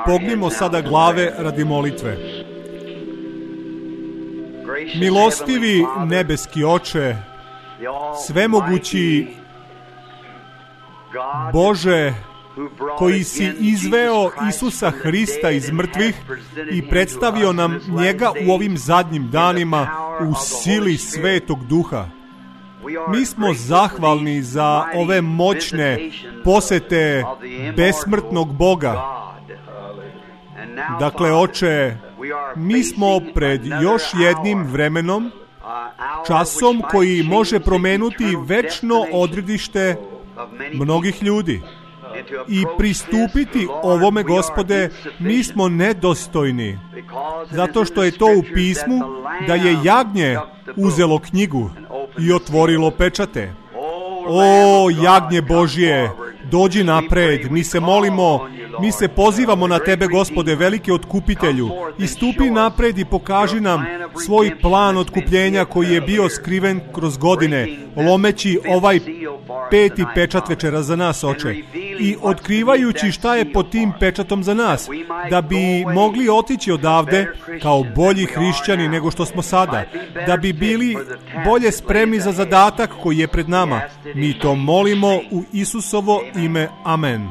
Pognimo sada glave radi molitve. Milostivi nebeski Oče, svemogući Bože, koji si izveo Isusa Hrista iz mrtvih i predstavio nam njega u ovim zadnjim danima u sili Svetog Duha. Mi smo zahvalni za ove moćne posete besmrtnog Boga. Dakle, Oče, mi smo pred još jednim vremenom, časom koji može promenuti večno odredište mnogih ljudi. I pristupiti ovome, Gospode, mi smo nedostojni, zato što je to u pismu da je jagnje uzelo knjigu i otvorilo pečate. O, jagnje Božje, dođi napred, mi se molimo, mi se pozivamo na Tebe, Gospode, veliki otkupitelju, i stupi napred i pokaži nam svoj plan otkupljenja koji je bio skriven kroz godine, lomeći ovaj peti pečat večera za nas, Oče, i otkrivajući šta je pod tim pečatom za nas, da bi mogli otići odavde kao bolji hrišćani nego što smo sada, da bi bili bolje spremni za zadatak koji je pred nama. Mi to molimo u Isusovo ime. Amen.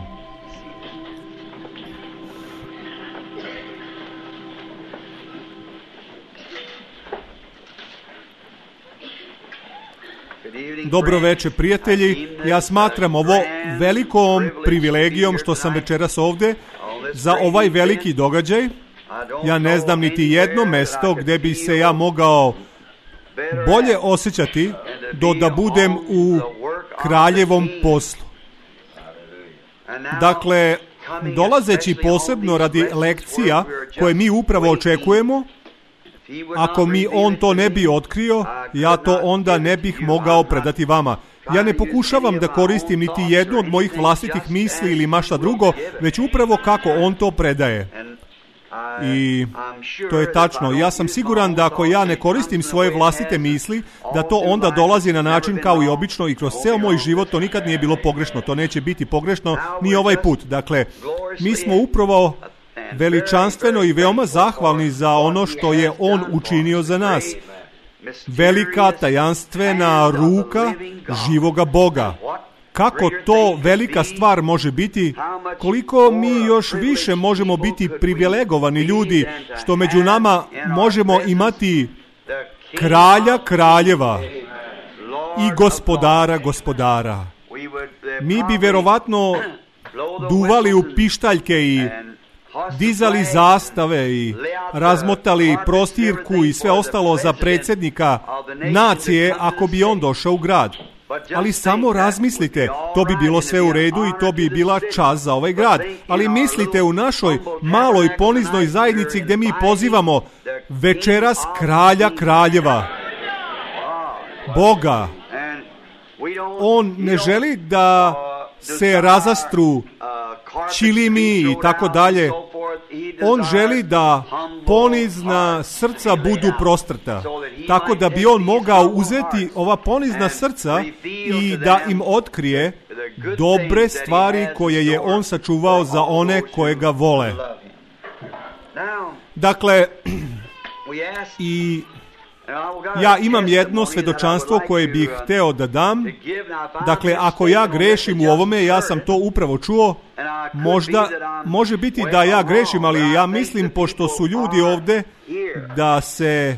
Dobro večer, prijatelji. Ja smatram ovo velikom privilegijom što sam večeras ovde za ovaj veliki događaj. Ja ne znam niti jedno mesto gde bi se ja mogao bolje osjećati da budem u kraljevom poslu. Dakle, dolazeći posebno radi lekcija koje mi upravo očekujemo, ako mi on to ne bi otkrio, ja to onda ne bih mogao predati vama. Ja ne pokušavam da koristim niti jednu od mojih vlastitih misli ili mašta drugo, već upravo kako on to predaje. I to je tačno. Ja sam siguran da ako ja ne koristim svoje vlastite misli, da to onda dolazi na način kao i obično i kroz ceo moj život to nikad nije bilo pogrešno. To neće biti pogrešno ni ovaj put. Dakle, mi smo upravo veličanstveno i veoma zahvalni za ono što je on učinio za nas. Velika tajanstvena ruka živoga Boga. Kako to velika stvar može biti, koliko mi još više možemo biti privilegovani ljudi, što među nama možemo imati kralja kraljeva i gospodara gospodara. Mi bi verovatno duvali u pištaljke i dizali zastave i razmotali prostirku i sve ostalo za predsjednika nacije ako bi on došao u grad. Ali samo razmislite, to bi bilo sve u redu i to bi bila čast za ovaj grad. Ali mislite u našoj maloj poniznoj zajednici gdje mi pozivamo večeras kralja kraljeva, Boga. On ne želi da se razastru čilimi i tako dalje. On želi da ponizna srca budu prostrta, tako da bi on mogao uzeti ova ponizna srca i da im otkrije dobre stvari koje je on sačuvao za one koje ga vole. Dakle, i ja imam jedno svedočanstvo koje bih hteo da dam. Dakle, ako ja grešim u ovome, ja sam to upravo čuo, može biti da ja grešim, ali ja mislim, pošto su ljudi ovde, da se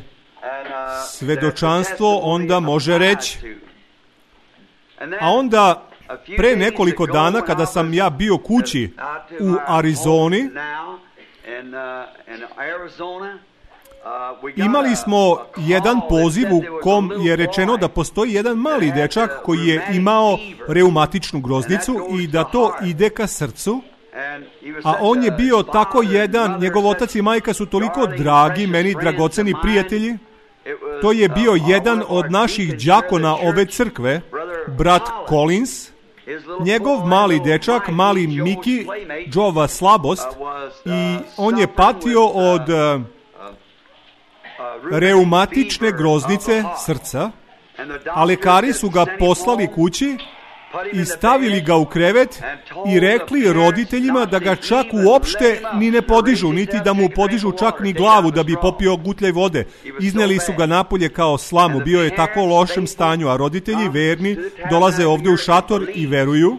svedočanstvo onda može reći. A onda, pre nekoliko dana, kada sam ja bio kući u Arizoni, imali smo jedan poziv u kom je rečeno da postoji jedan mali dečak koji je imao reumatičnu groznicu i da to ide ka srcu, a on je bio tako jedan, njegov otac i majka su toliko dragi, meni dragoceni prijatelji. To je bio jedan od naših đakona ove crkve, brat Collins. Njegov mali dečak, mali Miki, Joeova slabost, i on je patio od reumatične groznice srca, a lekari su ga poslali kući i stavili ga u krevet i rekli roditeljima da ga čak uopšte ni ne podižu, niti da mu podižu čak ni glavu da bi popio gutljaj vode. Izneli su ga napolje kao slamu, bio je tako u lošem stanju, a roditelji verni dolaze ovdje u šator i veruju.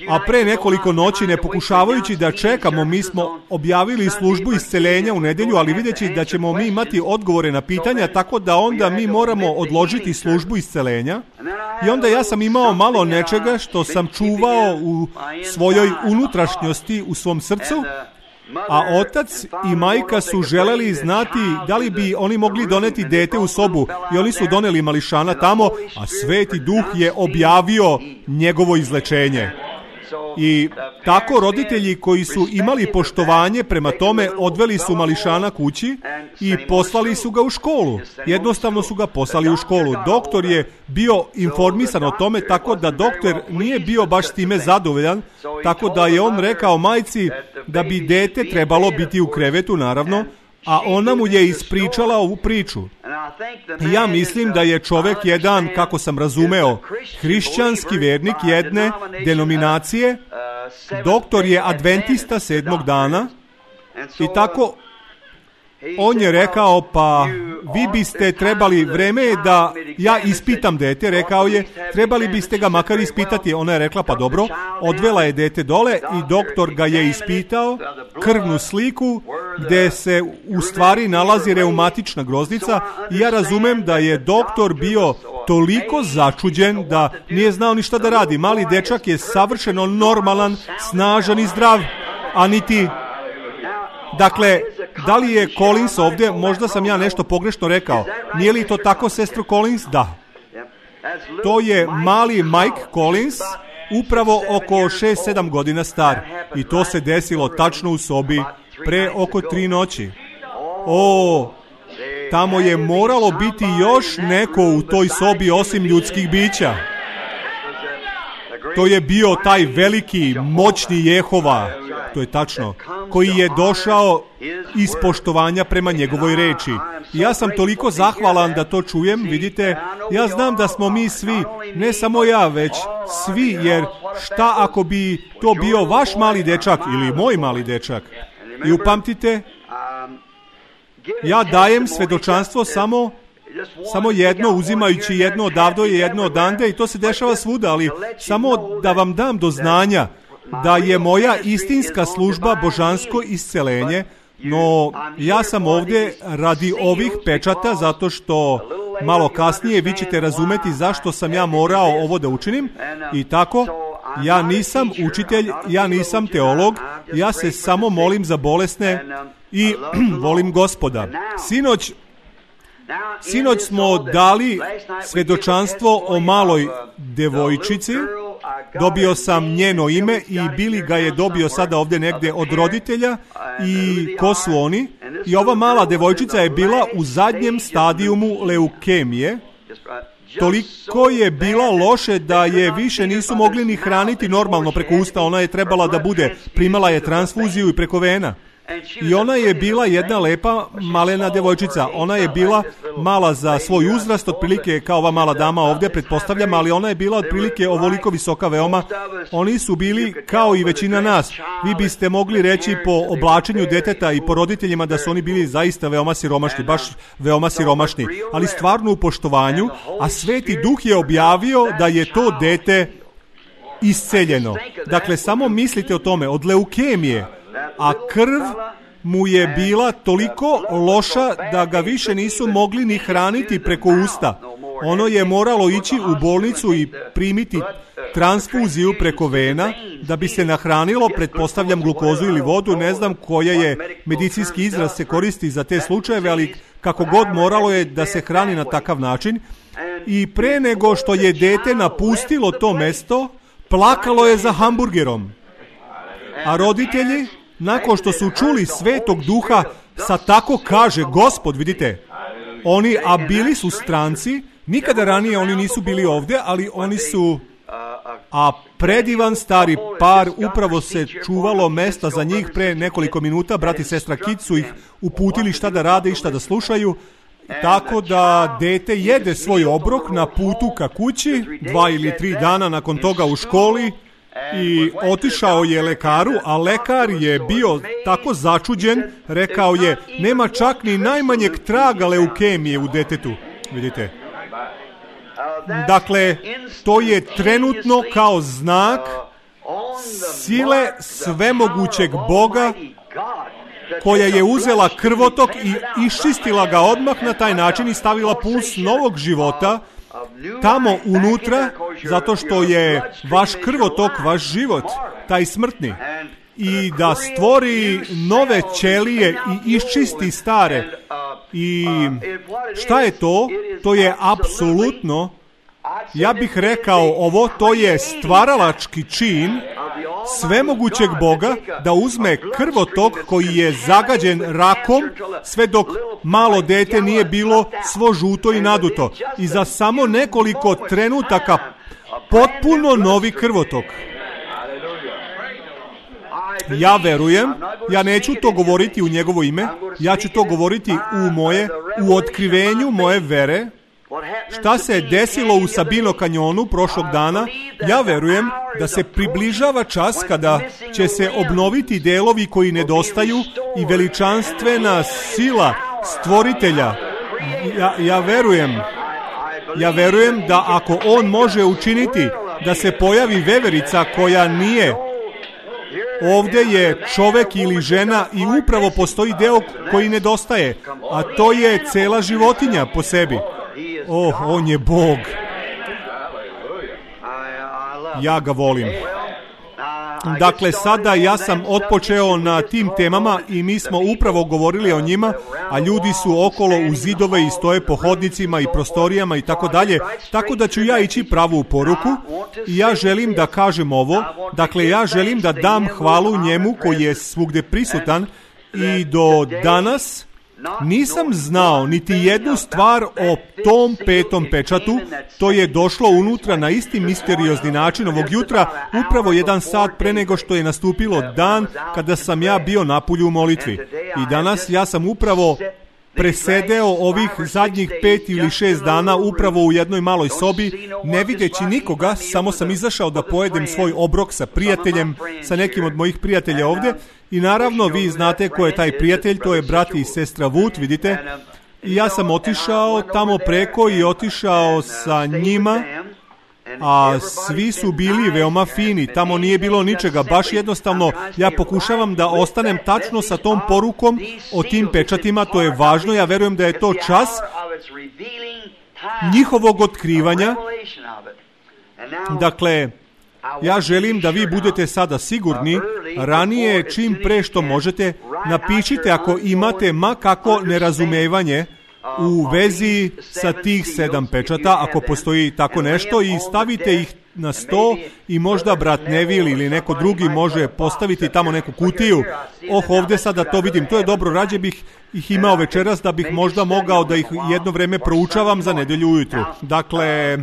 A pre nekoliko noći, ne pokušavajući da čekamo, mi smo objavili službu isceljenja u nedjelju, ali videći da ćemo mi imati odgovore na pitanja, tako da onda mi moramo odložiti službu isceljenja. I onda ja sam imao malo nečega što sam čuvao u svojoj unutrašnjosti, u svom srcu, a otac i majka su želeli znati da li bi oni mogli doneti dete u sobu, i oni su doneli mališana tamo, a Sveti Duh je objavio njegovo izlečenje. I tako roditelji koji su imali poštovanje prema tome odveli su mališana kući i poslali su ga u školu. Jednostavno su ga poslali u školu. Doktor je bio informisan o tome, tako da doktor nije bio baš s time zadovoljan, tako da je on rekao majci da bi dete trebalo biti u krevetu, naravno, a ona mu je ispričala ovu priču. I ja mislim da je čovjek jedan, kako sam razumeo, hrišćanski vernik jedne denominacije, doktor je adventista 7. dana, i tako on je rekao, pa vi biste trebali, vreme je da ja ispitam dete, rekao je, trebali biste ga makar ispitati. Ona je rekla, pa dobro, odvela je dete dole i doktor ga je ispitao, krvnu sliku gdje se u stvari nalazi reumatična groznica, i ja razumem da je doktor bio toliko začuđen da nije znao ni šta da radi. Mali dečak je savršeno normalan, snažan i zdrav, a niti... Dakle, da li je Collins ovdje? Možda sam ja nešto pogrešno rekao. Nije li to tako, sestro Collins? Da. To je mali Mike Collins, upravo oko 6-7 godina star. I to se desilo tačno u sobi pre oko 3 noći. O, tamo je moralo biti još neko u toj sobi osim ljudskih bića. To je bio taj veliki, moćni Jehova, to je tačno, koji je došao iz poštovanja prema njegovoj reči. I ja sam toliko zahvalan da to čujem, vidite, ja znam da smo mi svi, ne samo ja, već svi, jer šta ako bi to bio vaš mali dečak ili moj mali dečak? I upamtite, ja dajem svedočanstvo samo jedno, uzimajući jedno odavde i jedno odande, i to se dešava svuda, ali samo da vam dam do znanja da je moja istinska služba božansko isceljenje, no ja sam ovdje radi ovih pečata, zato što malo kasnije vi ćete razumeti zašto sam ja morao ovo da učinim. I tako, ja nisam učitelj, ja nisam teolog, ja se samo molim za bolesne i volim Gospoda. Sinoć smo dali svedočanstvo o maloj devojčici. Dobio sam njeno ime i Billy ga je dobio sada ovdje negdje od roditelja. I ko su oni? I ova mala devojčica je bila u zadnjem stadijumu leukemije. Toliko je bila loše da je više nisu mogli ni hraniti normalno preko usta. Ona je trebala da bude, primala je transfuziju i preko vena. I ona je bila jedna lepa malena devojčica. Ona je bila mala za svoj uzrast, otprilike kao ova mala dama ovdje, pretpostavljam, ali ona je bila otprilike ovoliko visoka veoma. Oni su bili kao i većina nas. Vi biste mogli reći po oblačenju deteta i po roditeljima da su oni bili zaista veoma siromašni, baš veoma siromašni, ali stvarno u poštovanju, a Sveti Duh je objavio da je to dete isceljeno. Dakle, samo mislite o tome, od leukemije, a krv mu je bila toliko loša da ga više nisu mogli ni hraniti preko usta. Ono je moralo ići u bolnicu i primiti transfuziju preko vena da bi se nahranilo, pretpostavljam glukozu ili vodu, ne znam koja je medicinski izraz se koristi za te slučajeve, ali kako god moralo je da se hrani na takav način. I pre nego što je dete napustilo to mesto, plakalo je za hamburgerom. A roditelji, nakon što su čuli Svetog Duha, sa tako kaže Gospod, vidite, oni, a bili su stranci, nikada ranije oni nisu bili ovdje, ali oni su, a predivan stari par, upravo se čuvalo mesta za njih pre nekoliko minuta, brat i sestra Kit su ih uputili šta da rade i šta da slušaju, tako da dete jede svoj obrok na putu ka kući, 2 ili 3 dana nakon toga u školi, i otišao je lekaru, a lekar je bio tako začuđen, rekao je, nema čak ni najmanjeg traga leukemije u detetu. Vidite? Dakle, to je trenutno kao znak sile svemogućeg Boga koja je uzela krvotok i iščistila ga odmah na taj način i stavila puls novog života tamo unutra, zato što je vaš krvotok, vaš život, taj smrtni. I da stvori nove ćelije i iščisti stare. I šta je to? To je apsolutno, ja bih rekao ovo, to je stvaralački čin svemogućeg Boga da uzme krvotok koji je zagađen rakom sve dok malo dete nije bilo svo žuto i naduto. I za samo nekoliko trenutaka potpuno novi krvotok. Ja verujem, ja neću to govoriti u njegovo ime, ja ću to govoriti u otkrivenju moje vere. Šta se desilo u Sabino kanjonu prošlog dana, ja verujem da se približava čas kada će se obnoviti delovi koji nedostaju i veličanstvena sila stvoritelja. Ja verujem da ako on može učiniti da se pojavi veverica koja nije, ovdje je čovek ili žena i upravo postoji deo koji nedostaje, a to je cela životinja po sebi. On je Bog. Ja ga volim. Dakle, sada ja sam otpočeo na tim temama i mi smo upravo govorili o njima, a ljudi su okolo u zidove i stoje po hodnicima i prostorijama i tako dalje, tako da ću ja ići pravu poruku i ja želim da kažem ovo. Dakle, ja želim da dam hvalu njemu koji je svugde prisutan i do danas nisam znao niti jednu stvar o tom 5. pečatu. To je došlo unutra na isti misteriozni način ovog jutra, upravo 1 sat pre nego što je nastupilo dan kada sam ja bio napolju u molitvi. I danas ja sam upravo presedeo ovih zadnjih 5 ili 6 dana upravo u jednoj maloj sobi, ne videći nikoga, samo sam izašao da pojedem svoj obrok sa prijateljem, sa nekim od mojih prijatelja ovdje. I naravno, vi znate ko je taj prijatelj, to je brat i sestra Wood, vidite. I ja sam otišao tamo preko i otišao sa njima, a svi su bili veoma fini, tamo nije bilo ničega, baš jednostavno ja pokušavam da ostanem tačno sa tom porukom o tim pečatima, to je važno, ja verujem da je to čas njihovog otkrivanja. Dakle, ja želim da vi budete sada sigurni, ranije čim pre što možete, napišite ako imate ma kako nerazumevanje u vezi sa tih 7 pečata, ako postoji tako nešto, i stavite ih na sto i možda brat Neville ili neko drugi može postaviti tamo neku kutiju. Ovdje sada to vidim, to je dobro, rađe bih ih imao večeras da bih možda mogao da ih jedno vreme proučavam za nedelju ujutru. Dakle,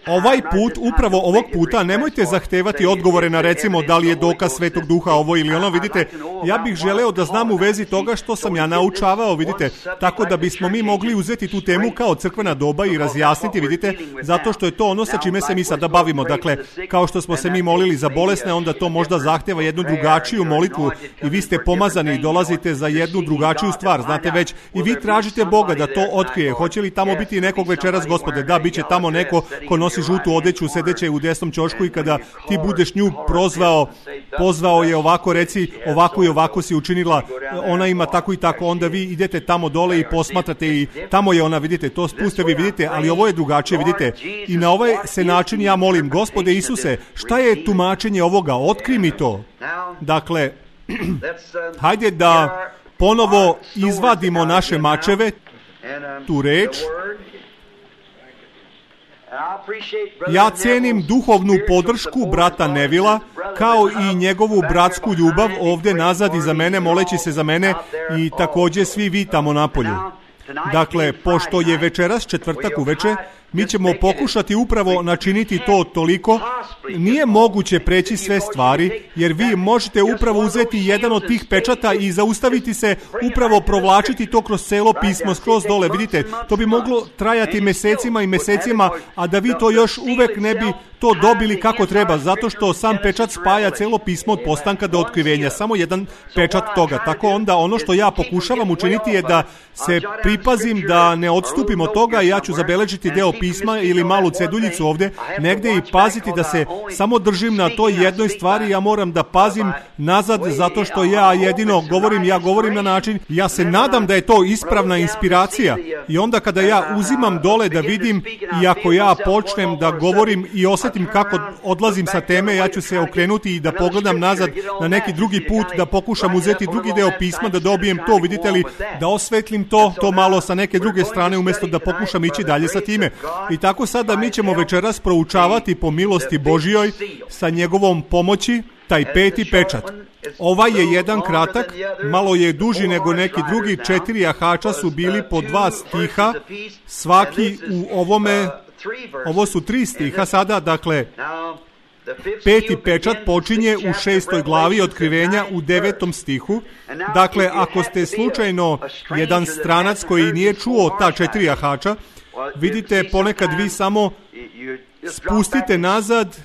ovaj put, upravo ovog puta, nemojte zahtevati odgovore na recimo da li je dokaz Svetog Duha ovo ili ono, vidite, ja bih želeo da znam u vezi toga što sam ja naučavao, vidite, tako da bismo mi mogli uzeti tu temu kao crkvena doba i razjasniti, vidite, zato što je to ono sa čime se mi sada bavimo. Dakle, kao što smo se mi molili za bolesne, onda to možda zahteva jednu drugačiju molitvu i vi ste pomazani i dolazite za jednu drugačiju stvar, znate već, i vi tražite Boga da to otkrije. Hoće li tamo biti nekog večeras, Gospode? Da, bit će tamo neko ko nosi žutu odeću, sedeće u desnom ćošku, i kada ti budeš nju pozvao je ovako, reci ovako i ovako si učinila, ona ima tako i tako, onda vi idete tamo dole i posmatrate i tamo je ona, vidite, to spuste vi vidite, ali ovo je drugačije, vidite, i na ovaj se način ja molim, Gospode Isuse, šta je tumačenje ovoga, otkri mi to. Dakle, hajde da ponovo izvadimo naše mačeve, tu reč. Ja cenim duhovnu podršku brata Nevila, kao i njegovu bratsku ljubav ovdje nazad iza mene, moleći se za mene, i također svi vi tamo napolju. Dakle, pošto je večeras četvrtak uveče, Mi ćemo pokušati upravo načiniti to toliko. Nije moguće preći sve stvari, jer vi možete upravo uzeti jedan od tih pečata i zaustaviti se, upravo provlačiti to kroz celo pismo, skroz dole. Vidite, to bi moglo trajati mesecima i mesecima, a da vi to još uvek ne bi to dobili kako treba, zato što sam pečat spaja celo pismo od postanka do otkrivenja, samo jedan pečat toga. Tako onda ono što ja pokušavam učiniti je da se pripazim da ne odstupim od toga, ja ću zabeležiti deo pisma ili malu ceduljicu ovde negde i paziti da se samo držim na toj jednoj stvari. Ja moram da pazim nazad, zato što ja jedino govorim na način, ja se nadam da je to ispravna inspiracija, i onda kada ja uzimam dole da vidim, i ako ja počnem da govorim i osjetim kako odlazim sa teme, ja ću se okrenuti i da pogledam nazad na neki drugi put, da pokušam uzeti drugi deo pisma, da dobijem to, vidite li, da osvetlim to malo sa neke druge strane, umjesto da pokušam ići dalje sa time. I tako sada mi ćemo večeras proučavati po milosti Božjoj sa njegovom pomoći taj 5. pečat. Ovaj je jedan kratak, malo je duži nego neki drugi, 4 jahača su bili po 2 stiha, svaki u ovome, ovo su 3 stiha sada, dakle 5. pečat počinje u 6. glavi otkrivenja u 9. stihu. Dakle, ako ste slučajno jedan stranac koji nije čuo ta 4 jahača, vidite, ponekad vi samo spustite nazad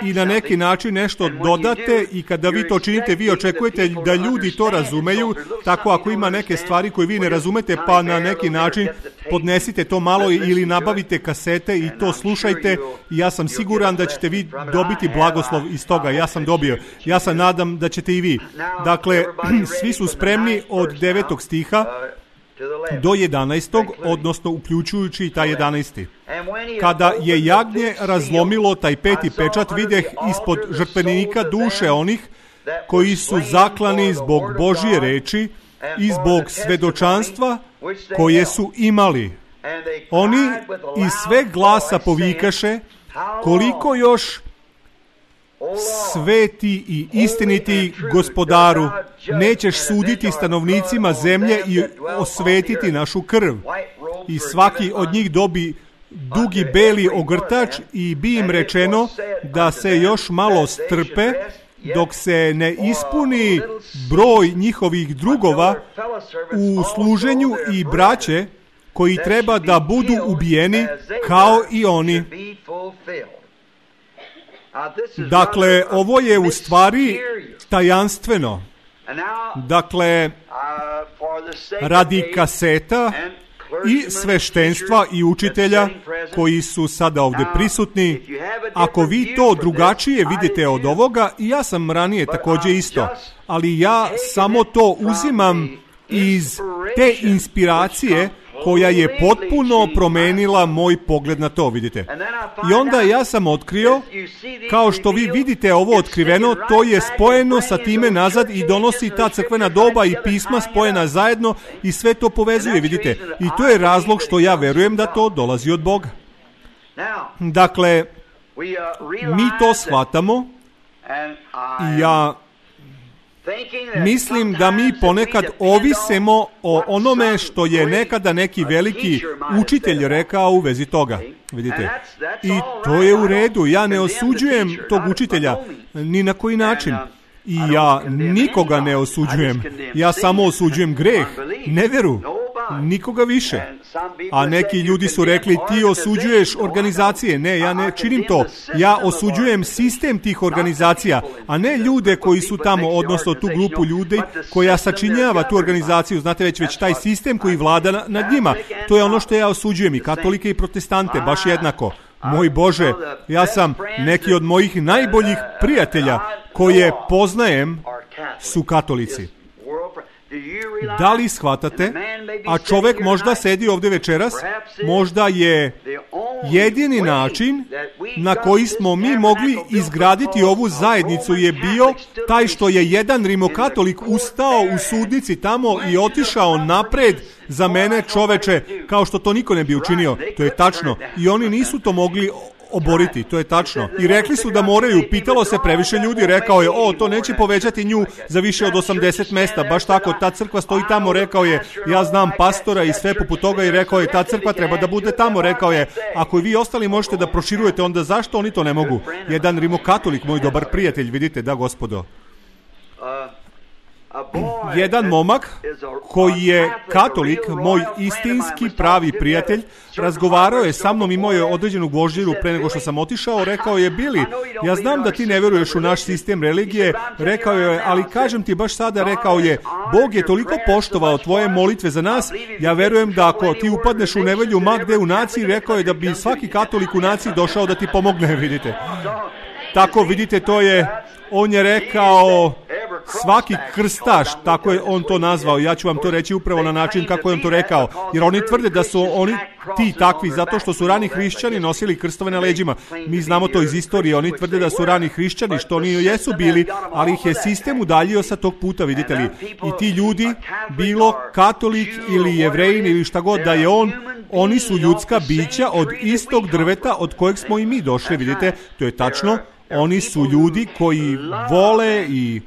i na neki način nešto dodate, i kada vi to činite, vi očekujete da ljudi to razumeju. Tako ako ima neke stvari koje vi ne razumete, pa na neki način podnesite to malo ili nabavite kasete i to slušajte, i ja sam siguran da ćete vi dobiti blagoslov iz toga. Ja sam dobio. Ja sam nadam da ćete i vi. Dakle, svi su spremni od 9. stiha do 11. odnosno uključujući taj 11. Kada je jagnje razlomilo taj 5. pečat, videh ispod žrtvenika duše onih koji su zaklani zbog Božje reči i zbog svedočanstva koje su imali. Oni iz sve glasa povikaše: koliko još, sveti i istiniti Gospodaru, nećeš suditi stanovnicima zemlje i osvetiti našu krv. I svaki od njih dobi dugi beli ogrtač, i bi im rečeno da se još malo strpe, dok se ne ispuni broj njihovih drugova u služenju i braće koji treba da budu ubijeni kao i oni. Dakle, ovo je u stvari tajanstveno. Dakle, radi kaseta i sveštenstva i učitelja koji su sada ovdje prisutni, ako vi to drugačije vidite od ovoga, i ja sam ranije također isto, ali ja samo to uzimam iz te inspiracije koja je potpuno promenila moj pogled na to, vidite. I onda ja sam otkrio, kao što vi vidite ovo otkriveno, to je spojeno sa time nazad i donosi ta crkvena doba i pisma spojena zajedno i sve to povezuje, vidite. I to je razlog što ja verujem da to dolazi od Boga. Dakle, mi to shvatamo i ja mislim da mi ponekad ovisimo o onome što je nekada neki veliki učitelj rekao u vezi toga. Vidite? I to je u redu. Ja ne osuđujem tog učitelja ni na koji način. I ja nikoga ne osuđujem. Ja samo osuđujem greh, neveru, nikoga više. A neki ljudi su rekli, ti osuđuješ organizacije. Ne, ja ne činim to. Ja osuđujem sistem tih organizacija, a ne ljude koji su tamo, odnosno tu grupu ljudi koja sačinjava tu organizaciju. Znate, već taj sistem koji vlada nad njima. To je ono što ja osuđujem, i katolike i protestante, baš jednako. Moj Bože, ja sam, neki od mojih najboljih prijatelja koje poznajem su katolici. Da li shvatate? A čovjek možda sedi ovdje večeras, možda je jedini način na koji smo mi mogli izgraditi ovu zajednicu je bio taj što je jedan rimokatolik ustao u sudnici tamo i otišao napred za mene, čoveče, kao što to niko ne bi učinio. To je tačno. I oni nisu to mogli oboriti, to je tačno. I rekli su da moraju, pitalo se previše ljudi, rekao je, to neće povećati nju za više od 80 mesta, baš tako, ta crkva stoji tamo, rekao je, ja znam pastora i sve poput toga i rekao je, ta crkva treba da bude tamo, rekao je, ako i vi ostali možete da proširujete, onda zašto oni to ne mogu? Jedan rimokatolik, moj dobar prijatelj, vidite, da gospodo. Jedan momak koji je katolik, moj istinski pravi prijatelj, razgovarao je sa mnom, imao je određenu gvožđeru pre nego što sam otišao, rekao je, Billy, ja znam da ti ne veruješ u naš sistem religije, rekao je, ali kažem ti baš sada, rekao je, Bog je toliko poštovao tvoje molitve za nas, ja verujem da ako ti upadneš u nevolju ma gde u naciji, rekao je da bi svaki katolik u naciji došao da ti pomogne, vidite. Tako, vidite, to je, on je rekao, svaki krstaš, tako je on to nazvao, ja ću vam to reći upravo na način kako je on to rekao, jer oni tvrde da su oni ti takvi, zato što su rani hrišćani nosili krstove na leđima. Mi znamo to iz istorije, oni tvrde da su rani hrišćani, što oni jesu bili, ali ih je sistem udaljio sa tog puta, vidite li. I ti ljudi, bilo katolik ili jevrejin ili šta god da je oni su ljudska bića od istog drveta od kojeg smo i mi došli, vidite, to je tačno. Oni su ljudi koji vole i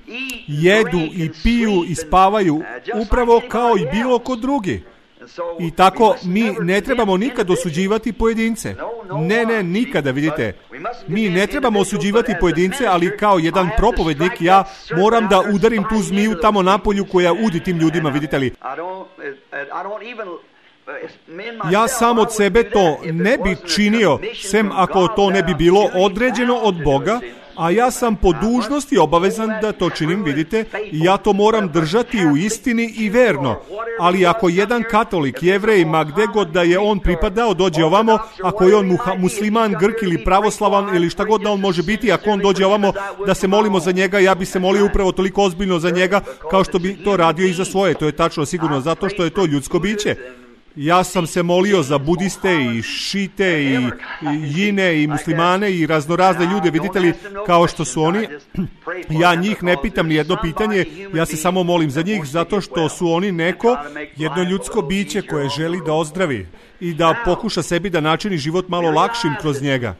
jedu i piju i spavaju upravo kao i bilo ko drugi. I tako mi ne trebamo nikad osuđivati pojedince. Ne, nikada, vidite. Mi ne trebamo osuđivati pojedince, ali kao jedan propovednik ja moram da udarim tu zmiju tamo napolju koja udi tim ljudima, vidite li. Ja sam od sebe to ne bi činio, sem ako to ne bi bilo određeno od Boga, a ja sam po dužnosti obavezan da to činim, vidite, i ja to moram držati u istini i verno. Ali ako jedan katolik, jevrej, ma gde god da je on pripadao, dođe ovamo, ako je on musliman, Grk ili pravoslavan ili šta god da on može biti, ako on dođe ovamo da se molimo za njega, ja bi se molio upravo toliko ozbiljno za njega kao što bi to radio i za svoje. To je tačno, sigurno, zato što je to ljudsko biće. Ja sam se molio za budiste i šite i jine i muslimane i raznorazne ljude, vidite li, kao što su oni. Ja njih ne pitam ni jedno pitanje, ja se samo molim za njih zato što su oni jedno ljudsko biće koje želi da ozdravi i da pokuša sebi da načini život malo lakšim kroz njega.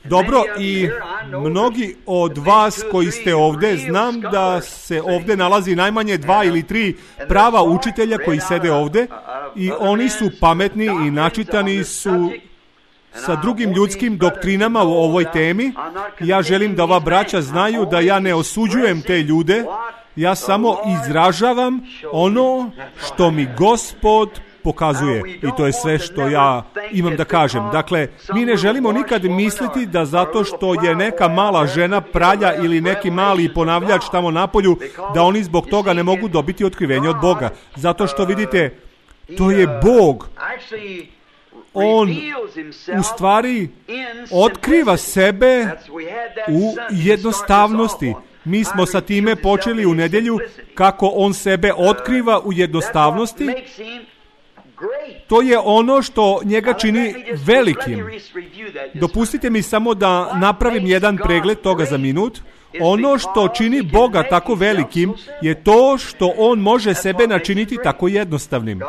Dobro, i mnogi od vas koji ste ovde, znam da se ovde nalazi najmanje 2 ili 3 prava učitelja koji sede ovde i oni su pametni i načitani su sa drugim ljudskim doktrinama u ovoj temi. Ja želim da ova braća znaju da ja ne osuđujem te ljude, ja samo izražavam ono što mi Gospod pokazuje i to je sve što ja imam da kažem. Dakle, mi ne želimo nikad misliti da zato što je neka mala žena pralja ili neki mali ponavljač tamo napolju, da oni zbog toga ne mogu dobiti otkrivenje od Boga. Zato što vidite, to je Bog. On u stvari otkriva sebe u jednostavnosti. Mi smo sa time počeli u nedjelju kako on sebe otkriva u jednostavnosti. To je ono što njega čini velikim. Dopustite mi samo da napravim jedan pregled toga za minut. Ono što čini Boga tako velikim je to što on može sebe načiniti tako jednostavnim.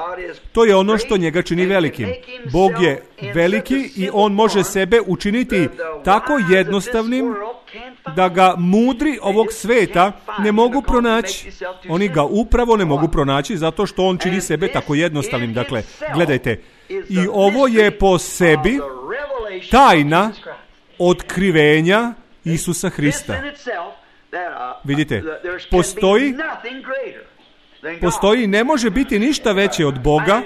To je ono što njega čini velikim. Bog je veliki i on može sebe učiniti tako jednostavnim da ga mudri ovog sveta ne mogu pronaći. Oni ga upravo ne mogu pronaći zato što on čini sebe tako jednostavnim. Dakle, gledajte, i ovo je po sebi tajna otkrivenja Isusa Hrista. Vidite, postoji, ne može biti ništa veće od Boga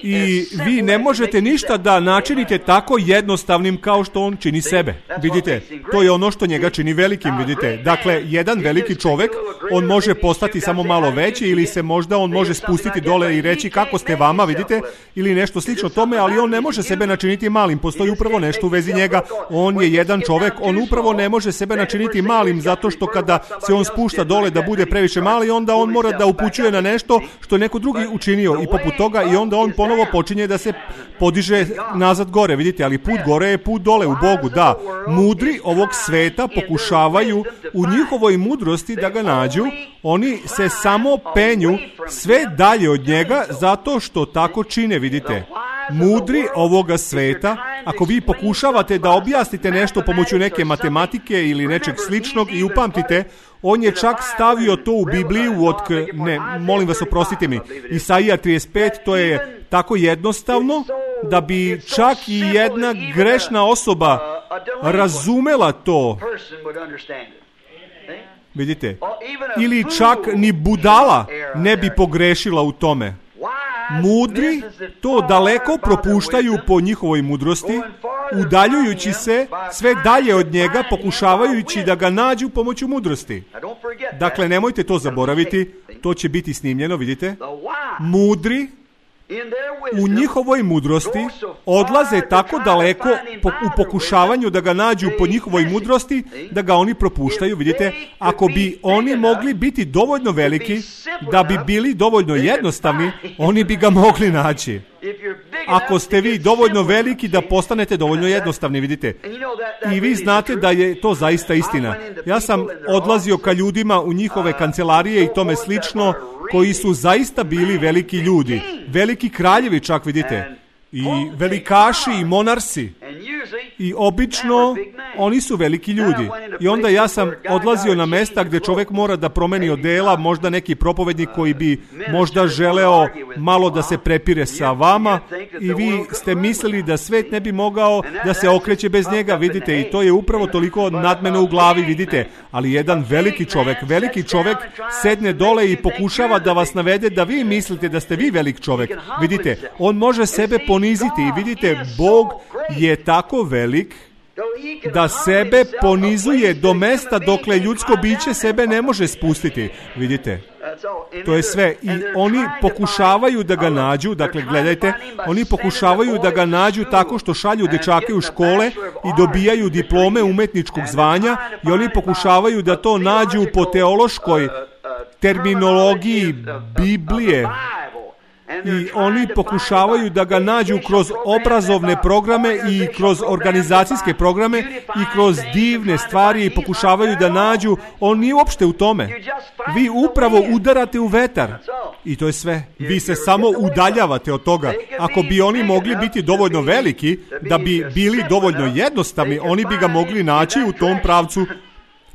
i vi ne možete ništa da načinite tako jednostavnim kao što on čini sebe. Vidite, to je ono što njega čini velikim, vidite. Dakle, jedan veliki čovjek, on može postati samo malo veći ili se možda on može spustiti dole i reći kako ste vama, vidite, ili nešto slično tome, ali on ne može sebe načiniti malim. Postoji upravo nešto u vezi njega. On je jedan čovjek, on upravo ne može sebe načiniti malim zato što kada se on spušta dole da bude previše mali, onda on mora da upućuje na nešto što je neko drugi učinio i poput toga i onda on ponovo počinje da se podiže nazad gore, vidite, ali put gore je put dole u Bogu, da. Mudri ovog sveta pokušavaju u njihovoj mudrosti da ga nađu, oni se samo penju sve dalje od njega zato što tako čine, vidite. mudri ovoga sveta, ako vi pokušavate da objasnite nešto pomoću neke matematike ili nečeg sličnog i upamtite, on je čak stavio to u Bibliju molim vas, oprostite mi, Isaija 35, to je tako jednostavno da bi čak i jedna grešna osoba razumela to. Vidite? Ili čak ni budala ne bi pogrešila u tome. Mudri to daleko propuštaju po njihovoj mudrosti, udaljujući se sve dalje od njega, pokušavajući da ga nađu pomoću mudrosti. Dakle, nemojte to zaboraviti, to će biti snimljeno, vidite? Mudri u njihovoj mudrosti odlaze tako daleko u pokušavanju da ga nađu po njihovoj mudrosti, da ga oni propuštaju, vidite? Ako bi oni mogli biti dovoljno veliki, da bi bili dovoljno jednostavni, oni bi ga mogli naći. Ako ste vi dovoljno veliki da postanete dovoljno jednostavni, vidite. I vi znate da je to zaista istina. Ja sam odlazio ka ljudima u njihove kancelarije i tome slično, koji su zaista bili veliki ljudi. Veliki kraljevi čak, vidite. I velikaši i monarsi. I obično oni su veliki ljudi. I onda ja sam odlazio na mesta gdje čovjek mora da promeni odela, možda neki propovednik koji bi možda želeo malo da se prepire sa vama i vi ste mislili da svet ne bi mogao da se okreće bez njega, vidite, i to je upravo toliko nadmeno u glavi, vidite. Ali jedan veliki čovjek sedne dole i pokušava da vas navede da vi mislite da ste vi velik čovjek. Vidite, on može sebe poniziti i vidite, Bog je tako velik da sebe ponizuje do mesta dokle ljudsko biće sebe ne može spustiti. Vidite, to je sve. I oni pokušavaju da ga nađu, dakle gledajte, oni pokušavaju da ga nađu tako što šalju dečake u škole i dobijaju diplome umetničkog zvanja i oni pokušavaju da to nađu po teološkoj terminologiji Biblije. I oni pokušavaju da ga nađu kroz obrazovne programe i kroz organizacijske programe i kroz divne stvari i pokušavaju da nađu. On nije uopšte u tome. Vi upravo udarate u vetar. I to je sve. Vi se samo udaljavate od toga. Ako bi oni mogli biti dovoljno veliki, da bi bili dovoljno jednostavni, oni bi ga mogli naći u tom pravcu,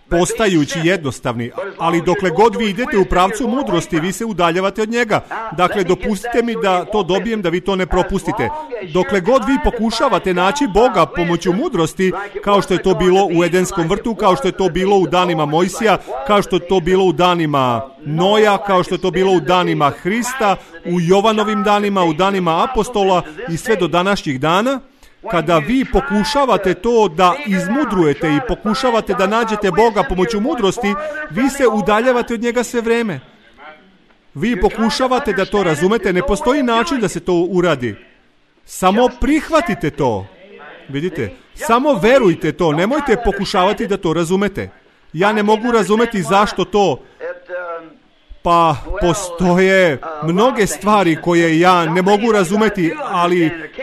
postajući jednostavni, ali dokle god vi idete u pravcu mudrosti, vi se udaljavate od njega. Dakle, dopustite mi da to dobijem, da vi to ne propustite. Dokle god vi pokušavate naći Boga pomoću mudrosti, kao što je to bilo u Edenskom vrtu, kao što je to bilo u danima Mojsija, kao što je to bilo u danima Noja, kao što je to bilo u danima Hrista, u Jovanovim danima, u danima apostola i sve do današnjih dana, kada vi pokušavate to da izmudrujete i pokušavate da nađete Boga pomoću mudrosti, vi se udaljavate od njega sve vreme. Vi pokušavate da to razumete, ne postoji način da se to uradi. Samo prihvatite to. Vidite, samo verujte to, nemojte pokušavati da to razumete. Ja ne mogu razumeti zašto to. Pa postoje mnoge stvari koje ja ne mogu razumeti,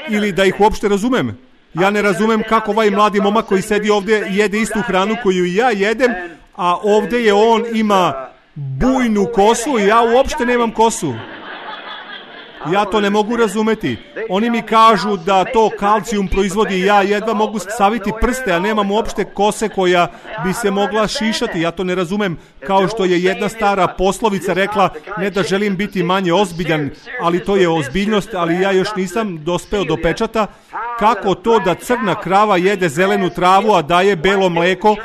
ili da ih uopšte razumem. Ja ne razumem kako ovaj mladi momak koji sedi ovdje jede istu hranu koju i ja jedem, a ovdje je on ima bujnu kosu i ja uopšte nemam kosu. Ja to ne mogu razumeti. Oni mi kažu da to kalcijum proizvodi, ja jedva mogu saviti prste, a nemam uopšte kose koja bi se mogla šišati. Ja to ne razumem. Kao što je jedna stara poslovica rekla, ne da želim biti manje ozbiljan, ali to je ozbiljnost, ali ja još nisam dospeo do pečata. Kako to da crna krava jede zelenu travu, a daje belo mleko,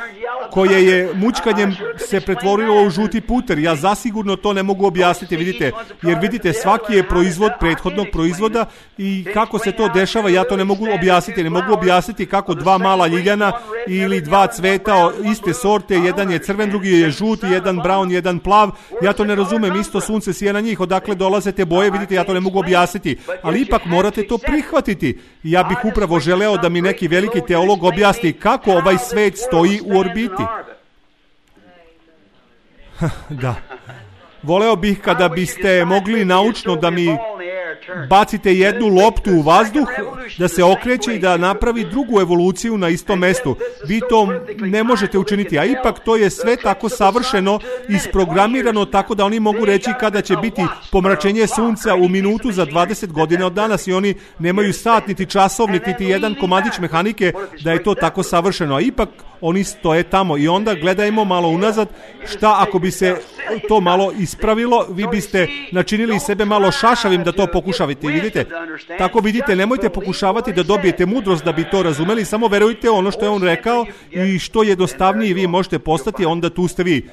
koje je mućkanjem se pretvorilo u žuti puter? Ja zasigurno to ne mogu objasniti, vidite, jer vidite, svaki je proizvod prethodnog proizvoda i kako se to dešava, ja to ne mogu objasniti. Ne mogu objasniti kako dva mala ljiljana ili dva cveta iste sorte, jedan je crven, drugi je žut, jedan brown, jedan plav, ja to ne razumem, isto sunce sije na njih, odakle dolaze te boje, vidite, ja to ne mogu objasniti, ali ipak morate to prihvatiti. Ja bih upravo želeo da mi neki veliki teolog objasni kako ovaj svet stoji u orbiti. Da. Voleo bih kada biste mogli naučno da mi bacite jednu loptu u vazduh, da se okreće i da napravi drugu evoluciju na istom mestu. Vi to ne možete učiniti, a ipak to je sve tako savršeno isprogramirano tako da oni mogu reći kada će biti pomračenje sunca u minutu za 20 godina od danas i oni nemaju sat, niti časovnik, niti jedan komadić mehanike da je to tako savršeno, a ipak oni stoje tamo i onda gledajmo malo unazad šta ako bi se to malo ispravilo, vi biste načinili sebe malo šašavim da to pokušavate, vidite? Tako vidite, nemojte pokušavati da dobijete mudrost da bi to razumeli, samo verujte ono što je on rekao i što jednostavnije vi možete postati, onda tu ste vi.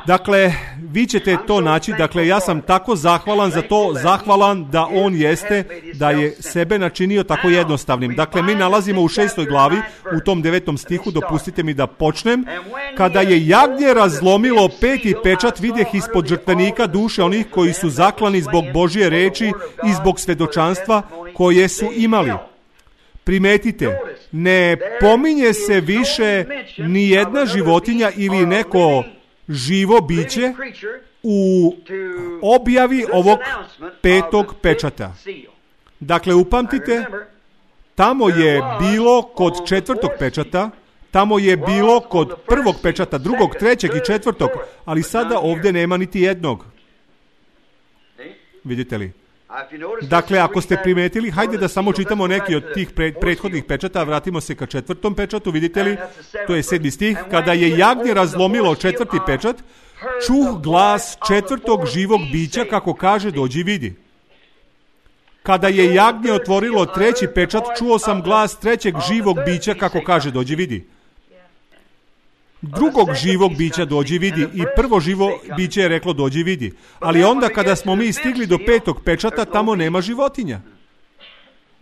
Dakle, vi ćete to naći, dakle ja sam tako zahvalan za to, zahvalan da on jeste, da je sebe načinio tako jednostavnim. Dakle, mi nalazimo u 6. glavi, u tom 9. stihu, dopustite mi da počnem. Kada je jagnje razlomilo 5. pečat, vidjeh ispod žrtvenika duše onih koji su zaklani zbog Božje reči i zbog svedočanstva koje su imali. Primetite, ne pominje se više ni jedna životinja ili neko živo biće u objavi ovog 5. pečata. Dakle, upamtite, tamo je bilo kod 4. pečata, tamo je bilo kod 1. pečata, 2., 3. i 4., ali sada ovdje nema niti jednog. Vidite li? Dakle, ako ste primetili, hajde da samo čitamo neki od tih prethodnih pečata, vratimo se ka 4. pečatu, vidite li? To je 7. stih. Kada je jagnje razlomilo 4. pečat, čuh glas 4. živog bića kako kaže dođi vidi. Kada je jagnje otvorilo 3. pečat, čuo sam glas 3. živog bića kako kaže dođi vidi. 2. živog bića dođi vidi i 1. živo biće je reklo dođi vidi. Ali onda kada smo mi stigli do 5. pečata, tamo nema životinja.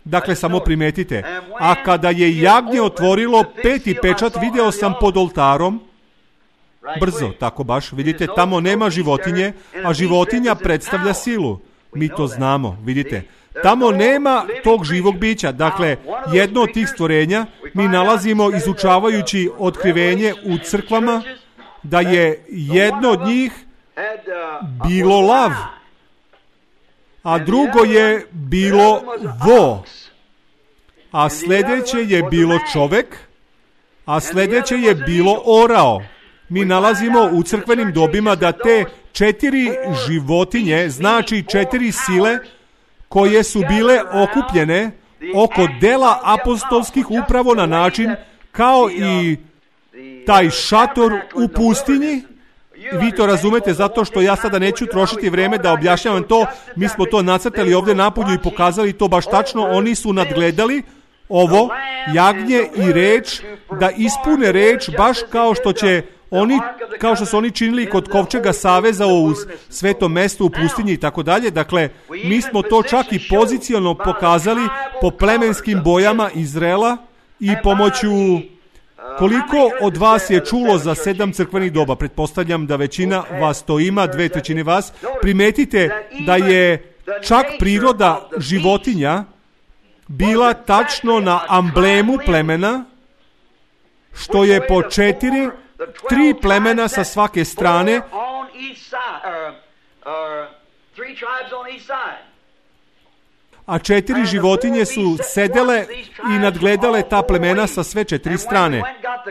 Dakle, samo primetite. A kada je jagnje otvorilo 5. pečat, video sam pod oltarom, brzo, tako baš, vidite, tamo nema životinje, a životinja predstavlja silu. Mi to znamo, vidite. Tamo nema tog živog bića. Dakle, jedno od tih stvorenja mi nalazimo izučavajući otkrivenje u crkvama da je jedno od njih bilo lav, a drugo je bilo vo, a sljedeće je bilo čovek, a sljedeće je bilo orao. Mi nalazimo u crkvenim dobima da te 4 životinje, znači 4 sile, koje su bile okupljene oko dela apostolskih upravo na način kao i taj šator u pustinji. Vi to razumete zato što ja sada neću trošiti vrijeme da objašnjavam to. Mi smo to nacrtali ovdje napolju i pokazali to baš tačno. Oni su nadgledali ovo jagnje i reč da ispune reč baš kao što su oni činili kod kovčega saveza u svetom mestu u pustinji i tako dalje. Dakle, mi smo to čak i pozicionalno pokazali po plemenskim bojama Izraela i pomoću koliko od vas je čulo za 7 crkvenih doba. Pretpostavljam da većina vas to ima, 2/3 vas. Primetite da je čak priroda životinja bila tačno na amblemu plemena, što je po 3 plemena sa svake strane, a 4 životinje su sedele i nadgledale ta plemena sa sve 4 strane.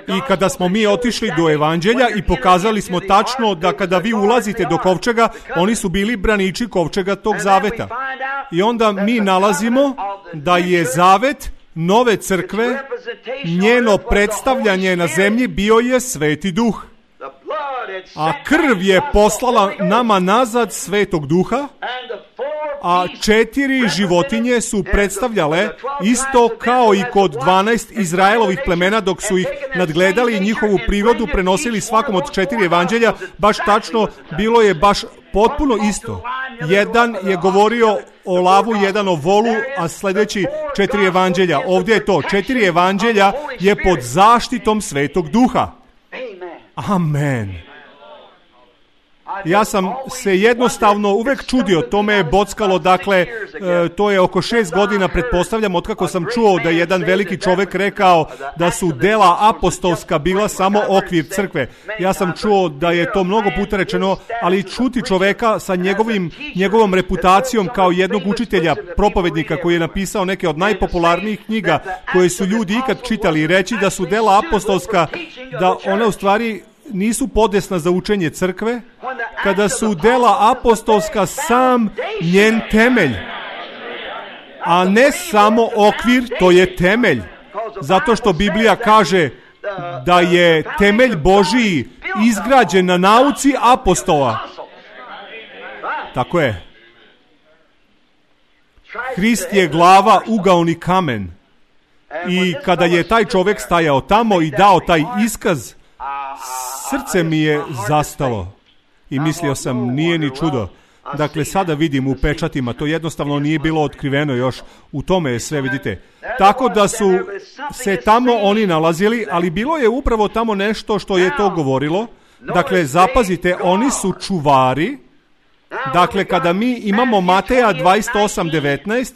I kada smo mi otišli do evanđelja i pokazali smo tačno da kada vi ulazite do kovčega, oni su bili braniči kovčega tog zaveta. I onda mi nalazimo da je zavet nove crkve, njeno predstavljanje na zemlji bio je Sveti Duh. A krv je poslala nama nazad Svetog Duha, a 4 životinje su predstavljale isto kao i kod 12 Izraelovih plemena dok su ih nadgledali i njihovu prirodu prenosili svakom od 4 evanđelja, baš tačno, bilo je baš potpuno isto. Jedan je govorio o lavu, jedan o volu, a sljedeći 4 evanđelja. Ovdje je to, 4 evanđelja je pod zaštitom Svetog Duha. Amen. Ja sam se jednostavno uvek čudio, to me je bockalo, dakle, to je oko 6 godina, pretpostavljam, otkako sam čuo da je jedan veliki čovek rekao da su dela apostolska bila samo okvir crkve. Ja sam čuo da je to mnogo puta rečeno, ali čuti čoveka sa njegovom reputacijom kao jednog učitelja, propovednika koji je napisao neke od najpopularnijih knjiga koje su ljudi ikad čitali i reći da su dela apostolska, da one u stvari nisu podesna za učenje crkve, kada su dela apostolska sam njen temelj, a ne samo okvir, to je temelj. Zato što Biblija kaže da je temelj Božiji izgrađen na nauci apostola. Tako je. Hrist je glava, ugaoni kamen. I kada je taj čovjek stajao tamo i dao taj iskaz, srce mi je zastalo. I mislio sam, nije ni čudo. Dakle, sada vidim u pečatima, to jednostavno nije bilo otkriveno još. U tome je sve, vidite. Tako da su se tamo oni nalazili, ali bilo je upravo tamo nešto što je to govorilo. Dakle, zapazite, oni su čuvari. Dakle, kada mi imamo Mateja 28:19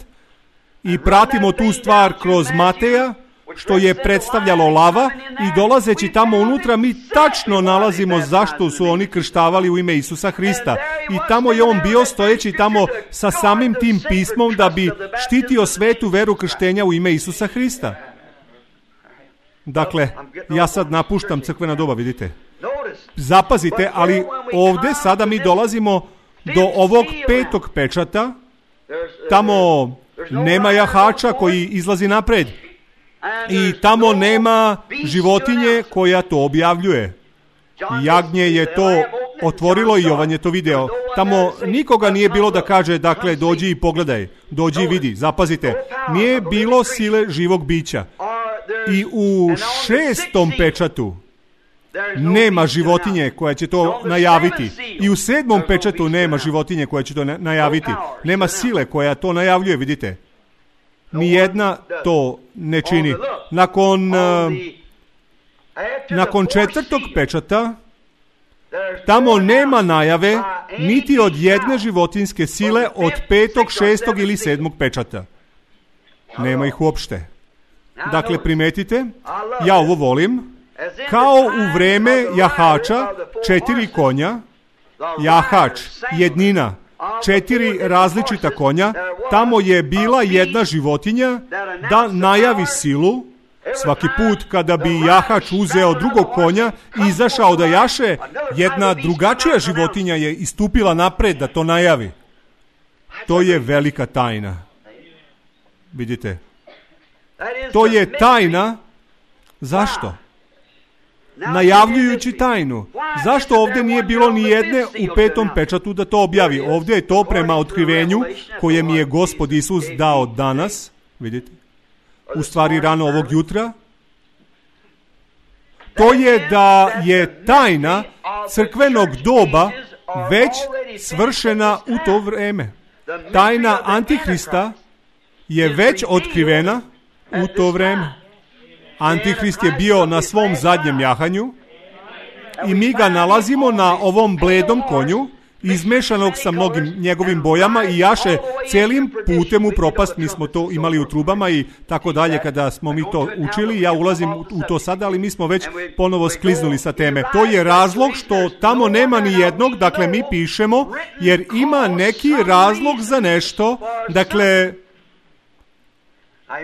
i pratimo tu stvar kroz Mateja, što je predstavljalo lava, i dolazeći tamo unutra mi tačno nalazimo zašto su oni krštavali u ime Isusa Hrista. I tamo je on bio stojeći tamo sa samim tim pismom da bi štitio svetu veru krštenja u ime Isusa Hrista. Dakle, ja sad napuštam crkvena doba, vidite. Zapazite, ali ovdje sada mi dolazimo do ovog 5. pečata. Tamo nema jahača koji izlazi napred. I tamo nema životinje koja to objavljuje. Jagnje je to otvorilo i Jovan je to video. Tamo nikoga nije bilo da kaže, dakle, dođi i pogledaj, dođi i vidi. Zapazite, nije bilo sile živog bića. I u 6. pečatu nema životinje koja će to najaviti. I u 7. pečatu nema životinje koja će to najaviti. Nema sile koja to najavljuje, vidite. Nijedna to ne čini. Nakon 4. pečata tamo nema najave niti od jedne životinjske sile od 5., 6. ili 7. pečata. Nema ih uopšte. Dakle, primetite, ja ovo volim. Kao u vreme jahača, 4 konja, jahač, jednina, 4 različita konja, tamo je bila jedna životinja da najavi silu. Svaki put kada bi jahač uzeo drugog konja i izašao da jaše, jedna drugačija životinja je istupila napred da to najavi. To je velika tajna. Vidite? To je tajna. Zašto? Najavljujući tajnu. Zašto ovdje nije bilo ni jedne u 5. pečatu da to objavi? Ovdje je to prema otkrivenju koje mi je Gospod Isus dao danas. Vidite? U stvari rano ovog jutra. To je da je tajna crkvenog doba već svršena u to vreme. Tajna Antihrista je već otkrivena u to vreme. Antihrist je bio na svom zadnjem jahanju i mi ga nalazimo na ovom bledom konju, izmešanog sa mnogim njegovim bojama i jaše celim putem u propast. Mi smo to imali u trubama i tako dalje kada smo mi to učili. Ja ulazim u to sada, ali mi smo već ponovo skliznuli sa teme. To je razlog što tamo nema ni jednog, dakle mi pišemo, jer ima neki razlog za nešto. Dakle,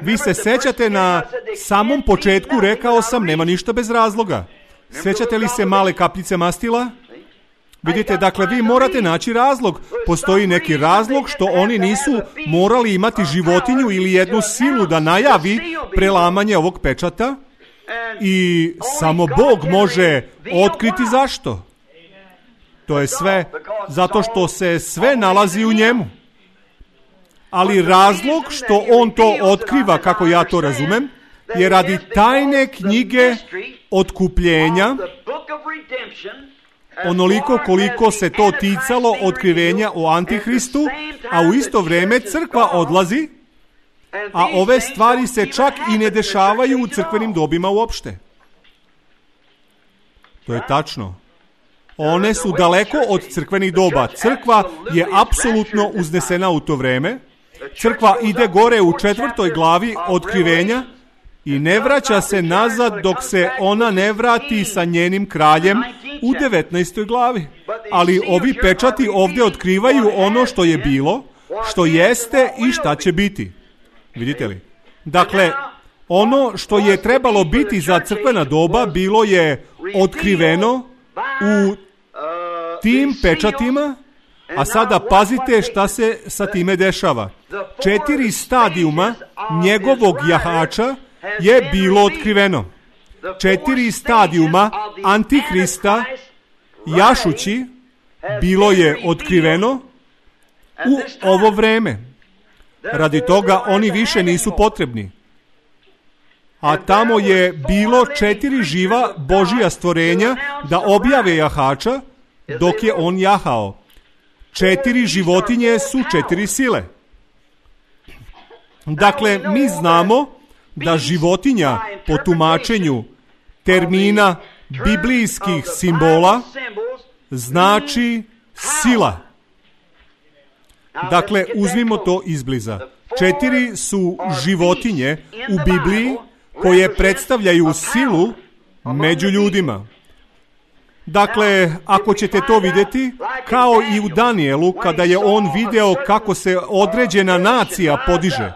vi se sećate na samom početku, rekao sam, nema ništa bez razloga. Sećate li se male kapljice mastila? Vidite, dakle, vi morate naći razlog. Postoji neki razlog što oni nisu morali imati životinju ili jednu silu da najavi prelamanje ovog pečata i samo Bog može otkriti zašto. To je sve zato što se sve nalazi u njemu. Ali razlog što on to otkriva, kako ja to razumem, je radi tajne knjige otkupljenja, onoliko koliko se to ticalo otkrivenja o Antihristu, a u isto vrijeme crkva odlazi, a ove stvari se čak i ne dešavaju u crkvenim dobima uopšte. To je tačno. One su daleko od crkvenih doba. Crkva je apsolutno uznesena u to vreme. Crkva ide gore u 4. glavi Otkrivenja i ne vraća se nazad dok se ona ne vrati sa njenim kraljem u 19. glavi. Ali ovi pečati ovdje otkrivaju ono što je bilo, što jeste i šta će biti. Vidite li? Dakle, ono što je trebalo biti za crkvena doba bilo je otkriveno u tim pečatima, a sada pazite šta se sa time dešava. 4 stadijuma njegovog jahača je bilo otkriveno. 4 stadijuma Antihrista jašući bilo je otkriveno u ovo vreme. Radi toga oni više nisu potrebni. A tamo je bilo 4 živa Božja stvorenja da objave jahača dok je on jahao. 4 životinje su 4 sile. Dakle, mi znamo da životinja po tumačenju termina biblijskih simbola znači sila. Dakle, uzmimo to izbliza. 4 su životinje u Bibliji koje predstavljaju silu među ljudima. Dakle, ako ćete to vidjeti, kao i u Danijelu, kada je on video kako se određena nacija podiže,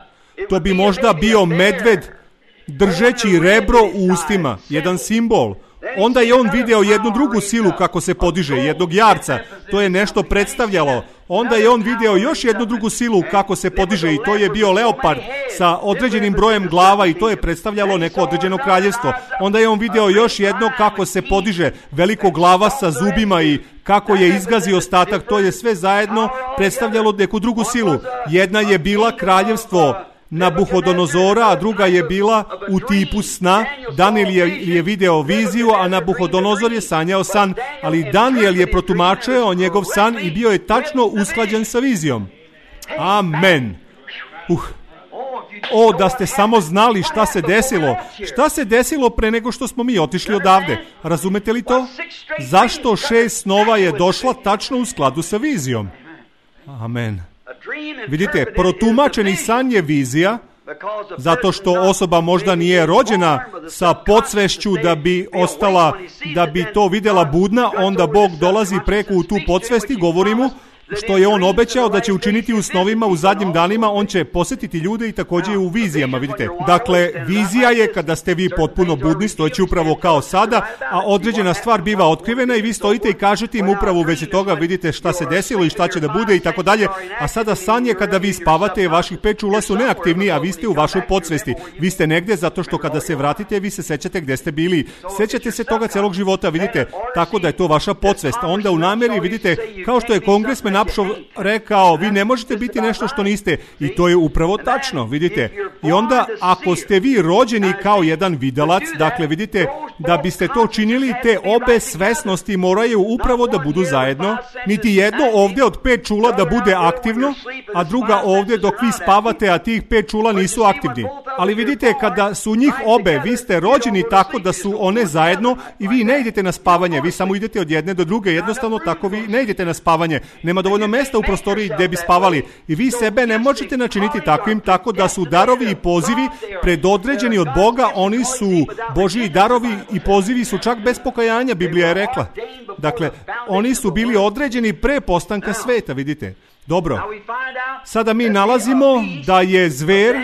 to bi možda bio medved držeći rebro u ustima, jedan simbol. Onda je on video jednu drugu silu kako se podiže, jednog jarca, to je nešto predstavljalo. Onda je on video još jednu drugu silu kako se podiže i to je bio leopard sa određenim brojem glava i to je predstavljalo neko određeno kraljevstvo. Onda je on video još jedno kako se podiže, veliko glava sa zubima i kako je izgazio ostatak, to je sve zajedno predstavljalo neku drugu silu. Jedna je bila kraljevstvo Nabuhodonozora, a druga je bila u tipu sna. Danijel je video viziju, a Nabuhodonozor je sanjao san, ali Danijel je protumačio njegov san i bio je tačno usklađen sa vizijom. Amen. O, da ste samo znali šta se desilo. Šta se desilo pre nego što smo mi otišli odavde. Razumete li to? Zašto 6 snova je došla tačno u skladu sa vizijom? Amen. Vidite, protumačeni san je vizija, zato što osoba možda nije rođena sa podsvešću da bi ostala, da bi to vidjela budna, onda Bog dolazi preko u tu podsvest i govori mu što je on obećao da će učiniti u snovima u zadnjim danima, on će posjetiti ljude i također u vizijama, vidite. Dakle, vizija je kada ste vi potpuno budni, stojeći upravo kao sada, a određena stvar biva otkrivena i vi stojite i kažete im upravo u vezi toga, vidite šta se desilo i šta će da bude i tako dalje. A sada san je kada vi spavate i vaših 5 čula su neaktivni, a vi ste u vašoj podsvesti. Vi ste negdje zato što kada se vratite, vi se sećate gdje ste bili. Sećate se toga celog života, vidite, tako da je to vaša podsvest. Onda u nameri, vidite, kao što je kongresmen Napšov rekao, vi ne možete biti nešto što niste, i to je upravo tačno, vidite. I onda, ako ste vi rođeni kao jedan videlac, dakle, vidite, da biste to činili, te obe svesnosti moraju upravo da budu zajedno. Niti jedno ovdje od 5 čula da bude aktivno, a druga ovdje dok vi spavate, a tih 5 čula nisu aktivni. Ali vidite, kada su njih obe, vi ste rođeni tako da su one zajedno i vi ne idete na spavanje, vi samo idete od jedne do druge, jednostavno tako vi ne idete na spavanje. Nema dovoljno mjesta u prostoriji gdje bi spavali i vi sebe ne možete načiniti takvim, tako da su darovi i pozivi predodređeni od Boga, oni su Božji darovi i pozivi su čak bez pokajanja, Biblija je rekla. Dakle, oni su bili određeni pre postanka sveta, vidite. Dobro, sada mi nalazimo da je zver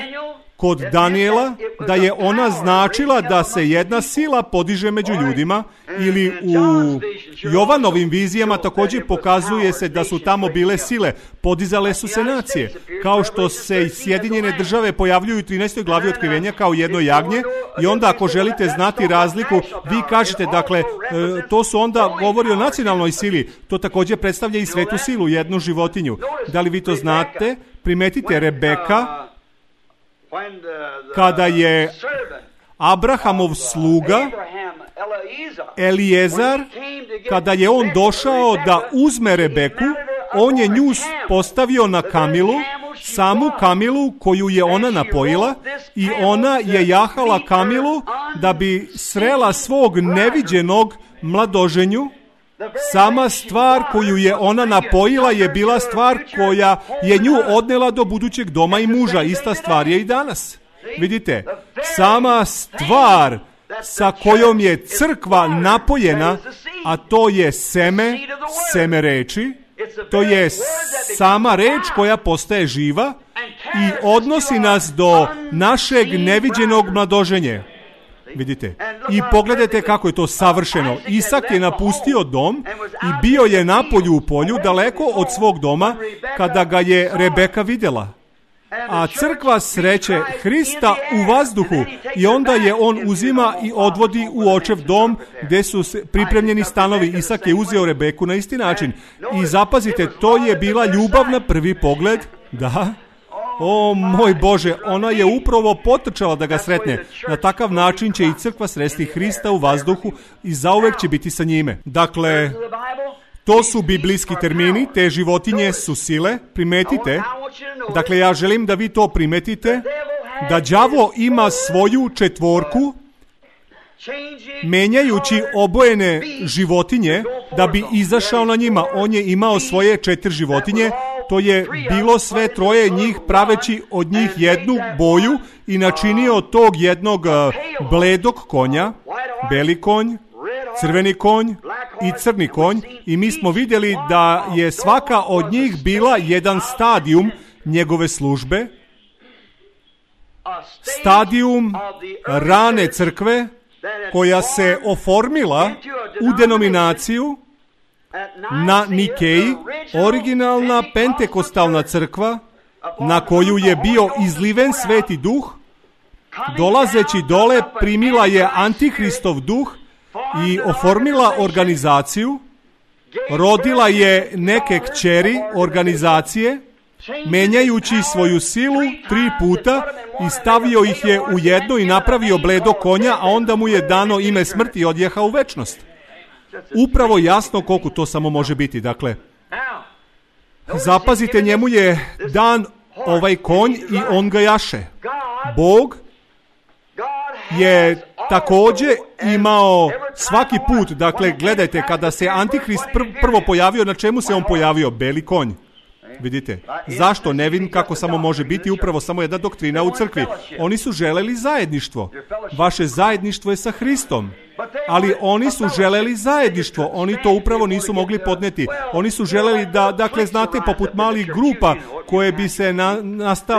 kod Danijela, da je ona značila da se jedna sila podiže među ljudima, ili u Jovanovim vizijama također pokazuje se da su tamo bile sile, podizale su se nacije, kao što se i Sjedinjene države pojavljuju u 13. glavi Otkrivenja kao jedno jagnje, i onda ako želite znati razliku, vi kažete, dakle, to su onda govori o nacionalnoj sili, to također predstavlja i svetu silu, jednu životinju. Da li vi to znate? Primetite Rebeka, kada je Abrahamov sluga Eliezar, kada je on došao da uzme Rebeku, on je nju postavio na kamilu, samu kamilu koju je ona napojila, i ona je jahala kamilu da bi srela svog neviđenog mladoženju, Sama stvar koju je ona napojila je bila stvar koja je nju odnela do budućeg doma i muža. Ista stvar je i danas. Vidite, sama stvar sa kojom je crkva napojena, a to je seme reči, to je sama reč koja postaje živa i odnosi nas do našeg neviđenog mladoženja. Vidite, i pogledajte kako je to savršeno. Isak je napustio dom i bio je napolju u polju, daleko od svog doma, kada ga je Rebeka vidjela. A crkva sreće Hrista u vazduhu i onda je on uzima i odvodi u očev dom gdje su pripremljeni stanovi. Isak je uzeo Rebeku na isti način. I zapazite, to je bila ljubav na prvi pogled. Da. O moj Bože, ona je upravo potrčala da ga sretne. Na takav način će i crkva sresti Hrista u vazduhu i zauvek će biti sa njime. Dakle, to su biblijski termini, te životinje su sile, primetite. Dakle, ja želim da vi to primetite, da đavo ima svoju četvorku, menjajući obojene životinje da bi izašao na njima. On je imao svoje 4 životinje, to je bilo sve 3 njih praveći od njih jednu boju i načinio tog jednog bledog konja, beli konj, crveni konj i crni konj, i mi smo vidjeli da je svaka od njih bila jedan stadijum njegove službe, stadijum rane crkve koja se oformila u denominaciju na Nikeji, originalna pentekostalna crkva na koju je bio izliven Sveti Duh. Dolazeći dole primila je Antihristov duh i oformila organizaciju, rodila je neke kćeri organizacije, menjajući svoju silu 3 puta i stavio ih je u jedno i napravio bledo konja, a onda mu je dano ime smrti i odjehao u večnost. Upravo jasno koliko to samo može biti. Dakle, zapazite, njemu je dan ovaj konj i on ga jaše. Bog je također imao svaki put, dakle, gledajte, kada se Antihrist prvo pojavio, na čemu se on pojavio? Beli konj. Vidite, zašto? Ne vidim kako samo može biti upravo samo jedna doktrina u crkvi. Oni su želeli zajedništvo. Vaše zajedništvo je sa Hristom. Ali oni su želeli zajedništvo. Oni to upravo nisu mogli podneti. Oni su želeli da, dakle, znate, poput malih grupa koje bi se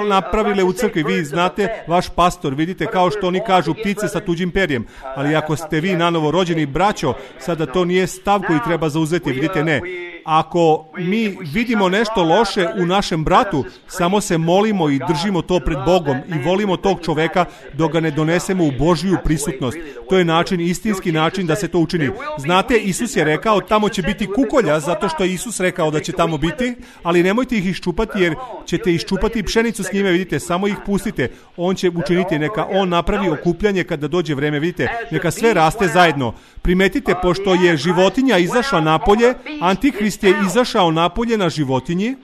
napravile u crkvi. Vi znate, vaš pastor, vidite, kao što oni kažu, ptice sa tuđim perjem. Ali ako ste vi nanovo rođeni braćo, sada to nije stav koji treba zauzeti. Vidite, ne. Ako mi vidimo nešto loše u našem bratu, samo se molimo i držimo to pred Bogom i volimo tog čoveka dok ga ne donesemo u Božju prisutnost. To je način, istinski način da se to učini. Znate, Isus je rekao, tamo će biti kukolja, zato što je Isus rekao da će tamo biti, ali nemojte ih iščupati, jer ćete iščupati pšenicu s njime, vidite, samo ih pustite. On će učiniti, neka on napravi okupljanje kada dođe vreme, vidite, neka sve raste zajedno. Primetite, pošto je životinja izašla napolje, Antihrist je izašao napolje na životinji,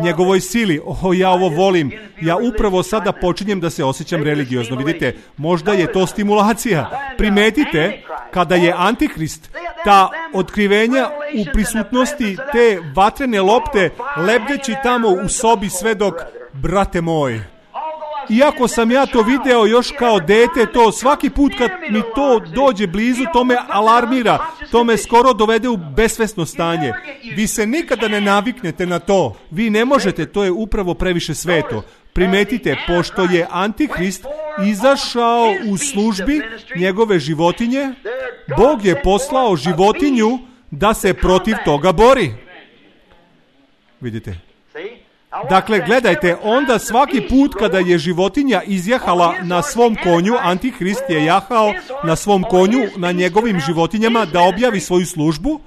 njegovoj sili. Ja ovo volim. Ja upravo sada počinjem da se osjećam religiozno. Vidite, možda je to stimulacija. Primetite, kada je Antihrist, ta otkrivenja u prisutnosti te vatrene lopte, lebdeći tamo u sobi sve dok, brate moj, iako sam ja to video još kao dete, to svaki put kad mi to dođe blizu, to me alarmira, to me skoro dovede u besvesno stanje. Vi se nikada ne naviknete na to. Vi ne možete, to je upravo previše sveto. Primetite, pošto je Antihrist izašao u službi njegove životinje, Bog je poslao životinju da se protiv toga bori. Vidite? Dakle, gledajte, onda svaki put kada je životinja izjahala na svom konju, Antihrist je jahao na svom konju, na njegovim životinjama da objavi svoju službu,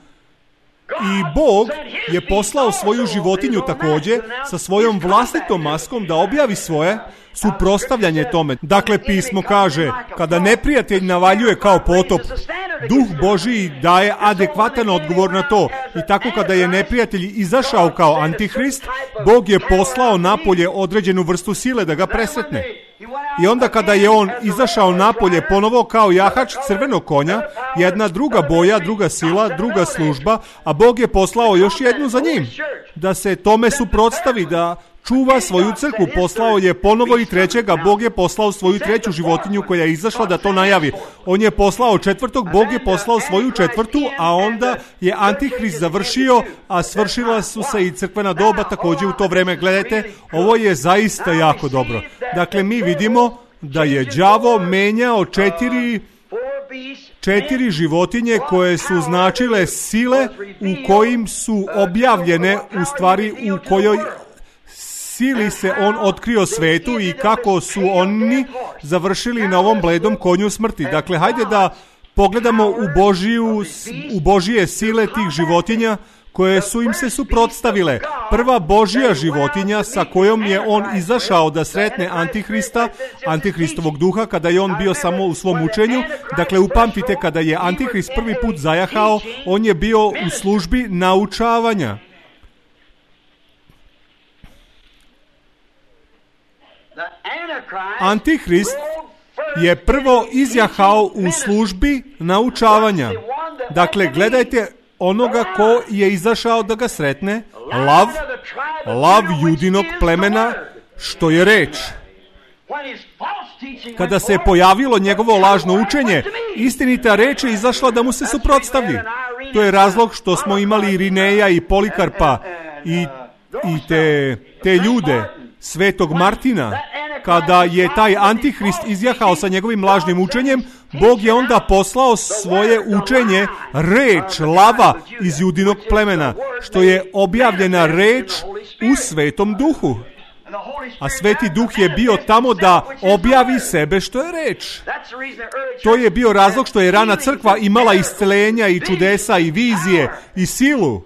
i Bog je poslao svoju životinju također sa svojom vlastitom maskom da objavi svoje suprotstavljanje tome. Dakle, pismo kaže, kada neprijatelj navaljuje kao potop, Duh Božiji daje adekvatan odgovor na to. I tako kada je neprijatelj izašao kao Antihrist, Bog je poslao napolje određenu vrstu sile da ga presretne. I onda kada je on izašao napolje ponovo kao jahač crvenog konja, jedna druga boja, druga sila, druga služba, a Bog je poslao još jednu za njim, da se tome suprotstavi, da čuva svoju crkvu. Poslao je ponovo i trećega, Bog je poslao svoju treću životinju koja je izašla da to najavi. On je poslao četvrtog, Bog je poslao svoju četvrtu, a onda je Antihrist završio, a svršila su se i crkvena doba također u to vreme. Gledajte, ovo je zaista jako dobro. Dakle, mi vidimo da je đavo menjao četiri životinje koje su značile sile u kojim su objavljene, u stvari u kojoj sili se on otkrio svetu i kako su oni završili na ovom bledom konju smrti. Dakle, hajde da pogledamo u Božije sile tih životinja koje su im se suprotstavile. Prva Božja životinja sa kojom je on izašao da sretne Antihrista, Antihristovog duha, kada je on bio samo u svom učenju. Dakle, upamtite, kada je Antihrist prvi put zajahao, on je bio u službi naučavanja. Antihrist je prvo izjahao u službi naučavanja. Dakle, gledajte onoga ko je izašao da ga sretne, lav judinog plemena, što je reč. Kada se pojavilo njegovo lažno učenje, istinita reč je izašla da mu se suprotstavi. To je razlog što smo imali Irineja i Polikarpa i te ljude, Svetog Martina. Kada je taj Antihrist izjahao sa njegovim lažnim učenjem, Bog je onda poslao svoje učenje, reč lava iz judinog plemena, što je objavljena reč u Svetom Duhu. A Sveti Duh je bio tamo da objavi sebe što je reč. To je bio razlog što je rana crkva imala isceljenja i čudesa i vizije i silu.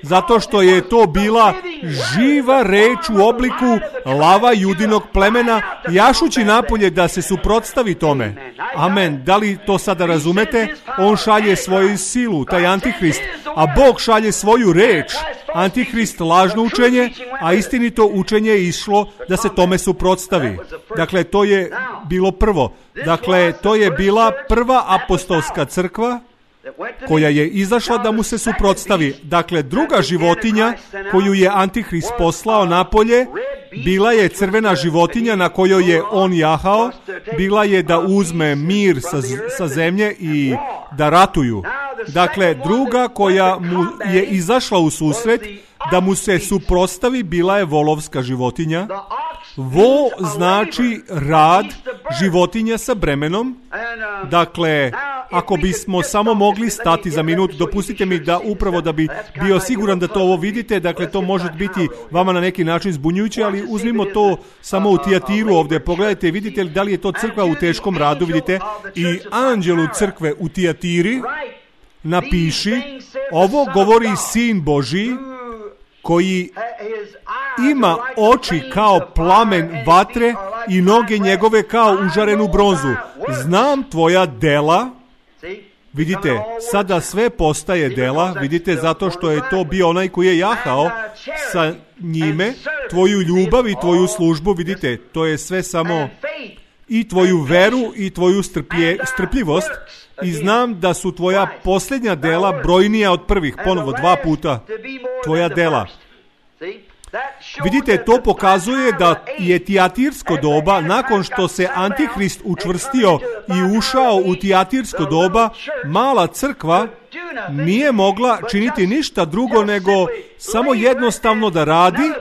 Zato što je to bila živa reč u obliku lava judinog plemena, jašući napolje da se suprotstavi tome. Amen. Da li to sada razumete? On šalje svoju silu, taj Antihrist, a Bog šalje svoju reč. Antihrist lažno učenje, a istinito učenje je išlo da se tome suprotstavi. Dakle, to je bilo prvo. Dakle, to je bila prva apostolska crkva koja je izašla da mu se suprotstavi. Dakle, druga životinja koju je Antihrist poslao napolje bila je crvena životinja na kojoj je on jahao. Bila je da uzme mir sa zemlje i da ratuju. Dakle, druga koja mu je izašla u susret da mu se suprotstavi bila je volovska životinja. Vo znači rad, životinja sa bremenom. Dakle, ako bismo samo mogli stati za minut, dopustite mi da upravo da bi bio siguran da to ovo vidite, dakle to može biti vama na neki način zbunjujuće, ali uzmimo to samo u Tijatiru ovdje, pogledajte, vidite li da li je to crkva u teškom radu, vidite, i anđelu crkve u Tijatiri napiši, ovo govori Sin Božji, koji ima oči kao plamen vatre i noge njegove kao užarenu bronzu. Znam tvoja dela. Vidite, sada sve postaje dela, vidite, zato što je to bio onaj koji je jahao sa njime, tvoju ljubav i tvoju službu, vidite, to je sve samo i tvoju veru i tvoju strpljivost, i znam da su tvoja posljednja dela brojnija od prvih, ponovo 2 puta, tvoja dela. Vidite, to pokazuje da je Tijatirsko doba, nakon što se Antihrist učvrstio i ušao u Tijatirsko doba, mala crkva nije mogla činiti ništa drugo nego samo jednostavno da radi.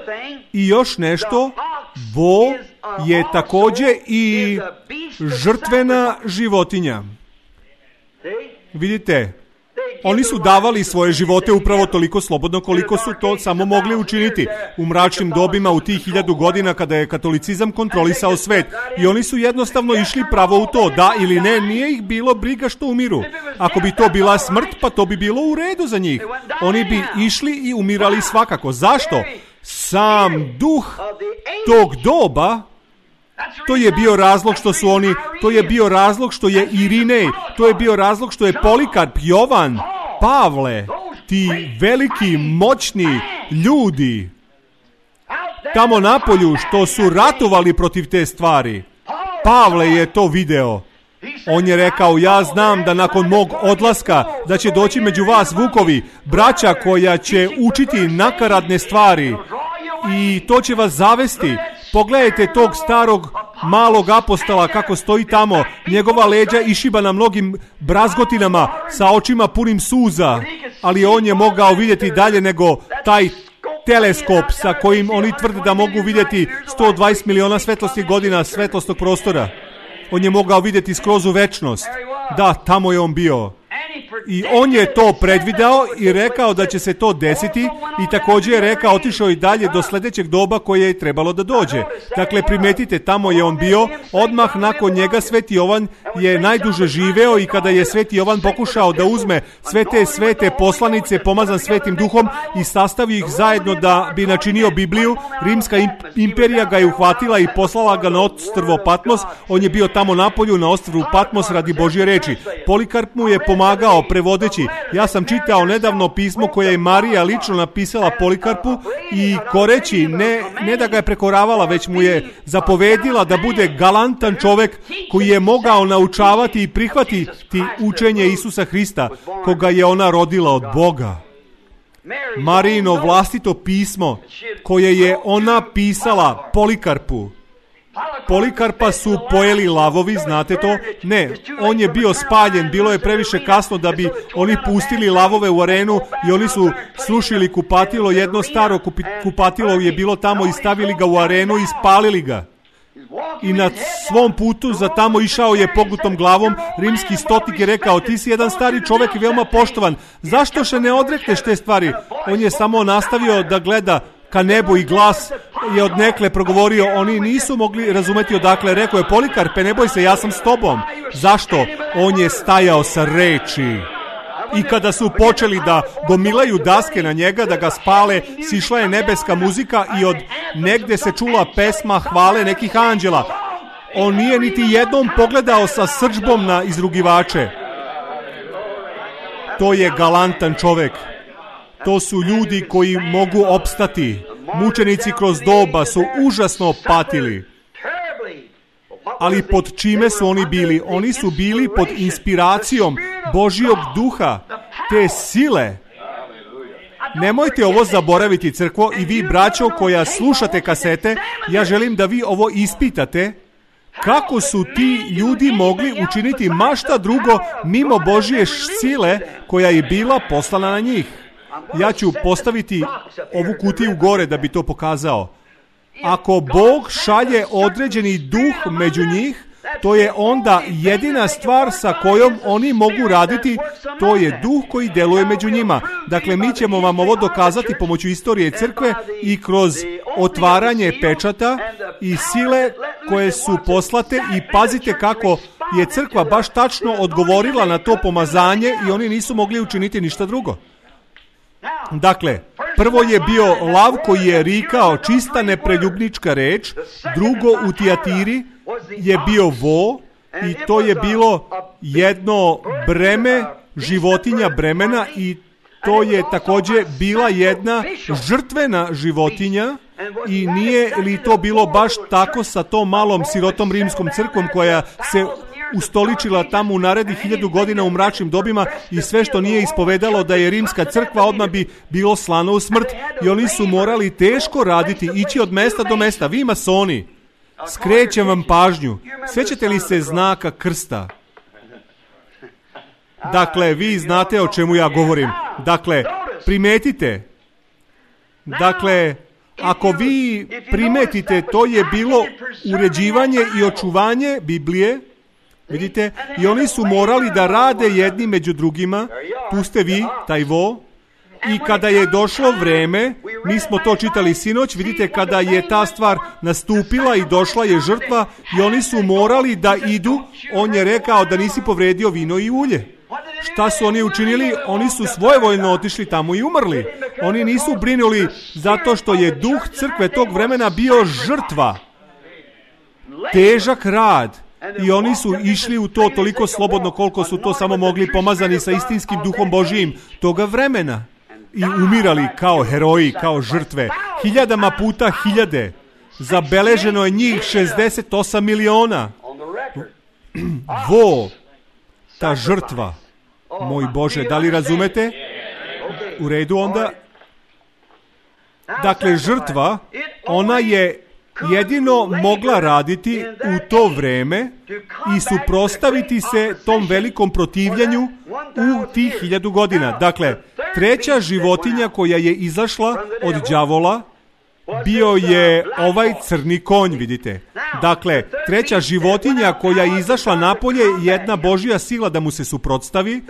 I još nešto, vo je također i žrtvena životinja. Vidite, oni su davali svoje živote upravo toliko slobodno koliko su to samo mogli učiniti u mračnim dobima u tih 1000 godina kada je katolicizam kontrolisao svet. I oni su jednostavno išli pravo u to, da ili ne, nije ih bilo briga što umiru. Ako bi to bila smrt, pa to bi bilo u redu za njih. Oni bi išli i umirali svakako. Zašto? Sam duh tog doba, to je bio razlog što su oni, to je bio razlog što je Irinej, to je bio razlog što je Polikarp, Jovan, Pavle, ti veliki, moćni ljudi tamo napolju što su ratovali protiv te stvari. Pavle je to video. On je rekao, ja znam da nakon mog odlaska da će doći među vas vukovi, braća koja će učiti nakaradne stvari i to će vas zavesti. Pogledajte tog starog malog apostola kako stoji tamo, njegova leđa išibana mnogim brazgotinama sa očima punim suza, ali on je mogao vidjeti dalje nego taj teleskop sa kojim oni tvrde da mogu vidjeti 120 miliona svetlosnih godina svetlosnog prostora. On je mogao vidjeti skroz u večnost. Da, tamo je on bio. I on je to predvidao i rekao da će se to desiti i također je rekao, otišao i dalje do sljedećeg doba koje je trebalo da dođe. Dakle, primetite, tamo je on bio, odmah nakon njega Sveti Jovan je najduže živeo i kada je Sveti Jovan pokušao da uzme sve te svete poslanice pomazan Svetim Duhom i sastavi ih zajedno da bi načinio Bibliju, Rimska imperija ga je uhvatila i poslala ga na ostrvo Patmos. On je bio tamo napolju na ostrvu Patmos radi Božje reči. Polikarp mu je pomagao prevodeći. Ja sam čitao nedavno pismo koje je Marija lično napisala Polikarpu i koreći, ne da ga je prekoravala, već mu je zapovedila da bude galantan čovjek koji je mogao naučavati i prihvatiti učenje Isusa Hrista, koga je ona rodila od Boga. Marijino vlastito pismo koje je ona pisala Polikarpu. Polikarpa su pojeli lavovi, znate to? Ne, on je bio spaljen, bilo je previše kasno da bi oni pustili lavove u arenu i oni su srušili kupatilo, jedno staro kupatilo je bilo tamo i stavili ga u arenu i spalili ga. I na svom putu za tamo išao je pogutom glavom. Rimski stotnik je rekao, ti si jedan stari čovjek i veoma poštovan, zašto se ne odrekneš te stvari? On je samo nastavio da gleda ka nebu i glas je odnekle progovorio, oni nisu mogli razumeti odakle. Rekao je, Polikarpe, ne boj se, ja sam s tobom. Zašto? On je stajao sa reči. I kada su počeli da gomilaju daske na njega, da ga spale, sišla je nebeska muzika i od negde se čula pesma hvale nekih anđela. On nije niti jednom pogledao sa srdžbom na izrugivače. To je galantan čovjek. To su ljudi koji mogu opstati. Mučenici kroz doba su užasno patili. Ali pod čime su oni bili? Oni su bili pod inspiracijom Božjog duha, te sile. Nemojte ovo zaboraviti, crkvo, i vi, braćo, koja slušate kasete, ja želim da vi ovo ispitate. Kako su ti ljudi mogli učiniti mašta drugo mimo Božje sile koja je bila poslana na njih? Ja ću postaviti ovu kutiju gore da bi to pokazao. Ako Bog šalje određeni duh među njih, to je onda jedina stvar sa kojom oni mogu raditi, to je duh koji deluje među njima. Dakle, mi ćemo vam ovo dokazati pomoću istorije crkve i kroz otvaranje pečata i sile koje su poslate i pazite kako je crkva baš tačno odgovorila na to pomazanje i oni nisu mogli učiniti ništa drugo. Dakle, prvo je bio lav koji je rikao čista nepreljubnička reč, drugo u Tijatiri je bio vo i to je bilo jedno breme, životinja bremena i to je također bila jedna žrtvena životinja i nije li to bilo baš tako sa tom malom sirotom rimskom crkvom koja se ustoličila tamo u narednih 1000 godina u mračnim dobima i sve što nije ispovedalo da je rimska crkva odmah bi bilo slano u smrt i oni su morali teško raditi, ići od mesta do mesta. Vi masoni, skrećem vam pažnju, sjećate li se znaka krsta? Dakle, vi znate o čemu ja govorim. Dakle, primetite. Dakle, ako vi primetite, to je bilo uređivanje i očuvanje Biblije. Vidite, i oni su morali da rade jedni među drugima. Tu ste vi, taj vo. I kada je došlo vreme, mi smo to čitali sinoć, vidite, kada je ta stvar nastupila i došla je žrtva i oni su morali da idu, on je rekao da nisi povredio vino i ulje. Šta su oni učinili? Oni su svojevoljno otišli tamo i umrli. Oni nisu brinuli zato što je duh crkve tog vremena bio žrtva. Težak rad. I oni su išli u to toliko slobodno koliko su to samo mogli, pomazani sa istinskim duhom Božijim toga vremena. I umirali kao heroji, kao žrtve. 1000 puta 1000. Zabeleženo je njih 68 miliona. ta žrtva, moj Bože, da li razumete? U redu onda. Dakle, žrtva, ona je jedino mogla raditi u to vreme i suprotstaviti se tom velikom protivljenju u tih 1000 godina. Dakle, treća životinja koja je izašla od đavola bio je ovaj crni konj, vidite. Dakle, treća životinja koja je izašla napolje, jedna Božja sila da mu se suprotstavi,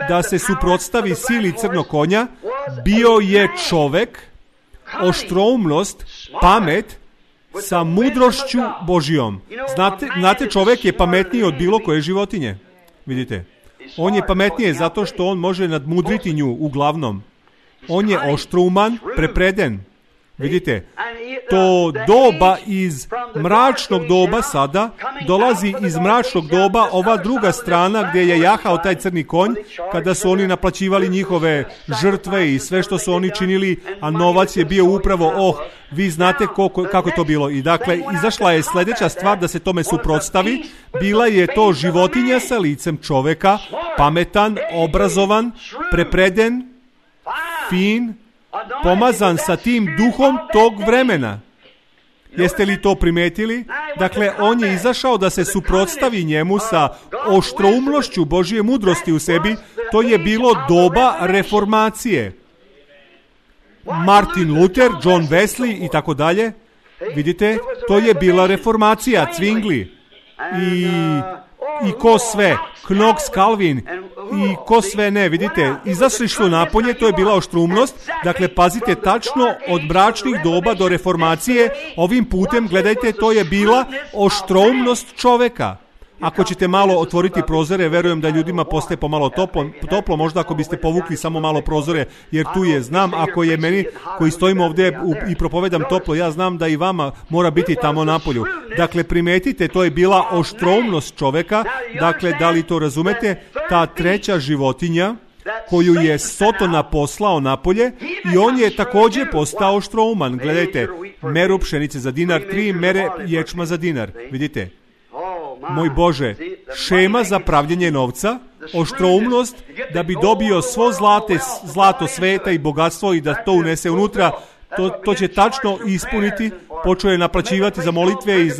da se suprotstavi sili crnog konja, bio je čovek, oštroumnost, pamet, sa mudrošću Božijom. Znate, čovek je pametniji od bilo koje životinje. Vidite, on je pametniji zato što on može nadmudriti nju uglavnom. On je oštrouman, prepreden. Vidite, to doba iz mračnog doba sada dolazi iz mračnog doba ova druga strana gdje je jahao taj crni konj, kada su oni naplaćivali njihove žrtve i sve što su oni činili, a novac je bio upravo, vi znate kako je to bilo. I dakle, izašla je sljedeća stvar da se tome suprotstavi. Bila je to životinja sa licem čoveka, pametan, obrazovan, prepreden, fin, pomazan sa tim duhom tog vremena. Jeste li to primetili? Dakle, on je izašao da se suprotstavi njemu sa oštroumnošću Božje mudrosti u sebi. To je bilo doba reformacije. Martin Luther, John Wesley i tako dalje. Vidite, to je bila reformacija, Zwingli i ko sve, Knox, Calvin i ko sve ne, vidite, izašli su napolje, to je bila oštroumnost. Dakle, pazite, tačno od mračnih doba do reformacije, ovim putem, gledajte, to je bila oštroumnost čoveka. Ako ćete malo otvoriti prozore, verujem da ljudima postaje pomalo toplo, možda ako biste povukli samo malo prozore, jer tu je, znam, ako je meni koji stojimo ovdje i propovedam toplo, ja znam da i vama mora biti tamo napolju. Dakle, primetite, to je bila oštroumnost čoveka. Dakle, da li to razumete? Ta treća životinja koju je Sotona poslao napolje i on je također postao oštrouman. Gledajte, meru pšenice za dinar, 3 mere ječma za dinar. Vidite? Moj Bože, šema za pravljenje novca, oštroumnost da bi dobio svo zlato sveta i bogatstvo i da to unese unutra, to će tačno ispuniti. Počeo je naplaćivati za molitve i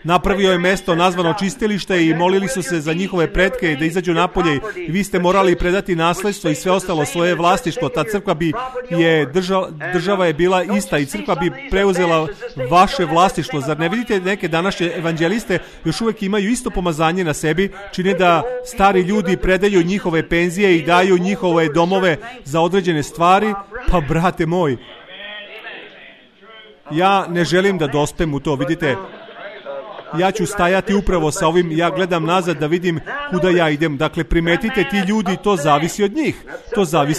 napravio je mesto nazvano čistilište i molili su se za njihove pretke da izađu napolje i vi ste morali predati nasljedstvo i sve ostalo svoje vlastištvo. Ta crkva država je bila ista i crkva bi preuzela vaše vlastištvo. Zar ne vidite neke današnje evanđeliste još uvijek imaju isto pomazanje na sebi, čine da stari ljudi predaju njihove penzije i daju njihove domove za određene stvari? Pa brate moj, ja ne želim da dospem u to, vidite, ja ću stajati upravo sa ovim, ja gledam nazad da vidim kuda ja idem. Dakle, primetite, ti ljudi, to zavisi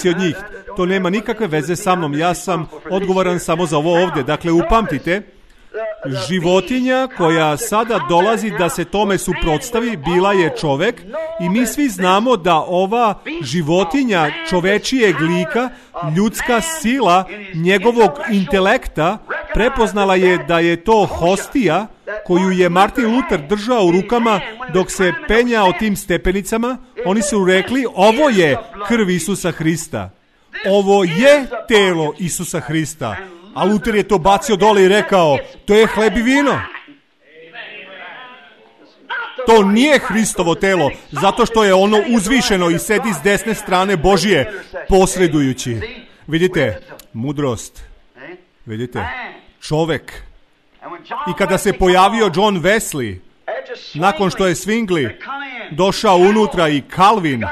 od njih, to nema nikakve veze sa mnom, ja sam odgovoran samo za ovo ovdje. Dakle, upamtite, životinja koja sada dolazi da se tome suprotstavi bila je čovek i mi svi znamo da ova životinja čovečijeg lika, ljudska sila njegovog intelekta prepoznala je da je to hostija koju je Martin Luther držao u rukama dok se penjao tim stepenicama. Oni su rekli, ovo je krv Isusa Hrista, ovo je telo Isusa Hrista. A Luther je to bacio dole i rekao, to je hleb i vino. To nije Hristovo telo, zato što je ono uzvišeno i sedi s desne strane Božije, posredujući. Vidite, mudrost. Vidite, čovek. I kada se pojavio John Wesley, nakon što je Zwingli došao unutra i Calvin,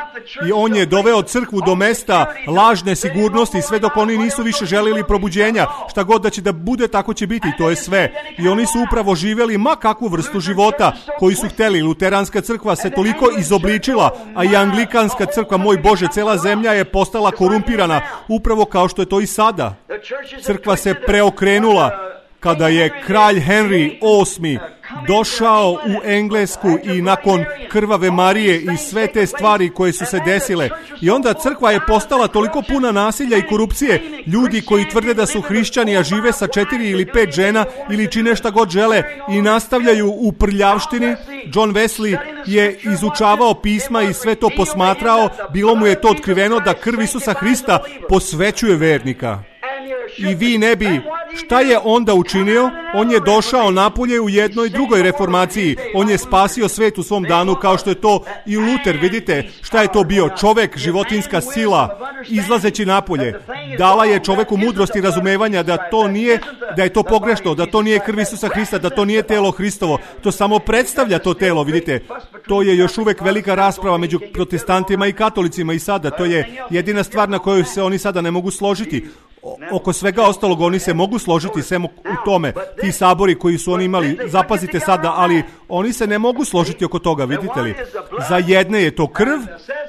i on je doveo crkvu do mesta lažne sigurnosti, sve dok oni nisu više želili probuđenja. Šta god da će da bude, tako će biti, to je sve. I oni su upravo živjeli ma kakvu vrstu života koji su htjeli. Luteranska crkva se toliko izobličila, a i anglikanska crkva, moj Bože, cela zemlja je postala korumpirana, upravo kao što je to i sada. Crkva se preokrenula kada je kralj Henry VIII došao u Englesku i nakon krvave Marije i sve te stvari koje su se desile. I onda crkva je postala toliko puna nasilja i korupcije. Ljudi koji tvrde da su hrišćani, a žive sa 4 ili 5 žena ili čine šta god žele i nastavljaju u prljavštini. John Wesley je izučavao pisma i sve to posmatrao. Bilo mu je to otkriveno da krv Isusa Hrista posvećuje vernika. I vi ne bi. Šta je onda učinio? On je došao napolje u jednoj drugoj reformaciji. On je spasio svet u svom danu, kao što je to i Luter. Vidite šta je to bio? Čovek, životinska sila, izlazeći napolje. Dala je čoveku mudrost i razumevanja da to nije, da je to pogrešno, da to nije krv Isusa Hrista, da to nije telo Hristovo. To samo predstavlja to telo, vidite. To je još uvek velika rasprava među protestantima i katolicima i sada. To je jedina stvar na kojoj se oni sada ne mogu složiti. Oko svega ostalog oni se mogu složiti samo u tome. Ti sabori koji su oni imali, zapazite sada, ali oni se ne mogu složiti oko toga, vidite li? Za jedne je to krv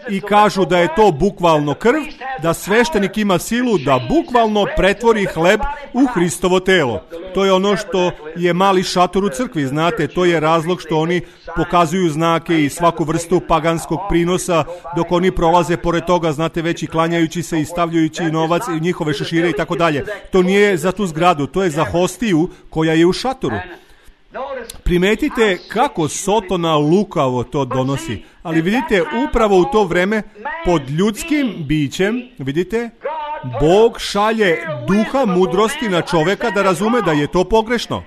i kažu da je to bukvalno krv, da sveštenik ima silu da bukvalno pretvori hleb u Hristovo telo. To je ono što je mali šator u crkvi, znate, to je razlog što oni pokazuju znake i svaku vrstu paganskog prinosa dok oni prolaze pored toga, znate, već i klanjajući se i stavljajući novac i njihove šešire i tako dalje. To nije za tu zgradu, to je za hostiju koja je u šatoru. Primetite kako Sotona lukavo to donosi. Ali vidite, upravo u to vreme pod ljudskim bićem, vidite, Bog šalje duha mudrosti na čoveka da razume da je to pogrešno.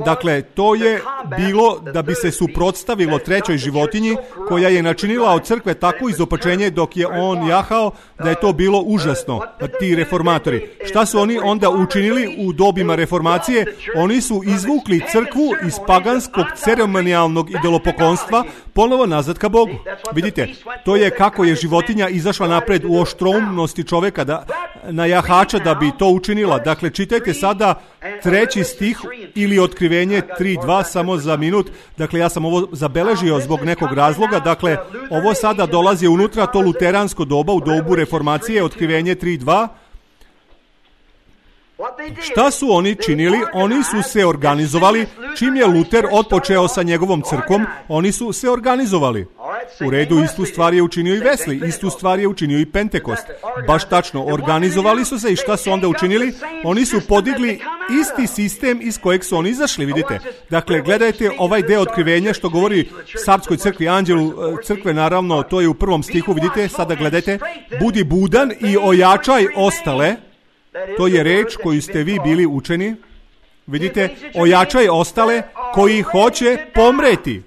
Dakle, to je bilo da bi se suprotstavilo trećoj životinji koja je načinila od crkve takvo izopačenje dok je on jahao da je to bilo užasno. Ti reformatori. Šta su oni onda učinili u dobima reformacije? Oni su izvukli crkvu iz paganskog ceremonijalnog idolopoklonstva ponovo nazad ka Bogu. Vidite, to je kako je životinja izašla napred u oštroumnosti čoveka na jahača da bi to učinila. Dakle, čitajte sada 3. stih ili Otkrivenje 3.2 samo za minut. Dakle, ja sam ovo zabeležio zbog nekog razloga. Dakle, ovo sada dolazi unutra, to luteransko doba u dobu reformacije, Otkrivenje 3.2. Šta su oni činili? Oni su se organizovali. Čim je Luter otpočeo sa njegovom crkvom, oni su se organizovali. U redu, istu stvar je učinio i Wesley, istu stvar je učinio i Pentekost. Baš tačno, organizovali su se i šta su onda učinili? Oni su podigli isti sistem iz kojeg su oni izašli, vidite. Dakle, gledajte ovaj deo Otkrivenja što govori Sardskoj crkvi, anđelu crkve, naravno, to je u 1. stihu, vidite, sada gledajte. Budi budan i ojačaj ostale. To je reč koju ste vi bili učeni. Vidite, ojačaj ostale koji hoće pomreti.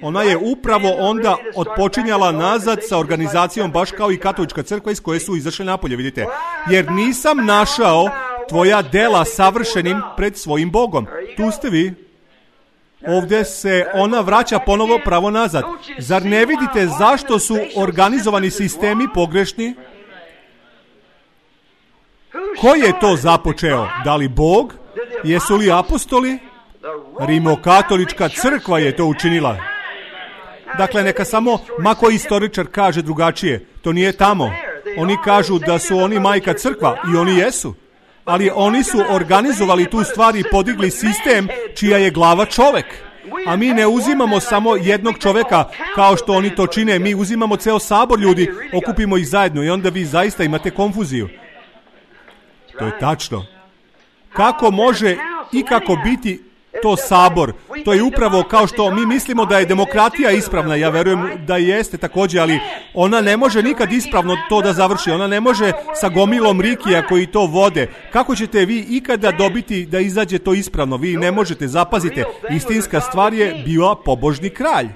Ona je upravo onda otpočinjala nazad sa organizacijom baš kao i katolička crkva iz koje su izašli napolje, vidite. Jer nisam našao tvoja dela savršenim pred svojim Bogom. Tu ste vi. Ovdje se ona vraća ponovo pravo nazad. Zar ne vidite zašto su organizovani sistemi pogrešni? Ko je to započeo? Da li Bog? Jesu li apostoli? Rimokatolička crkva je to učinila. Dakle, neka samo mako istoričar kaže drugačije. To nije tamo. Oni kažu da su oni majka crkva i oni jesu. Ali oni su organizovali tu stvar i podigli sistem čija je glava čovek. A mi ne uzimamo samo jednog čoveka kao što oni to čine. Mi uzimamo ceo sabor ljudi, okupimo ih zajedno i onda vi zaista imate konfuziju. To je tačno. Kako može i kako biti to sabor? To je upravo kao što mi mislimo da je demokratija ispravna. Ja verujem da jeste također, ali ona ne može nikad ispravno to da završi. Ona ne može sa gomilom rikija koji to vode. Kako ćete vi ikada dobiti da izađe to ispravno? Vi ne možete, zapazite. Istinska stvar je bila pobožni kralj.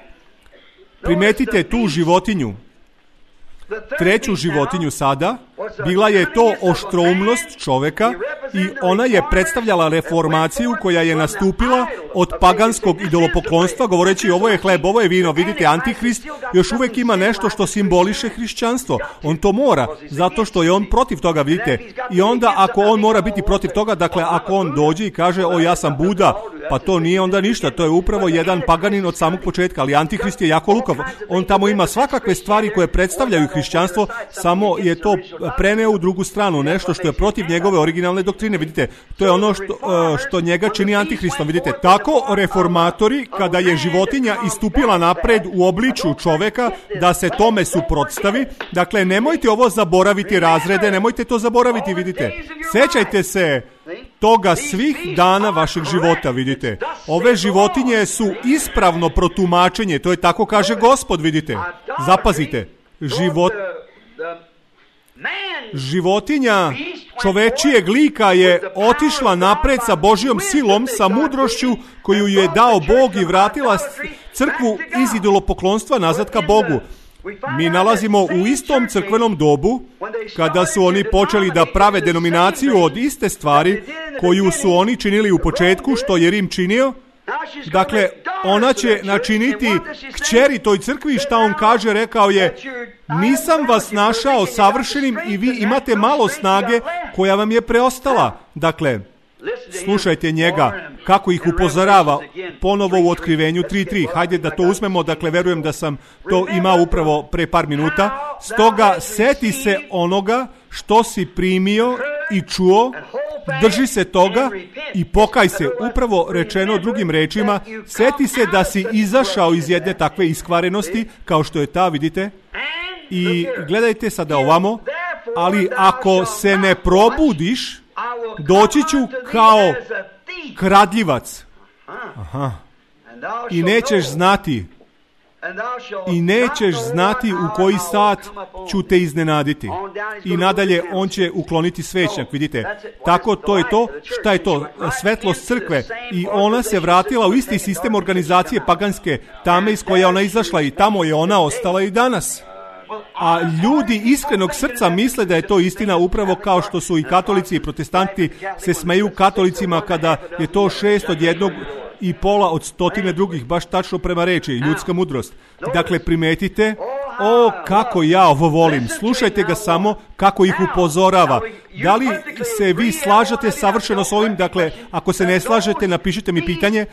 Primetite tu životinju. Treću životinju sada, bila je to oštroumnost čoveka i ona je predstavljala reformaciju koja je nastupila od paganskog idolopoklonstva, govoreći ovo je hleb, ovo je vino. Vidite, Antihrist još uvijek ima nešto što simboliše hrišćanstvo. On to mora, zato što je on protiv toga, vidite. I onda ako on mora biti protiv toga, dakle ako on dođe i kaže, o ja sam Buda, Pa to nije onda ništa, to je upravo jedan paganin od samog početka, ali Antihrist je jako lukav. On tamo ima svakakve stvari koje predstavljaju hrišćanstvo, samo je to preneo u drugu stranu, nešto što je protiv njegove originalne doktrine. Vidite, to je ono što njega čini Antihristom. Vidite, tako reformatori, kada je životinja istupila napred u obličju čoveka, da se tome suprotstavi. Dakle, nemojte ovo zaboraviti, razrede, nemojte to zaboraviti, vidite. Sećajte se toga svih dana vašeg života, vidite. Ove životinje su ispravno protumačenje, to je tako kaže Gospod, vidite. Zapazite, životinja čovečijeg lika je otišla napred sa Božjom silom, sa mudrošću koju je dao Bog i vratila crkvu iz idolopoklonstva nazad ka Bogu. Mi nalazimo u istom crkvenom dobu, kada su oni počeli da prave denominaciju od iste stvari koju su oni činili u početku, što je Rim činio. Dakle, ona će načiniti kćeri toj crkvi, šta on kaže, rekao je: nisam vas našao savršenim i vi imate malo snage koja vam je preostala. Dakle, slušajte njega, kako ih upozorava ponovo u Otkrivenju 3.3. Hajde da to uzmemo, dakle, verujem da sam to imao upravo pre par minuta. Stoga, seti se onoga što si primio i čuo, drži se toga i pokaj se. Upravo rečeno drugim rečima, seti se da si izašao iz jedne takve iskvarenosti, kao što je ta, vidite. I gledajte sada ovamo, ali ako se ne probudiš, doći ću kao kradljivac. Aha. I nećeš znati u koji sat ću te iznenaditi. I nadalje on će ukloniti svećnjak, vidite. Tako to je to. Šta je to? Svetlost crkve. I ona se vratila u isti sistem organizacije paganske, tame iz koje je ona izašla, i tamo je ona ostala i danas. A ljudi iskrenog srca misle da je to istina, upravo kao što su i katolici i protestanti se smeju katolicima kada je to 6 od 1,5 od 100 drugih, baš tačno prema reči, ljudska mudrost. Dakle, primetite, kako ja ovo volim. Slušajte ga samo kako ih upozorava. Da li se vi slažete savršeno s ovim? Dakle, ako se ne slažete, napišite mi pitanje.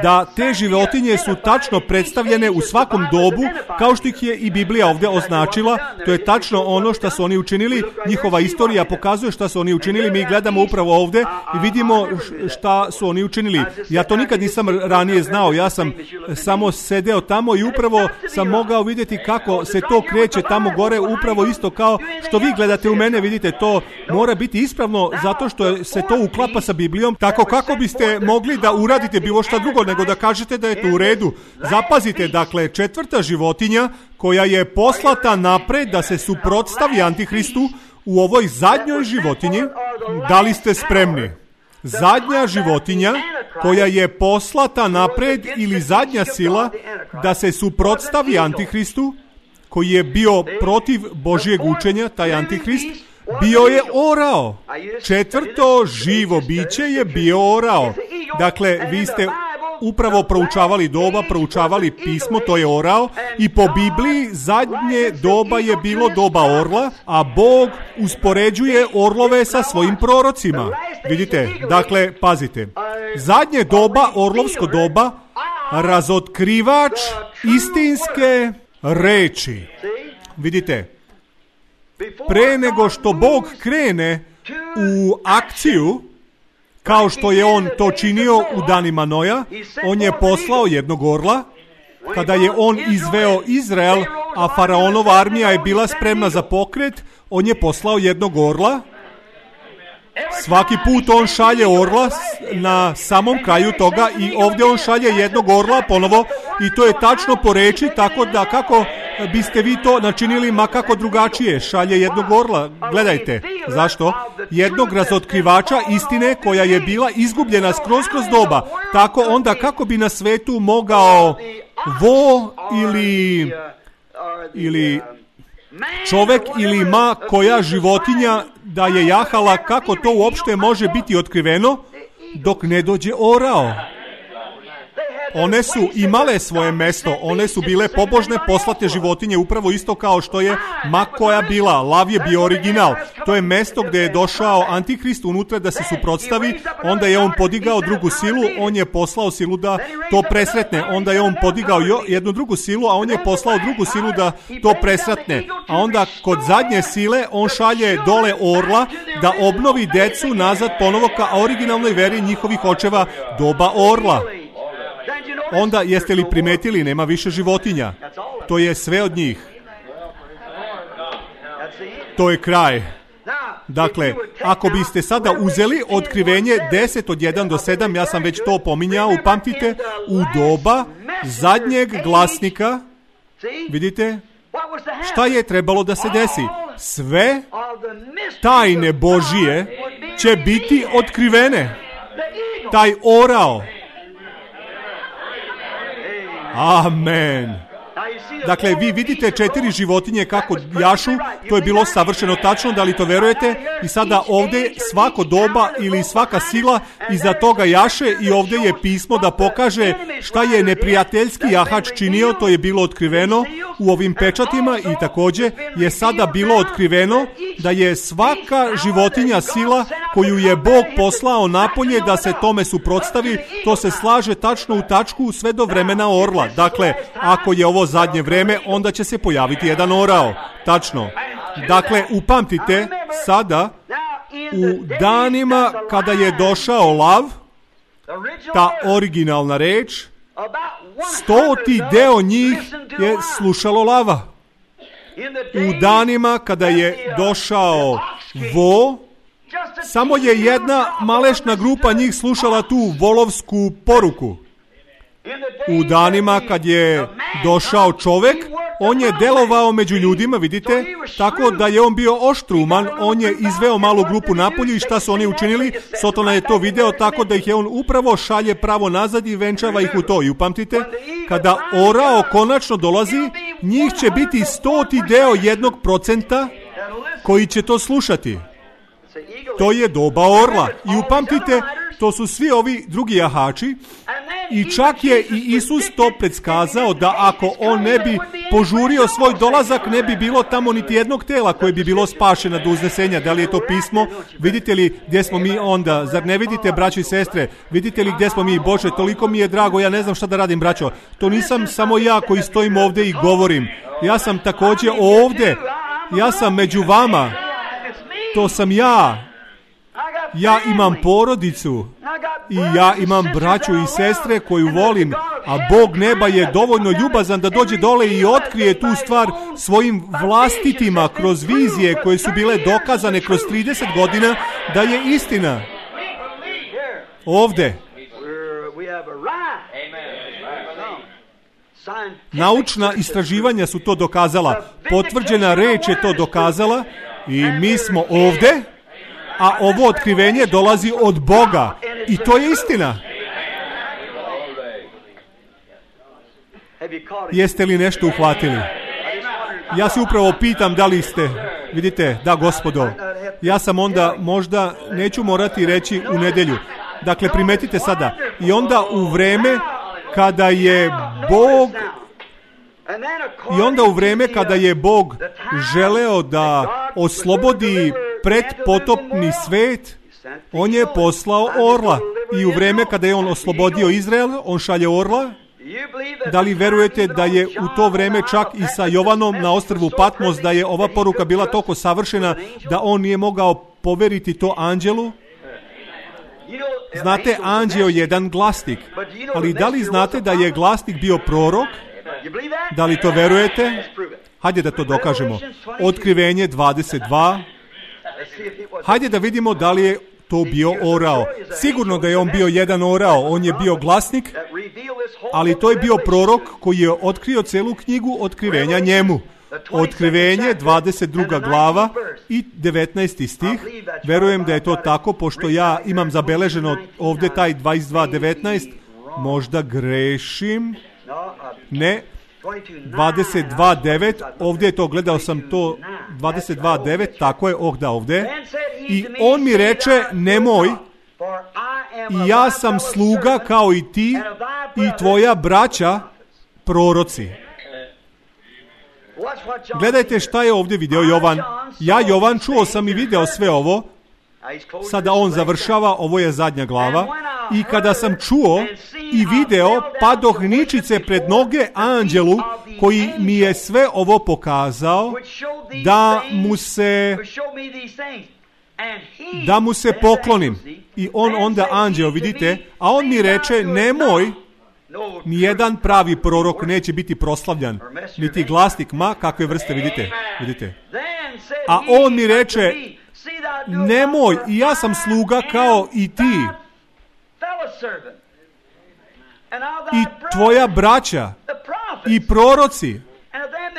Da te životinje su tačno predstavljene u svakom dobu, kao što ih je i Biblija ovdje označila. To je tačno ono što su oni učinili. Njihova istorija pokazuje šta su oni učinili. Mi gledamo upravo ovdje i vidimo šta su oni učinili. Ja to nikad nisam ranije znao. Ja sam samo sedeo tamo i upravo sam mogao vidjeti kako se to kreće tamo gore, upravo isto kao što vi gledate u mene. Vidite, to mora biti ispravno zato što se to uklapa sa Biblijom. Tako kako biste mogli da uradite bilo šta drugo nego da kažete da je to u redu. Zapazite, dakle, 4. životinja koja je poslata napred da se suprotstavi Antihristu u ovoj zadnjoj životinji. Da li ste spremni? Zadnja životinja koja je poslata napred, ili zadnja sila da se suprotstavi Antihristu, koji je bio protiv Božjeg učenja, taj Antihrist, bio je orao. 4. živo biće je bio orao. Dakle, vi ste upravo proučavali doba, proučavali pismo, to je orao, i po Bibliji zadnje doba je bilo doba orla, a Bog uspoređuje orlove sa svojim prorocima. Vidite, dakle, pazite. Zadnje doba, orlovsko doba, razotkrivač istinske reči. Vidite, pre nego što Bog krene u akciju, kao što je on to činio u danima Noja, on je poslao jednog orla. Kada je on izveo Izrael, a faraonova armija je bila spremna za pokret, on je poslao jednog orla. Svaki put on šalje orla na samom kraju toga, i ovdje on šalje jednog orla ponovo, i to je tačno po reči, tako da kako biste vi to načinili makako drugačije, šalje jednog orla. Gledajte, zašto? Jednog razotkrivača istine koja je bila izgubljena kroz doba. Tako onda kako bi na svetu mogao ili čovek ili koja životinja da je jahala, kako to uopšte može biti otkriveno dok ne dođe orao? One su imale svoje mesto, one su bile pobožne poslate životinje, upravo isto kao što je Makoja bila. Lav je bio original. To je mesto gdje je došao Antihrist unutra da se suprotstavi, onda je on podigao drugu silu, on je poslao silu da to presretne, onda je on podigao jednu drugu silu, a on je poslao drugu silu da to presretne. A onda kod zadnje sile on šalje dole orla da obnovi decu nazad ponovo ka originalnoj veri njihovih očeva, doba orla. Onda jeste li primetili, nema više životinja. To je sve od njih. To je kraj. Dakle, ako biste sada uzeli otkrivenje 10 od 1 do 7, ja sam već to pominjao, upamtite, u doba zadnjeg glasnika, vidite, šta je trebalo da se desi? Sve tajne Božije će biti otkrivene. Taj orao. Amen. Dakle, vi vidite 4 životinje kako jašu, to je bilo savršeno tačno, da li to verujete? I sada ovdje svako doba ili svaka sila iza toga jaše i ovdje je pismo da pokaže šta je neprijateljski jahač činio, to je bilo otkriveno u ovim pečatima i također je sada bilo otkriveno da je svaka životinja sila koju je Bog poslao napolje da se tome suprotstavi, to se slaže tačno u tačku sve do vremena orla. Dakle, ako je ovo zadnje vreme, onda će se pojaviti jedan orao. Tačno. Dakle, upamtite sada u danima kada je došao lav, ta originalna reč, 100 deo njih je slušalo lava. U danima kada je došao vo, samo je jedna malešna grupa njih slušala tu volovsku poruku. U danima kad je došao čovjek, on je delovao među ljudima, vidite, tako da je on bio oštruman, on je izveo malu grupu napolju i šta su oni učinili? Sotona je to video tako da ih je on upravo šalje pravo nazad i venčava ih u to. I upamtite, kada orao konačno dolazi, njih će biti 100 deo 1% koji će to slušati. To je doba orla. I upamtite, to su svi ovi drugi jahači i čak je i Isus to predskazao da ako on ne bi požurio svoj dolazak, ne bi bilo tamo niti jednog tela koje bi bilo spašeno do uznesenja. Da li je to pismo? Vidite li gdje smo mi onda? Zar ne vidite, braćo i sestre? Vidite li gdje smo mi? Bože, toliko mi je drago, ja ne znam šta da radim, braćo. To nisam samo ja koji stojim ovdje i govorim. Ja sam također ovdje. Ja sam među vama. To sam ja. Ja imam porodicu i ja imam braću i sestre koju volim, a Bog neba je dovoljno ljubazan da dođe dole i otkrije tu stvar svojim vlastitima kroz vizije koje su bile dokazane kroz 30 godina da je istina. Ovdje. Naučna istraživanja su to dokazala, potvrđena reč je to dokazala i mi smo ovdje. A ovo otkrivenje dolazi od Boga. I to je istina. Jeste li nešto uhvatili? Ja se upravo pitam da li ste. Vidite, da gospodo. Ja sam onda možda neću morati reći u nedjelju. Dakle, primetite sada. I onda u vreme kada je Bog želeo da oslobodi predpotopni svet, on je poslao orla. I u vreme kada je on oslobodio Izrael, on šalje orla. Da li verujete da je u to vreme čak i sa Jovanom na ostrvu Patmos, da je ova poruka bila toliko savršena da on nije mogao poveriti to anđelu? Znate, anđeo je jedan glasnik, ali da li znate da je glasnik bio prorok? Da li to verujete? Hajde da to dokažemo. Otkrivenje 22. Hajde da vidimo da li je to bio orao. Sigurno da je on bio jedan orao, on je bio glasnik, ali to je bio prorok koji je otkrio celu knjigu otkrivenja njemu. Otkrivenje, 22. glava i 19. stih. Verujem da je to tako, pošto ja imam zabeleženo ovdje taj 22.19. Možda grešim. Ne. 22.9. Ovdje je to, gledao sam to 22.9. Tako je, da ovdje. I on mi reče, nemoj, I ja sam sluga kao i ti i tvoja braća proroci. Gledajte šta je ovdje video Jovan. Ja, Jovan, čuo sam i video sve ovo. Sada on završava, ovo je zadnja glava. I kada sam čuo i video, padoh ničice pred noge anđelu koji mi je sve ovo pokazao, da mu se poklonim. I on onda anđeo, vidite, a on mi reče, nemoj, nijedan pravi prorok neće biti proslavljan, niti glasnik, ma kakve vrste, vidite. A on mi reče, nemoj, i ja sam sluga kao i ti. I tvoja braća i proroci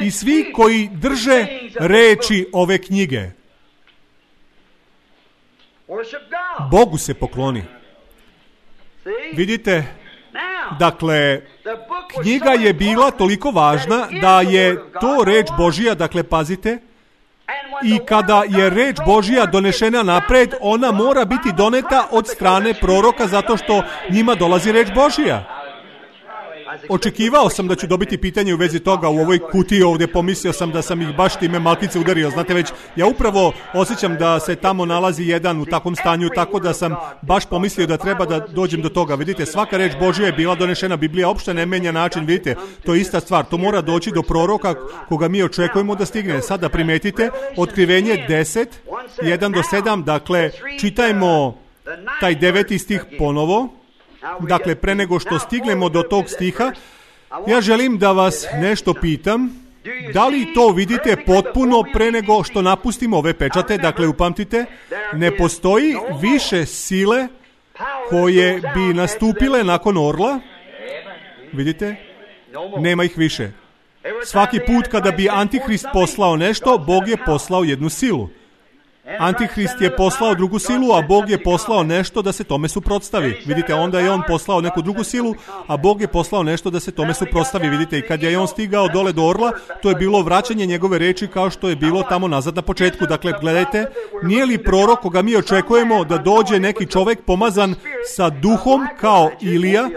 i svi koji drže reči ove knjige. Bogu se pokloni. Vidite, dakle, knjiga je bila toliko važna da je to reč Božija, dakle, pazite, i kada je reč Božija donešena napred, ona mora biti doneta od strane proroka zato što njima dolazi reč Božija. Očekivao sam da ću dobiti pitanje u vezi toga u ovoj kutiji ovdje, pomislio sam da sam ih baš time malkice udario, znate već, ja upravo osjećam da se tamo nalazi jedan u takvom stanju, tako da sam baš pomislio da treba da dođem do toga. Vidite, svaka reč Božja je bila donešena, Biblija uopšte ne menja način, vidite, to je ista stvar, to mora doći do proroka koga mi očekujemo da stigne. Sada primetite, Otkrivenje 10, 1 do 7, dakle, čitajmo taj 9. stih ponovo. Dakle, pre nego što stignemo do tog stiha, ja želim da vas nešto pitam. Da li to vidite potpuno pre nego što napustimo ove pečate? Dakle, upamtite, ne postoji više sile koje bi nastupile nakon orla. Vidite? Nema ih više. Svaki put kada bi Antihrist poslao nešto, Bog je poslao jednu silu. Antihrist je poslao drugu silu, a Bog je poslao nešto da se tome suprotstavi. Vidite, onda je on poslao neku drugu silu, a Bog je poslao nešto da se tome suprotstavi. Vidite, i kad je on stigao dole do orla, to je bilo vraćanje njegove reči kao što je bilo tamo nazad na početku. Dakle, gledajte, nije li prorok koga mi očekujemo da dođe neki čovjek pomazan sa duhom kao Ilija?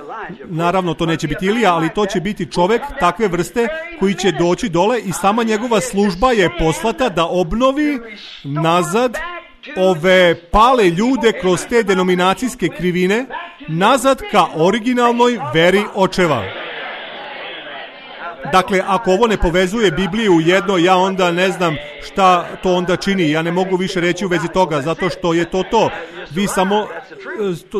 Naravno, to neće biti Ilija, ali to će biti čovjek takve vrste koji će doći dole i sama njegova služba je poslata da obnovi nazad ove pale ljude kroz te denominacijske krivine nazad ka originalnoj veri očeva. Dakle, ako ovo ne povezuje Bibliju u jedno, ja onda ne znam šta to onda čini. Ja ne mogu više reći u vezi toga, zato što je to. Vi samo,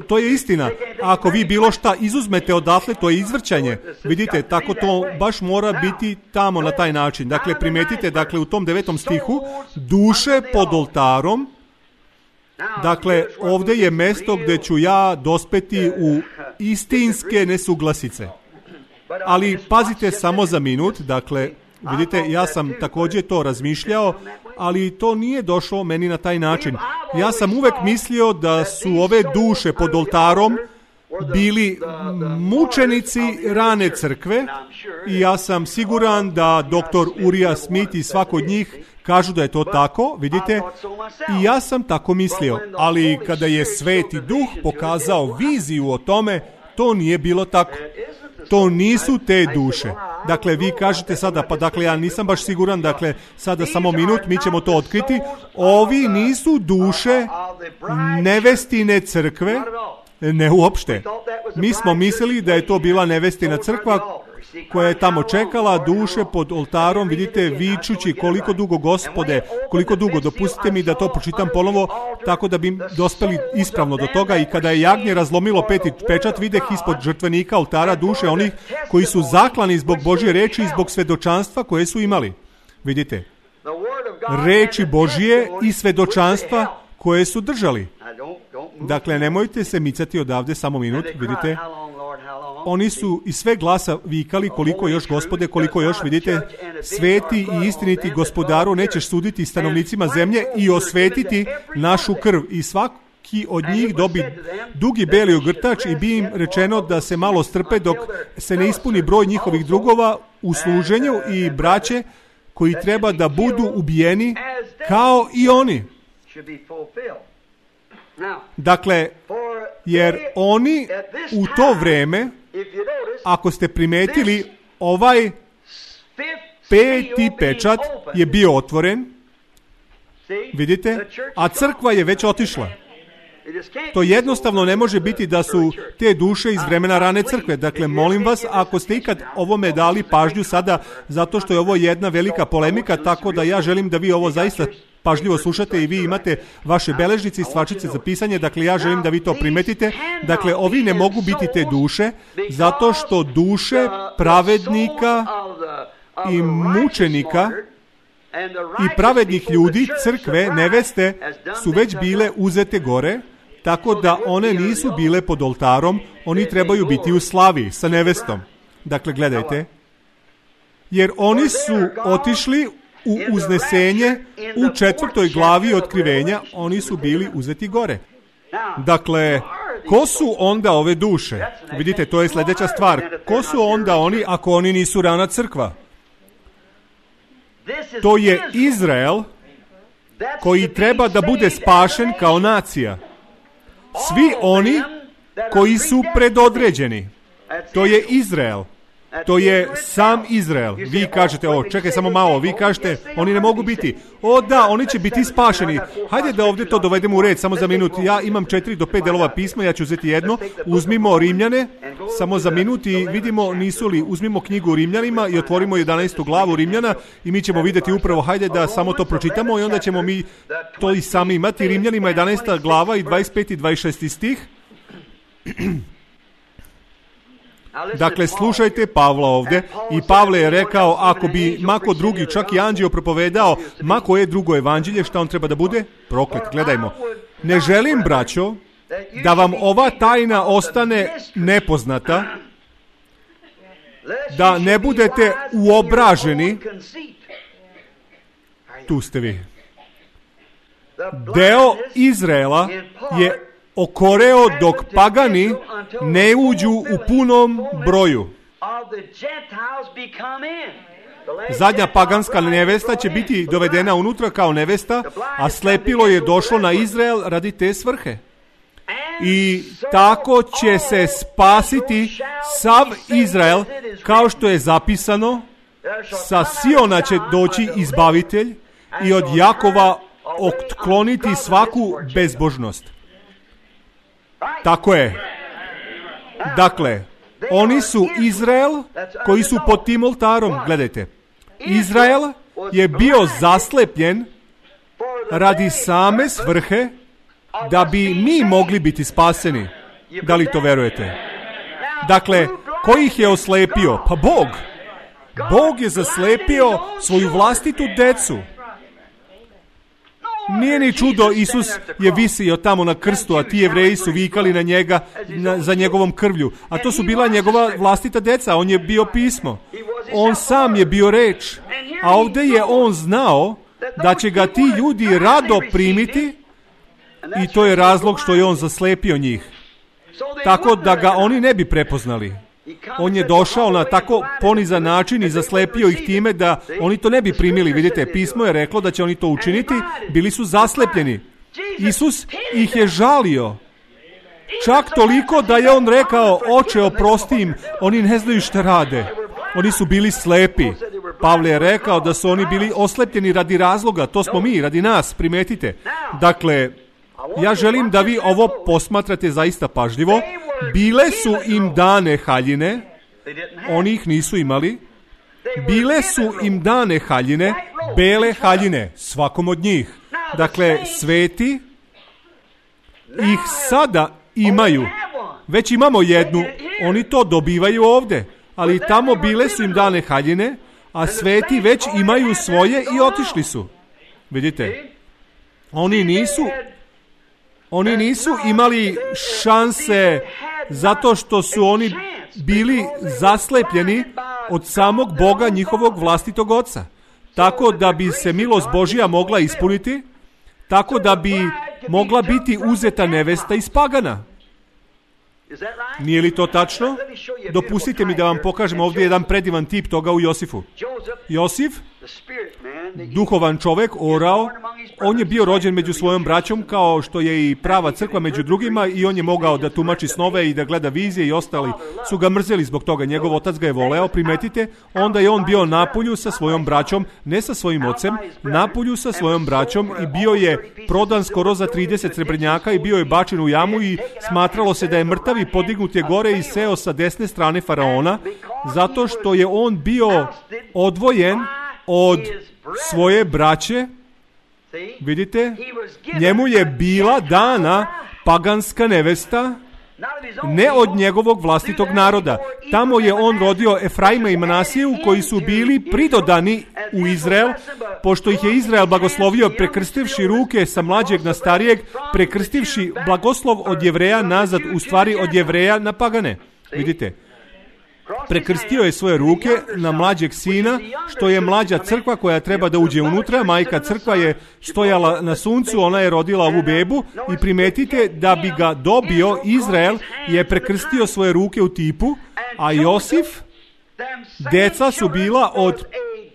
to je istina. Ako vi bilo šta izuzmete odatle, to je izvrćanje. Vidite, tako to baš mora biti tamo na taj način. Dakle, primetite, dakle, u tom 9. stihu, duše pod oltarom. Dakle, ovdje je mesto gdje ću ja dospeti u istinske nesuglasice. Ali pazite samo za minut, dakle, vidite, ja sam također to razmišljao, ali to nije došlo meni na taj način. Ja sam uvek mislio da su ove duše pod oltarom bili mučenici rane crkve i ja sam siguran da doktor Urija Smith i svako od njih kažu da je to tako, vidite, i ja sam tako mislio, ali kada je Sveti Duh pokazao viziju o tome, to nije bilo tako. To nisu te duše. Dakle, vi kažete sada, pa dakle, ja nisam baš siguran, dakle, sada samo minut, mi ćemo to otkriti. Ovi nisu duše nevestine crkve, ne uopšte. Mi smo mislili da je to bila nevestina crkva koja je tamo čekala duše pod oltarom, vidite, vičući koliko dugo, Gospode, koliko dugo, dopustite mi da to pročitam ponovo, tako da bi dospeli ispravno do toga. I kada je jagnje razlomilo 5. pečat, videh ispod žrtvenika oltara duše onih koji su zaklani zbog Božje reči i zbog svedočanstva koje su imali. Vidite, reči Božje i svedočanstva koje su držali. Dakle, nemojte se micati odavde, samo minut, vidite. Oni su iz sve glasa vikali koliko još, Gospode, koliko još, vidite, sveti i istiniti Gospodaru, nećeš suditi stanovnicima zemlje i osvetiti našu krv. I svaki od njih dobi dugi beli ogrtač i bi im rečeno da se malo strpe dok se ne ispuni broj njihovih drugova u služenju i braće koji treba da budu ubijeni kao i oni. Dakle, jer oni u to vreme, ako ste primetili, ovaj 5. pečat je bio otvoren, vidite, a crkva je već otišla. To jednostavno ne može biti da su te duše iz vremena rane crkve. Dakle, molim vas, ako ste ikad ovome dali pažnju sada, zato što je ovo jedna velika polemika, tako da ja želim da vi ovo zaista pažljivo slušate i vi imate vaše beležnice i stvačice za pisanje, dakle ja želim da vi to primetite. Dakle, ovi ne mogu biti te duše, zato što duše pravednika i mučenika i pravednih ljudi, crkve, neveste, su već bile uzete gore, tako da one nisu bile pod oltarom, oni trebaju biti u slavi sa nevestom. Dakle, gledajte, jer oni su otišli u uznesenje u 4. glavi otkrivenja, oni su bili uzeti gore. Dakle, ko su onda ove duše? Vidite, to je sljedeća stvar. Ko su onda oni ako oni nisu rana crkva? To je Izrael koji treba da bude spašen kao nacija. Svi oni koji su predodređeni. To je Izrael. To je sam Izrael. Vi kažete, čekaj samo malo, vi kažete, oni ne mogu biti. Da, oni će biti spašeni. Hajde da ovdje to dovedemo u red, samo za minut. Ja imam 4 do 5 delova pisma, ja ću uzeti jedno. Uzmimo Rimljane, samo za minut i vidimo nisu li, uzmimo knjigu Rimljanima i otvorimo 11. glavu Rimljana i mi ćemo vidjeti upravo, hajde da samo to pročitamo i onda ćemo mi to i sami imati. Rimljanima 11. glava i 25. i 26. stih. Dakle, slušajte Pavla ovdje i Pavle je rekao, ako bi mako drugi, čak i anđeo propovedao, mako je drugo evanđelje, šta on treba da bude? Proklet, gledajmo. Ne želim, braćo, da vam ova tajna ostane nepoznata, da ne budete uobraženi. Tu ste vi. Deo Izraela je okoreo dok pagani ne uđu u punom broju. Zadnja paganska nevesta će biti dovedena unutra kao nevesta, a slepilo je došlo na Izrael radi te svrhe. I tako će se spasiti sav Izrael, kao što je zapisano, sa Siona će doći izbavitelj i od Jakova otkloniti svaku bezbožnost. Tako je. Dakle, oni su Izrael koji su pod tim oltarom. Gledajte, Izrael je bio zaslepljen radi same svrhe da bi mi mogli biti spaseni. Da li to verujete? Dakle, ko ih je oslepio? Pa Bog. Bog je zaslepio svoju vlastitu decu. Nije ni čudo, Isus je visio tamo na krstu, a ti Jevreji su vikali na njega za njegovom krvlju. A to su bila njegova vlastita deca, on je bio pismo. On sam je bio reč. A ovdje je on znao da će ga ti ljudi rado primiti i to je razlog što je on zaslepio njih. Tako da ga oni ne bi prepoznali. On je došao na tako ponizan način i zaslepio ih time da oni to ne bi primili. Vidite, pismo je reklo da će oni to učiniti, bili su zaslepljeni. Isus ih je žalio. Čak toliko da je on rekao, Oče, oprosti im, oni ne znaju šta rade. Oni su bili slepi. Pavle je rekao da su oni bili oslepljeni radi razloga, to smo mi, radi nas, primetite. Dakle, ja želim da vi ovo posmatrate zaista pažljivo. Bile su im dane haljine, oni ih nisu imali. Bile su im dane haljine, bele haljine, svakom od njih. Dakle, sveti ih sada imaju. Već imamo jednu, oni to dobivaju ovdje. Ali tamo bile su im dane haljine, a sveti već imaju svoje i otišli su. Vidite, oni nisu imali šanse zato što su oni bili zaslepljeni od samog Boga, njihovog vlastitog oca. Tako da bi se milost Božja mogla ispuniti, tako da bi mogla biti uzeta nevesta iz pagana. Nije li to tačno? Dopustite mi da vam pokažem ovdje jedan predivan tip toga u Josifu. Josif, duhovan čovjek, orao, on je bio rođen među svojom braćom, kao što je i prava crkva među drugima, i on je mogao da tumači snove i da gleda vizije, i ostali su ga mrzeli zbog toga. Njegov otac ga je voleo, primetite, onda je on bio napolju sa svojom braćom, ne sa svojim ocem, napolju sa svojom braćom, i bio je prodan skoro za 30 srebrnjaka i bio je bačen u jamu, i smatralo se da je mrtav, i podignut je gore i seo sa desne strane faraona, zato što je on bio odvojen od svoje braće. Vidite, njemu je bila dana paganska nevesta, ne od njegovog vlastitog naroda. Tamo je on rodio Efraima i Manasiju, koji su bili pridodani u Izrael, pošto ih je Izrael blagoslovio prekrstivši ruke sa mlađeg na starijeg, prekrstivši blagoslov od Jevreja nazad, u stvari od Jevreja na pagane. Vidite, prekrstio je svoje ruke na mlađeg sina, što je mlađa crkva koja treba da uđe unutra. Majka crkva je stojala na suncu, ona je rodila ovu bebu, i primetite da bi ga dobio, Izrael je prekrstio svoje ruke u tipu, a Josif, deca su bila od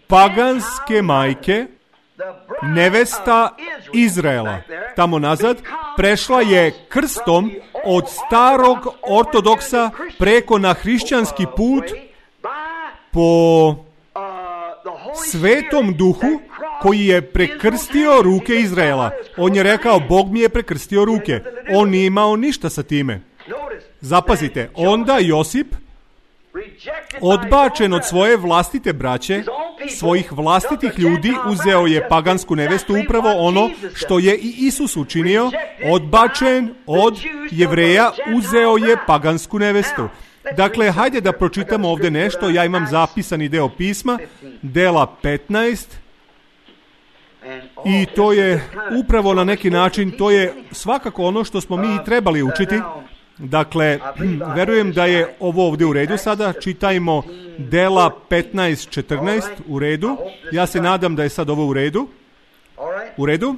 paganske majke, nevesta Izraela. Tamo nazad prešla je krstom od starog ortodoksa preko na hrišćanski put po Svetom Duhu, koji je prekrstio ruke Izraela. On je rekao, Bog mi je prekrstio ruke. On nije imao ništa sa time. Zapazite, onda Josip, odbačen od svoje vlastite braće, svojih vlastitih ljudi, uzeo je pagansku nevestu, upravo ono što je i Isus učinio. Odbačen od Jevreja, uzeo je pagansku nevestu. Dakle, hajde da pročitamo ovdje nešto. Ja imam zapisani deo pisma, Dela 15, i to je upravo na neki način, to je svakako ono što smo mi trebali učiti. Dakle, verujem da je ovo ovdje u redu sada. Čitajmo Dela 15:14, u redu. Ja se nadam da je sad ovo u redu. U redu?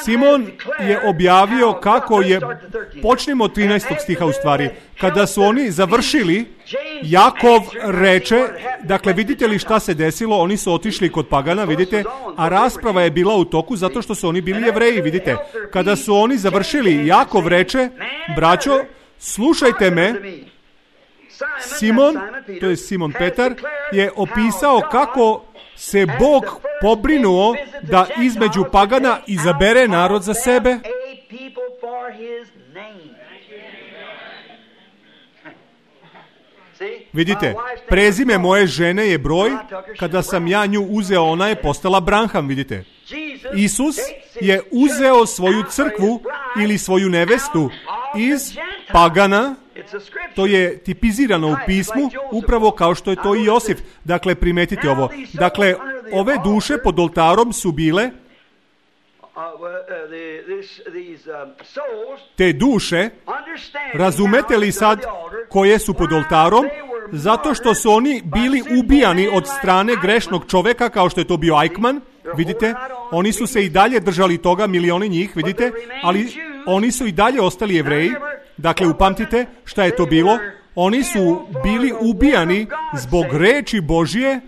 Simon je objavio kako je, počnemo od 13. stiha u stvari, kada su oni završili, Jakov reče, dakle vidite li šta se desilo, oni su otišli kod pagana, vidite, a rasprava je bila u toku zato što su oni bili Jevreji, vidite. Kada su oni završili, Jakov reče, braćo, slušajte me. Simon, to je Simon Petar, je opisao kako se Bog pobrinuo da između pagana izabere narod za sebe. Vidite, prezime moje žene je broj, kada sam ja nju uzeo, ona je postala Branham, vidite. Isus je uzeo svoju crkvu ili svoju nevestu iz pagana. To je tipizirano u pismu, upravo kao što je to i Josif. Dakle, primetite ovo. Dakle, ove duše pod oltarom su bile, te duše, razumete li sad koje su pod oltarom? Zato što su oni bili ubijani od strane grešnog čoveka, kao što je to bio Eichmann. Vidite, oni su se i dalje držali toga, milioni njih, vidite, ali oni su i dalje ostali Jevreji. Dakle, upamtite šta je to bilo. Oni su bili ubijani zbog reči Božje,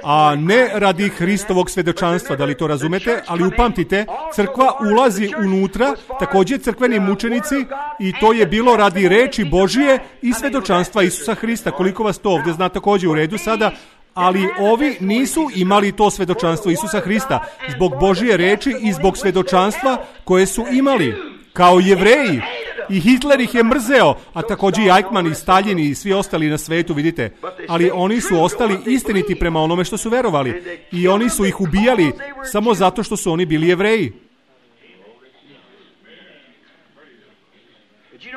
a ne radi Hristovog svedočanstva, da li to razumete? Ali upamtite, crkva ulazi unutra, također crkveni mučenici, i to je bilo radi reči Božje i svedočanstva Isusa Hrista. Koliko vas to ovdje zna, također u redu sada, ali ovi nisu imali to svedočanstvo Isusa Hrista zbog Božje reči i zbog svedočanstva koje su imali kao Jevreji. I Hitler ih je mrzeo, a također i Eichmann i Stalin i svi ostali na svetu, vidite. Ali oni su ostali istiniti prema onome što su verovali. I oni su ih ubijali samo zato što su oni bili Jevreji.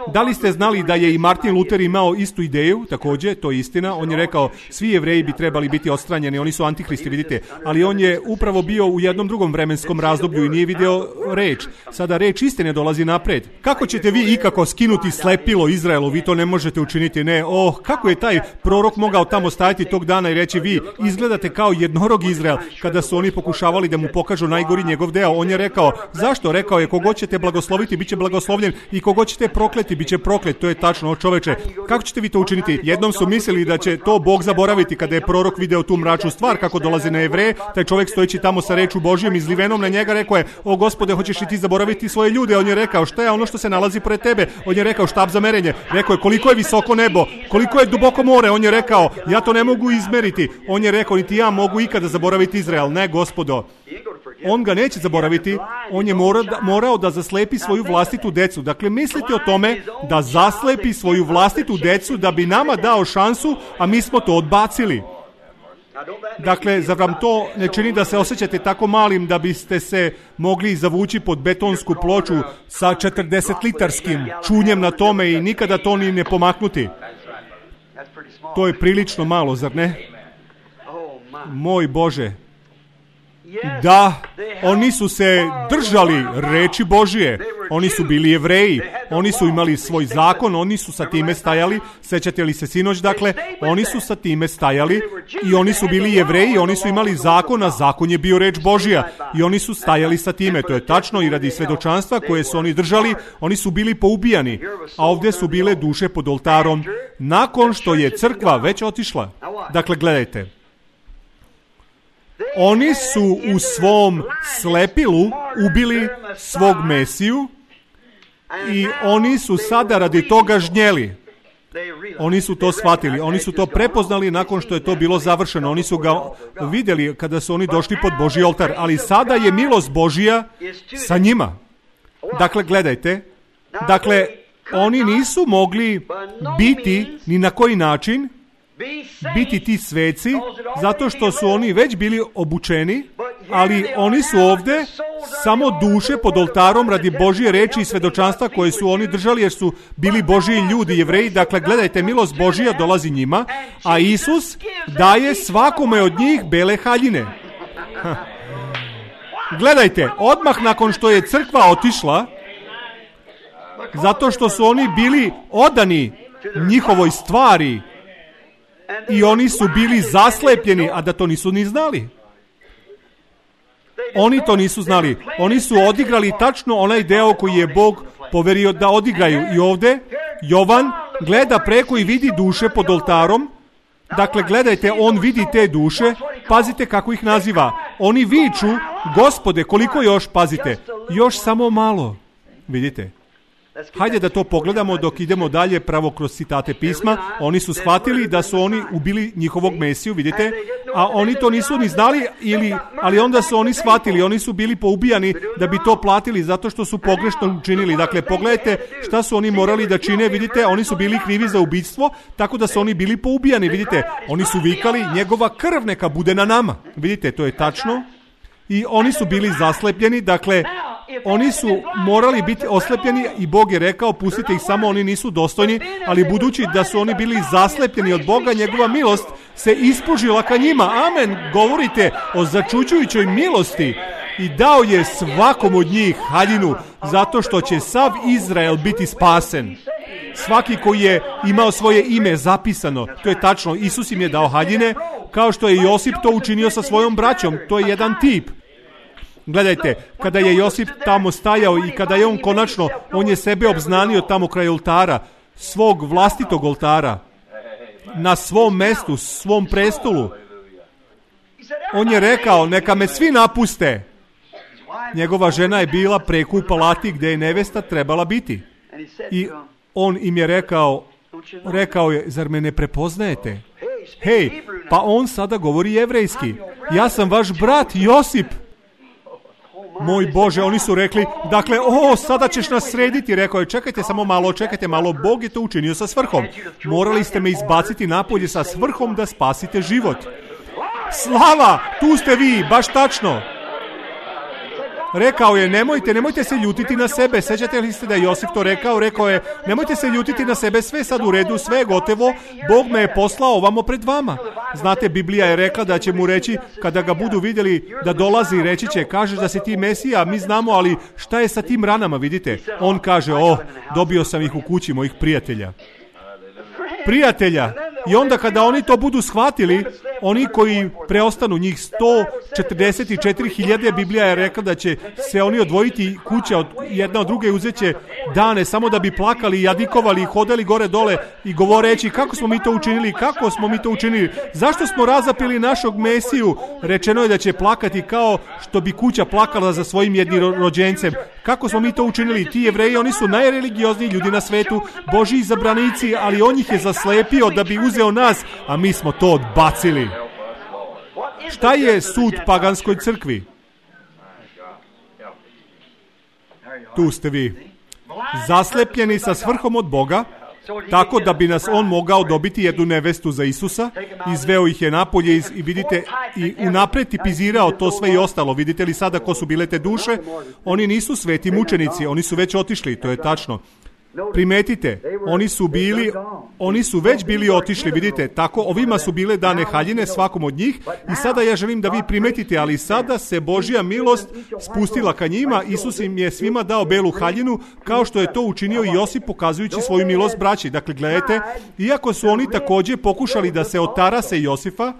Da li ste znali da je i Martin Luther imao istu ideju, također, to je istina. On je rekao, svi Jevreji bi trebali biti odstranjeni, oni su antihristi, vidite. Ali on je upravo bio u jednom drugom vremenskom razdoblju i nije video reč. Sada reč istine dolazi napred. Kako ćete vi ikako skinuti slepilo Izraelu? Vi to ne možete učiniti, ne. Kako je taj prorok mogao tamo stajati tog dana i reći, vi izgledate kao jednorog Izrael, kada su oni pokušavali da mu pokažu najgori njegov deo. On je rekao, zašto? Rekao je, kogo ćete blagosloviti, bit će blagoslovljen, i kogo ćete prokleti, bit će proklet, to je tačno, o čoveče. Kako ćete vi to učiniti? Jednom su mislili da će to Bog zaboraviti kada je prorok video tu mračnu stvar, kako dolazi na Jevreje, taj čovjek stojeći tamo sa rečju Božijom izlivenom na njega, rekao je, o Gospode, hoćeš li ti zaboraviti svoje ljude? On je rekao, šta je ono što se nalazi pored tebe? On je rekao, štab za merenje. Rekao je, koliko je visoko nebo, koliko je duboko more? On je rekao, ja to ne mogu izmeriti. On je rekao, niti ja mogu ikada zaboraviti Izrael. Ne, Gospodo. On ga neće zaboraviti, on je morao da zaslepi svoju vlastitu decu. Dakle, mislite o tome da zaslepi svoju vlastitu decu da bi nama dao šansu, a mi smo to odbacili. Dakle, zar vam to ne čini da se osjećate tako malim da biste se mogli zavući pod betonsku ploču sa 40-litarskim čunjem na tome i nikada to ni ne pomaknuti? To je prilično malo, zar ne? Moj Bože. Da, oni su se držali reči Božije, oni su bili Jevreji, oni su imali svoj zakon, oni su sa time stajali, sećate li se sinoć, dakle, oni su sa time stajali i oni su bili Jevreji, oni su imali zakon, a zakon je bio reč Božija i oni su stajali sa time, to je tačno i radi svedočanstva koje su oni držali, oni su bili poubijani, a ovdje su bile duše pod oltarom, nakon što je crkva već otišla. Dakle, gledajte. Oni su u svom slepilu ubili svog Mesiju i oni su sada radi toga žnjeli. Oni su to shvatili, oni su to prepoznali nakon što je to bilo završeno. Oni su ga vidjeli kada su oni došli pod Božji oltar, ali sada je milost Božija sa njima. Dakle, gledajte, dakle, oni nisu mogli biti ni na koji način biti ti sveci, zato što su oni već bili obučeni, ali oni su ovdje samo duše pod oltarom radi Božje reči i svedočanstva koje su oni držali jer su bili Božji ljudi, Jevreji. Dakle, gledajte, milost Božja dolazi njima, a Isus daje svakome od njih bele haljine. Gledajte, odmah nakon što je crkva otišla, zato što su oni bili odani njihovoj stvari, i oni su bili zaslepljeni, a da to nisu ni znali. Oni to nisu znali. Oni su odigrali tačno onaj deo koji je Bog poverio da odigraju. I ovdje Jovan gleda preko i vidi duše pod oltarom. Dakle, gledajte, on vidi te duše. Pazite kako ih naziva. Oni viču, Gospode, koliko još, pazite, još samo malo. Vidite? Hajde da to pogledamo dok idemo dalje pravo kroz citate pisma. Oni su shvatili da su oni ubili njihovog Mesiju, vidite, a oni to nisu ni znali, ali onda su oni shvatili, oni su bili poubijani da bi to platili zato što su pogrešno učinili. Dakle, pogledajte šta su oni morali da čine, vidite, oni su bili krivi za ubijstvo, tako da su oni bili poubijani, vidite, oni su vikali, njegova krv neka bude na nama, vidite, to je tačno, i oni su bili zaslepljeni, dakle, oni su morali biti oslepljeni i Bog je rekao, pustite ih samo, oni nisu dostojni, ali budući da su oni bili zaslepljeni od Boga, njegova milost se ispružila ka njima. Amen, govorite o začuđujućoj milosti i dao je svakom od njih haljinu, zato što će sav Izrael biti spasen. Svaki koji je imao svoje ime zapisano, to je tačno, Isus im je dao haljine, kao što je Josip to učinio sa svojom braćom, to je jedan tip. Gledajte, kada je Josip tamo stajao i kada je on konačno, on je sebe obznanio tamo kraj oltara, svog vlastitog oltara, na svom mestu, svom prestolu. On je rekao, neka me svi napuste. Njegova žena je bila preko u palati gdje je nevesta trebala biti. I on im je rekao je, zar me ne prepoznajete? Hej, pa on sada govori jevrejski. Ja sam vaš brat Josip. Moj Bože, oni su rekli, dakle, sada ćeš nas srediti, rekao je, čekajte malo, Bog je to učinio sa svrhom. Morali ste me izbaciti napolje sa svrhom da spasite život. Slava, tu ste vi, baš tačno. Rekao je, nemojte se ljutiti na sebe. Sećate li ste da je Josip to rekao je, nemojte se ljutiti na sebe, sve sad u redu, sve je gotovo, Bog me je poslao ovamo pred vama. Znate, Biblija je rekla da će mu reći, kada ga budu vidjeli da dolazi, reći će, kažeš da si ti Mesija, mi znamo, ali šta je sa tim ranama, vidite? On kaže, dobio sam ih u kući mojih prijatelja. I onda kada oni to budu shvatili, oni koji preostanu, njih 144.000, Biblija je rekla da će se oni odvojiti kuća od jedna od druge, uzet će dane samo da bi plakali i jadikovali i hodali gore dole i govoreći kako smo mi to učinili, zašto smo razapili našog Mesiju. Rečeno je da će plakati kao što bi kuća plakala za svojim jednorođencem. Kako smo mi to učinili? Ti Jevreji, oni su najreligiozniji ljudi na svetu, Božji izabranici, ali on ih je zaslepio da bi uzeo nas, a mi smo to odbacili. Šta je sud paganskoj crkvi? Tu ste vi. Zaslepljeni sa svrhom od Boga, tako da bi nas on mogao dobiti jednu nevestu za Isusa, izveo ih je napolje i vidite, i unapred tipizirao to sve i ostalo. Vidite li sada ko su bile te duše? Oni nisu sveti mučenici, oni su već otišli, to je tačno. Primetite, oni su već bili otišli, vidite, tako ovima su bile dane haljine svakom od njih i sada ja želim da vi primetite, ali sada se Božja milost spustila ka njima, Isus im je svima dao belu haljinu, kao što je to učinio i Josip pokazujući svoju milost braći. Dakle, gledajte, iako su oni također pokušali da se otarase Josifa,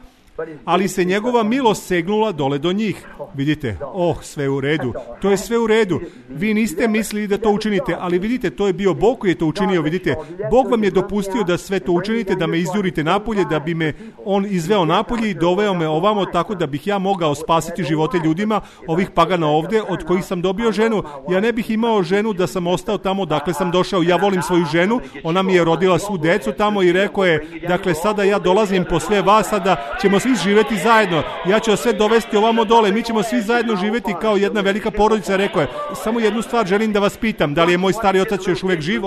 ali se njegova milost segnula dole do njih. Vidite, sve u redu. To je sve u redu. Vi niste mislili da to učinite, ali vidite, to je bio Bog koji je to učinio. Vidite, Bog vam je dopustio da sve to učinite, da me izjurite napolje, da bi me on izveo napolje i doveo me ovamo tako da bih ja mogao spasiti živote ljudima, ovih pagana ovdje, od kojih sam dobio ženu. Ja ne bih imao ženu da sam ostao tamo dakle sam došao. Ja volim svoju ženu, ona mi je rodila svu decu tamo i rekao je, dakle sada ja dolazim po sve vas, sada ćemo svi živjeti zajedno. Ja ću sve dovesti ovamo dole. Mi ćemo svi zajedno živjeti kao jedna velika porodica. Rekao je, samo jednu stvar želim da vas pitam, da li je moj stari otac još uvijek živ?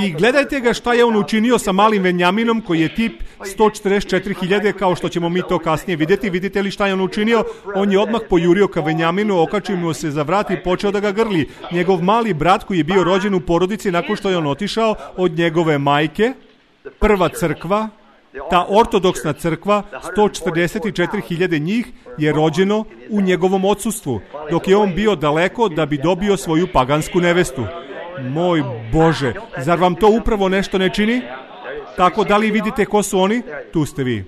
I gledajte ga šta je on učinio sa malim Venjaminom koji je tip 144.000, kao što ćemo mi to kasnije vidjeti. Vidite li šta je on učinio? On je odmah pojurio ka Venjaminu, okačio mu se za vrat i počeo da ga grli. Njegov mali brat koji je bio rođen u porodici nakon što je on otišao od njegove majke, prva crkva, ta ortodoksna crkva, 144.000 njih je rođeno u njegovom odsustvu, dok je on bio daleko da bi dobio svoju pagansku nevestu. Moj Bože, zar vam to upravo nešto ne čini? Tako, da li vidite ko su oni? Tu ste vi.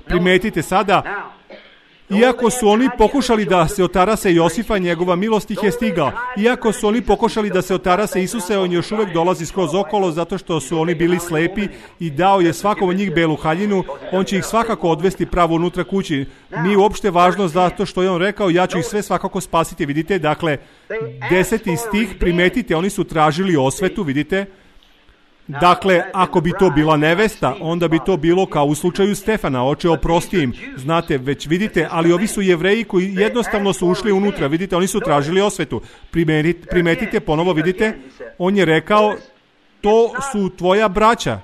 Primetite sada, iako su oni pokušali da se otarase Josifa, njegova milost ih je stigla. Iako su oni pokušali da se otarase Isuse, on još uvijek dolazi skroz okolo zato što su oni bili slepi i dao je svakom od njih belu haljinu. On će ih svakako odvesti pravo unutra kući. Nije uopšte važno zato što je on rekao, ja ću ih sve svakako spasiti. Vidite, dakle, 10. stih, primetite, oni su tražili osvetu, vidite. Dakle, ako bi to bila nevesta, onda bi to bilo kao u slučaju Stefana, oče oprosti im. Znate, već vidite, ali ovi su Jevreji koji jednostavno su ušli unutra, vidite, oni su tražili osvetu. Primetite, ponovo vidite, on je rekao, to su tvoja braća.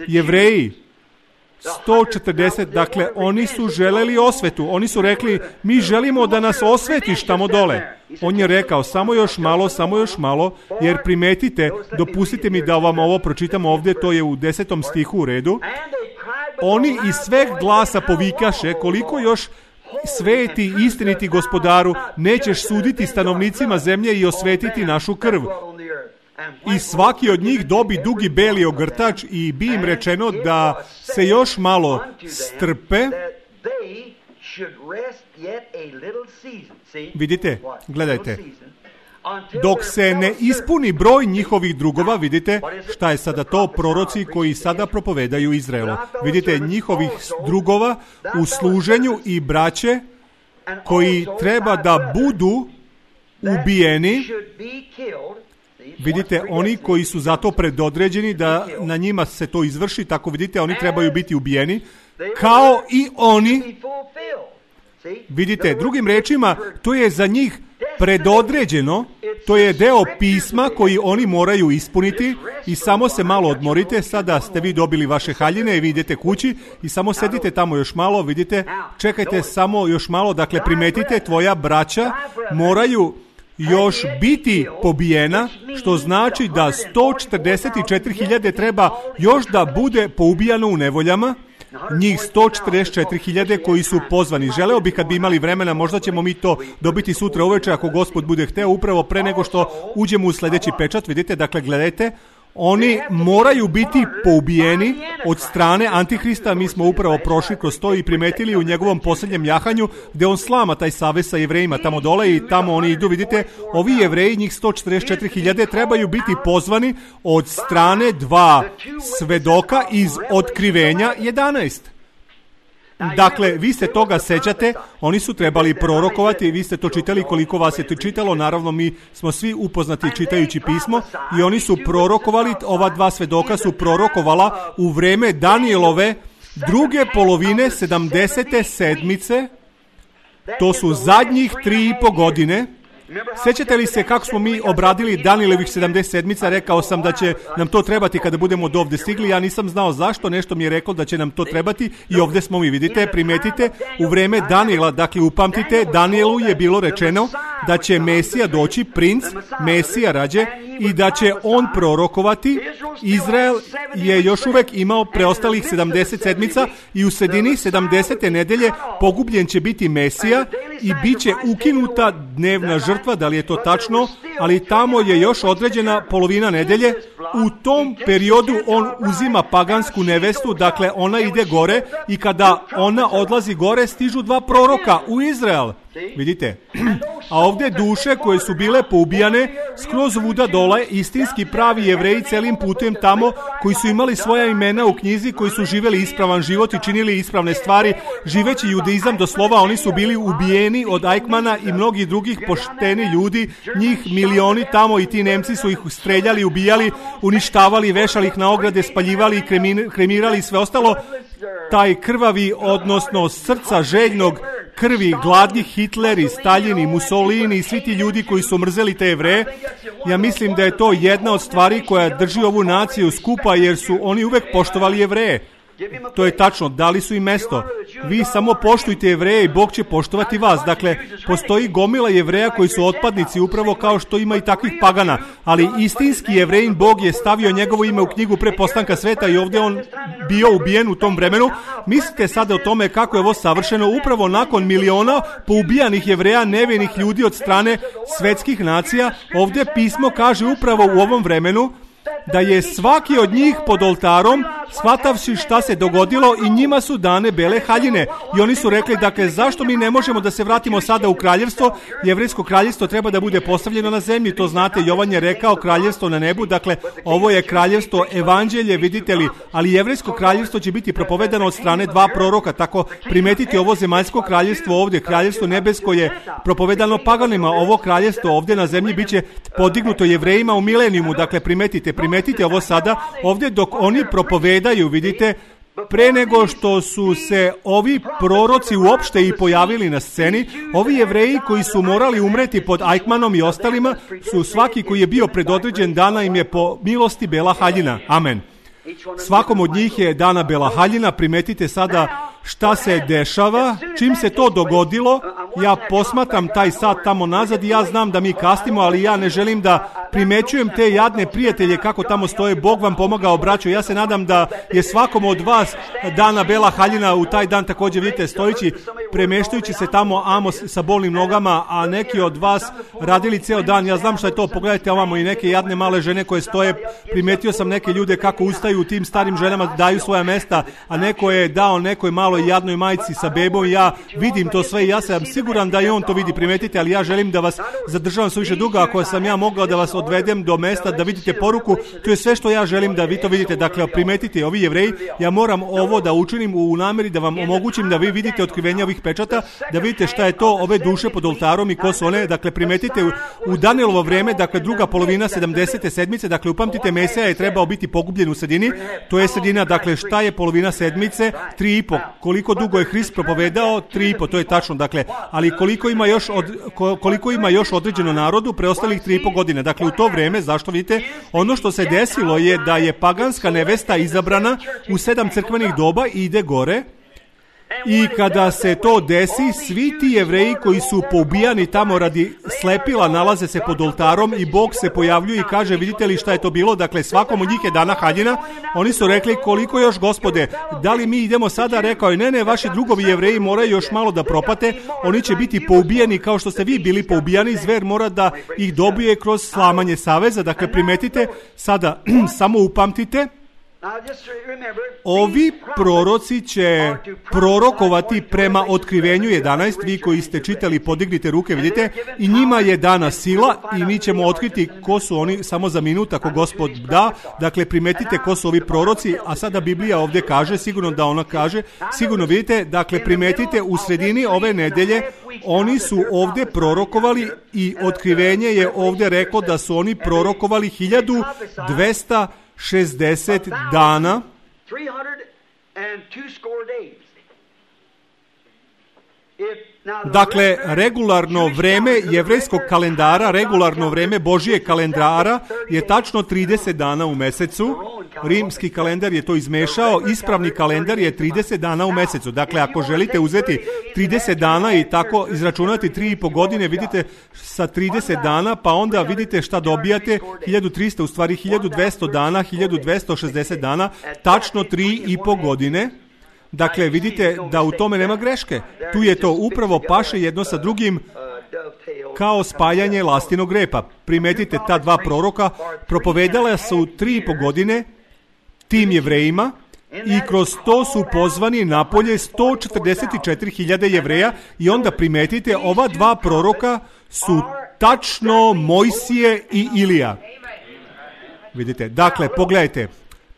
Jevreji, 140, dakle, oni su želeli osvetu. Oni su rekli, mi želimo da nas osvetiš tamo dole. On je rekao, samo još malo, jer primetite, dopustite mi da vam ovo pročitam ovdje, to je u 10. stihu u redu. Oni iz sveg glasa povikaše, koliko još sveti, istiniti gospodaru, nećeš suditi stanovnicima zemlje i osvetiti našu krv. I svaki od njih dobi dugi beli ogrtač i bi im rečeno da se još malo strpe. Vidite, gledajte. Dok se ne ispuni broj njihovih drugova, vidite šta je sada to, proroci koji sada propovedaju Izraelu. Vidite, njihovih drugova u služenju i braće koji treba da budu ubijeni. Vidite, oni koji su zato predodređeni da na njima se to izvrši, tako vidite, oni trebaju biti ubijeni, kao i oni. Vidite, drugim rečima, to je za njih predodređeno, to je deo pisma koji oni moraju ispuniti i samo se malo odmorite, sada ste vi dobili vaše haljine i vi idete kući i samo sedite tamo još malo, vidite, čekajte samo još malo, dakle primetite, tvoja braća moraju još biti pobijena, što znači da 144.000 treba još da bude poubijano u nevoljama, njih 144.000 koji su pozvani. Želeo bih kad bi imali vremena, možda ćemo mi to dobiti sutra uveče ako Gospod bude hteo, upravo pre nego što uđemo u sljedeći pečat. Vidite, dakle gledajte, Oni moraju biti poubijeni od strane Antihrista. Mi smo upravo prošli kroz to i primetili u njegovom posljednjem jahanju gdje on slama taj savez sa Jevrejima tamo dole i tamo oni idu, vidite, ovi Jevreji, njih 144.000 trebaju biti pozvani od strane dva svedoka iz Otkrivenja 11. Dakle, vi se toga sećate, oni su trebali prorokovati, vi ste to čitali, koliko vas je to čitalo, naravno mi smo svi upoznati čitajući pismo i oni su prorokovali, ova dva svedoka su prorokovala u vreme Danijelove druge polovine 70. sedmice, to su zadnjih 3,5 godine. Sećate li se kako smo mi obradili Danijelovih 70 sedmica? Rekao sam da će nam to trebati kada budemo od ovdje stigli. Ja nisam znao zašto, nešto mi je rekao da će nam to trebati i ovdje smo mi, vidite, primetite, u vreme Danijela, dakle upamtite, Danijelu je bilo rečeno da će Mesija doći, princ, Mesija rađe, i da će on prorokovati. Izrael je još uvijek imao preostalih 70 sedmica i u sredini 70. nedelje pogubljen će biti Mesija i bit će ukinuta dnevna žrtva, da li je to tačno, ali tamo je još određena polovina nedelje. U tom periodu on uzima pagansku nevestu, dakle ona ide gore i kada ona odlazi gore stižu dva proroka u Izrael. Vidite, a ovdje duše koje su bile poubijane skroz vuda dole, istinski pravi Jevreji celim putem tamo, koji su imali svoja imena u knjizi, koji su živjeli ispravan život i činili ispravne stvari, živeći judaizam do slova, oni su bili ubijeni od Eichmana i mnogih drugih pošteni ljudi, njih milioni tamo, i ti Nemci su ih streljali, ubijali, uništavali, vešali ih na ograde, spaljivali, kremirali i sve ostalo. Taj krvavi, odnosno srca željnog krvi, gladni Hitler i Stalin i Mussolini i svi ti ljudi koji su mrzeli te Jevreje, ja mislim da je to jedna od stvari koja drži ovu naciju skupa, jer su oni uvek poštovali Jevreje. To je tačno, dali su im mesto. Vi samo poštujte Jevreje i Bog će poštovati vas. Dakle, postoji gomila Jevreja koji su otpadnici, upravo kao što ima i takvih pagana. Ali istinski Jevrejin Bog je stavio njegovo ime u knjigu pre postanka sveta i ovdje on bio ubijen u tom vremenu. Mislite sada o tome kako je ovo savršeno upravo nakon miliona poubijanih Jevreja, nevinih ljudi od strane svetskih nacija. Ovdje pismo kaže upravo u ovom vremenu da je svaki od njih pod oltarom, shvatavši šta se dogodilo, i njima su dane bele haljine. I oni su rekli, dakle, zašto mi ne možemo da se vratimo sada u kraljevstvo? Jevrejsko kraljevstvo treba da bude postavljeno na zemlji, to znate, Jovan je rekao kraljevstvo na nebu, dakle, ovo je kraljevstvo evanđelje, vidite li, ali jevrejsko kraljevstvo će biti propovedano od strane dva proroka, tako primetite ovo zemaljsko kraljevstvo ovdje, kraljevstvo nebesko je propovedano paganima, ovo kraljevstvo ovdje na zemlji bit će podignuto Jevrejima u milenijumu, dakle, primetite ovo sada, ovdje dok oni propovedaju, vidite, pre nego što su se ovi proroci uopšte i pojavili na sceni, ovi Jevreji koji su morali umreti pod Eichmannom i ostalima, su svaki koji je bio predodređen dana im je po milosti bela haljina. Amen. Svakom od njih je dana bela haljina. Primetite sada šta se dešava. Čim se to dogodilo, ja posmatram taj sat tamo nazad i ja znam da mi kasnimo, ali ja ne želim da primećujem te jadne prijatelje kako tamo stoje. Bog vam pomogao, braćo. Ja se nadam da je svakom od vas dana bela haljina u taj dan također, vidite, stojići, premeštajući se tamo Amos sa bolnim nogama, a neki od vas radili ceo dan. Ja znam šta je to, pogledajte ovamo i neke jadne male žene koje stoje. Primetio sam neke ljude kako ustaju, tim starim ženama daju svoja mesta, a neko je dao nekoj maloj jadnoj majci sa bebom. Ja vidim to sve i ja sam siguran da i on to vidi, primetite, ali ja želim da vas zadržavam suviše dugo. Ako sam ja mogao da vas odvedem do mesta da vidite poruku, to je sve što ja želim da vi to vidite. Dakle, primetite, ovi Jevreji, ja moram ovo da učinim u nameri da vam omogućim da vi vidite otkrivenje ovih pečata, da vidite šta je to, ove duše pod oltarom i ko su one. Dakle, primetite, u Danijelovo vreme, dakle, druga polovina 70. sedmice, dakle, upamtite, Mesija je trebao biti pogubljen u sredini, to je sredina, dakle, šta je polovina sedmice? 3,5. Koliko dugo je Hrist propovedao? 3,5, to je tačno, dakle, ali koliko ima još određeno narodu preostalih 3,5 godine. Dakle, u to vreme, zašto vidite, ono što se desilo je da je paganska nevesta izabrana u 7 crkvenih doba i ide gore. I kada se to desi, svi ti Jevreji koji su poubijani tamo radi slepila nalaze se pod oltarom i Bog se pojavljuje i kaže, vidite li šta je to bilo? Dakle, svakom od njih je dana haljina. Oni su rekli, koliko još, Gospode? Da li mi idemo sada? Rekao je, ne, vaši drugovi Jevreji moraju još malo da propate. Oni će biti poubijani kao što ste vi bili poubijani. Zver mora da ih dobije kroz slamanje saveza. Dakle, primetite, sada samo upamtite, ovi proroci će prorokovati prema Otkrivenju 11, vi koji ste čitali, podignite ruke, vidite, i njima je dana sila i mi ćemo otkriti ko su oni samo za minut, ako Gospod da. Dakle, primetite ko su ovi proroci, a sada Biblija ovdje kaže, sigurno da ona kaže, sigurno vidite, dakle, primetite, u sredini ove nedelje oni su ovdje prorokovali i Otkrivenje je ovdje reklo da su oni prorokovali 1260 dana. Dakle, regularno vreme jevrejskog kalendara, regularno vreme Božijeg kalendara je tačno 30 dana u mesecu. Rimski kalendar je to izmešao, ispravni kalendar je 30 dana u mesecu. Dakle, ako želite uzeti 30 dana i tako izračunati 3,5 godine, vidite sa 30 dana, pa onda vidite šta dobijate, 1300, u stvari 1200 dana, 1260 dana, tačno 3,5 godine. Dakle, vidite da u tome nema greške. Tu je to upravo paše jedno sa drugim kao spajanje lastinog repa. Primetite, ta dva proroka propovedala su 3,5 godine tim Jevrejima i kroz to su pozvani napolje 144.000 Jevreja i onda primetite, ova dva proroka su tačno Mojsije i Ilija. Vidite, dakle,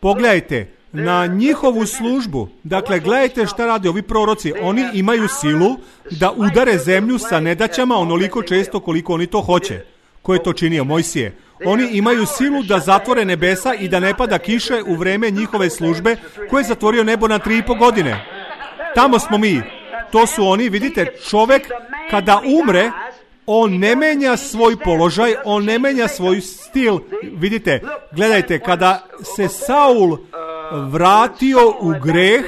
pogledajte, na njihovu službu. Dakle, gledajte šta rade ovi proroci. Oni imaju silu da udare zemlju sa nedaćama onoliko često koliko oni to hoće. Ko je to činio? Mojsije. Oni imaju silu da zatvore nebesa i da ne pada kiše u vreme njihove službe, ko je zatvorio nebo na 3,5 godine. Tamo smo mi. To su oni, vidite, čovek kada umre, on ne menja svoj položaj, on ne menja svoj stil. Vidite, gledajte, kada se Saul vratio u greh,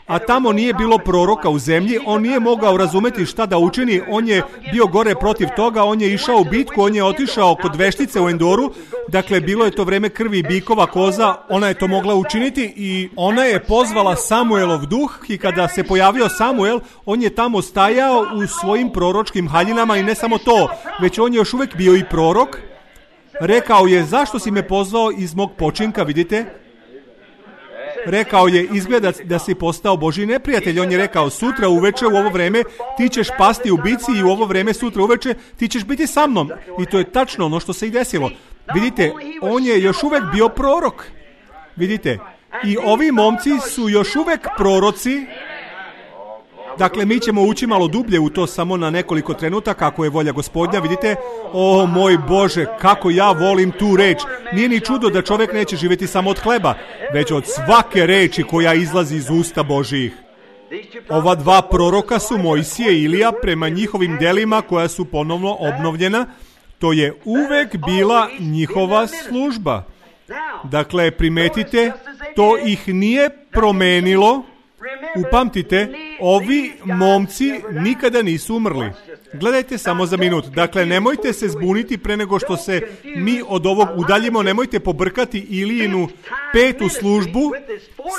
a tamo nije bilo proroka u zemlji, on nije mogao razumeti šta da učini, on je bio gore protiv toga, on je išao u bitku, on je otišao kod veštice u Endoru, dakle bilo je to vreme krvi bikova, koza, ona je to mogla učiniti i ona je pozvala Samuelov duh i kada se pojavio Samuel, on je tamo stajao u svojim proročkim haljinama i ne samo to, već on je još uvijek bio i prorok. Rekao je, zašto si me pozvao iz mog počinka, vidite? Rekao je, izgleda da si postao Božji neprijatelj. On je rekao, sutra uveče u ovo vreme ti ćeš pasti u bici i u ovo vreme sutra uveče ti ćeš biti sa mnom. I to je tačno ono što se i desilo. Vidite, on je još uvek bio prorok. Vidite, i ovi momci su još uvek proroci. Dakle, mi ćemo ući malo dublje u to samo na nekoliko trenutaka, ako je volja Gospodnja. Vidite, o moj Bože, kako ja volim tu reč. Nije ni čudo da čovjek neće živjeti samo od hleba, već od svake reči koja izlazi iz usta Božijih. Ova dva proroka su Mojsije i Ilija prema njihovim delima koja su ponovno obnovljena. To je uvek bila njihova služba. Dakle, primetite, to ih nije promenilo. Upamtite, ovi momci nikada nisu umrli. Gledajte samo za minut. Dakle, nemojte se zbuniti pre nego što se mi od ovog udaljimo. Nemojte pobrkati Ilijinu 5. službu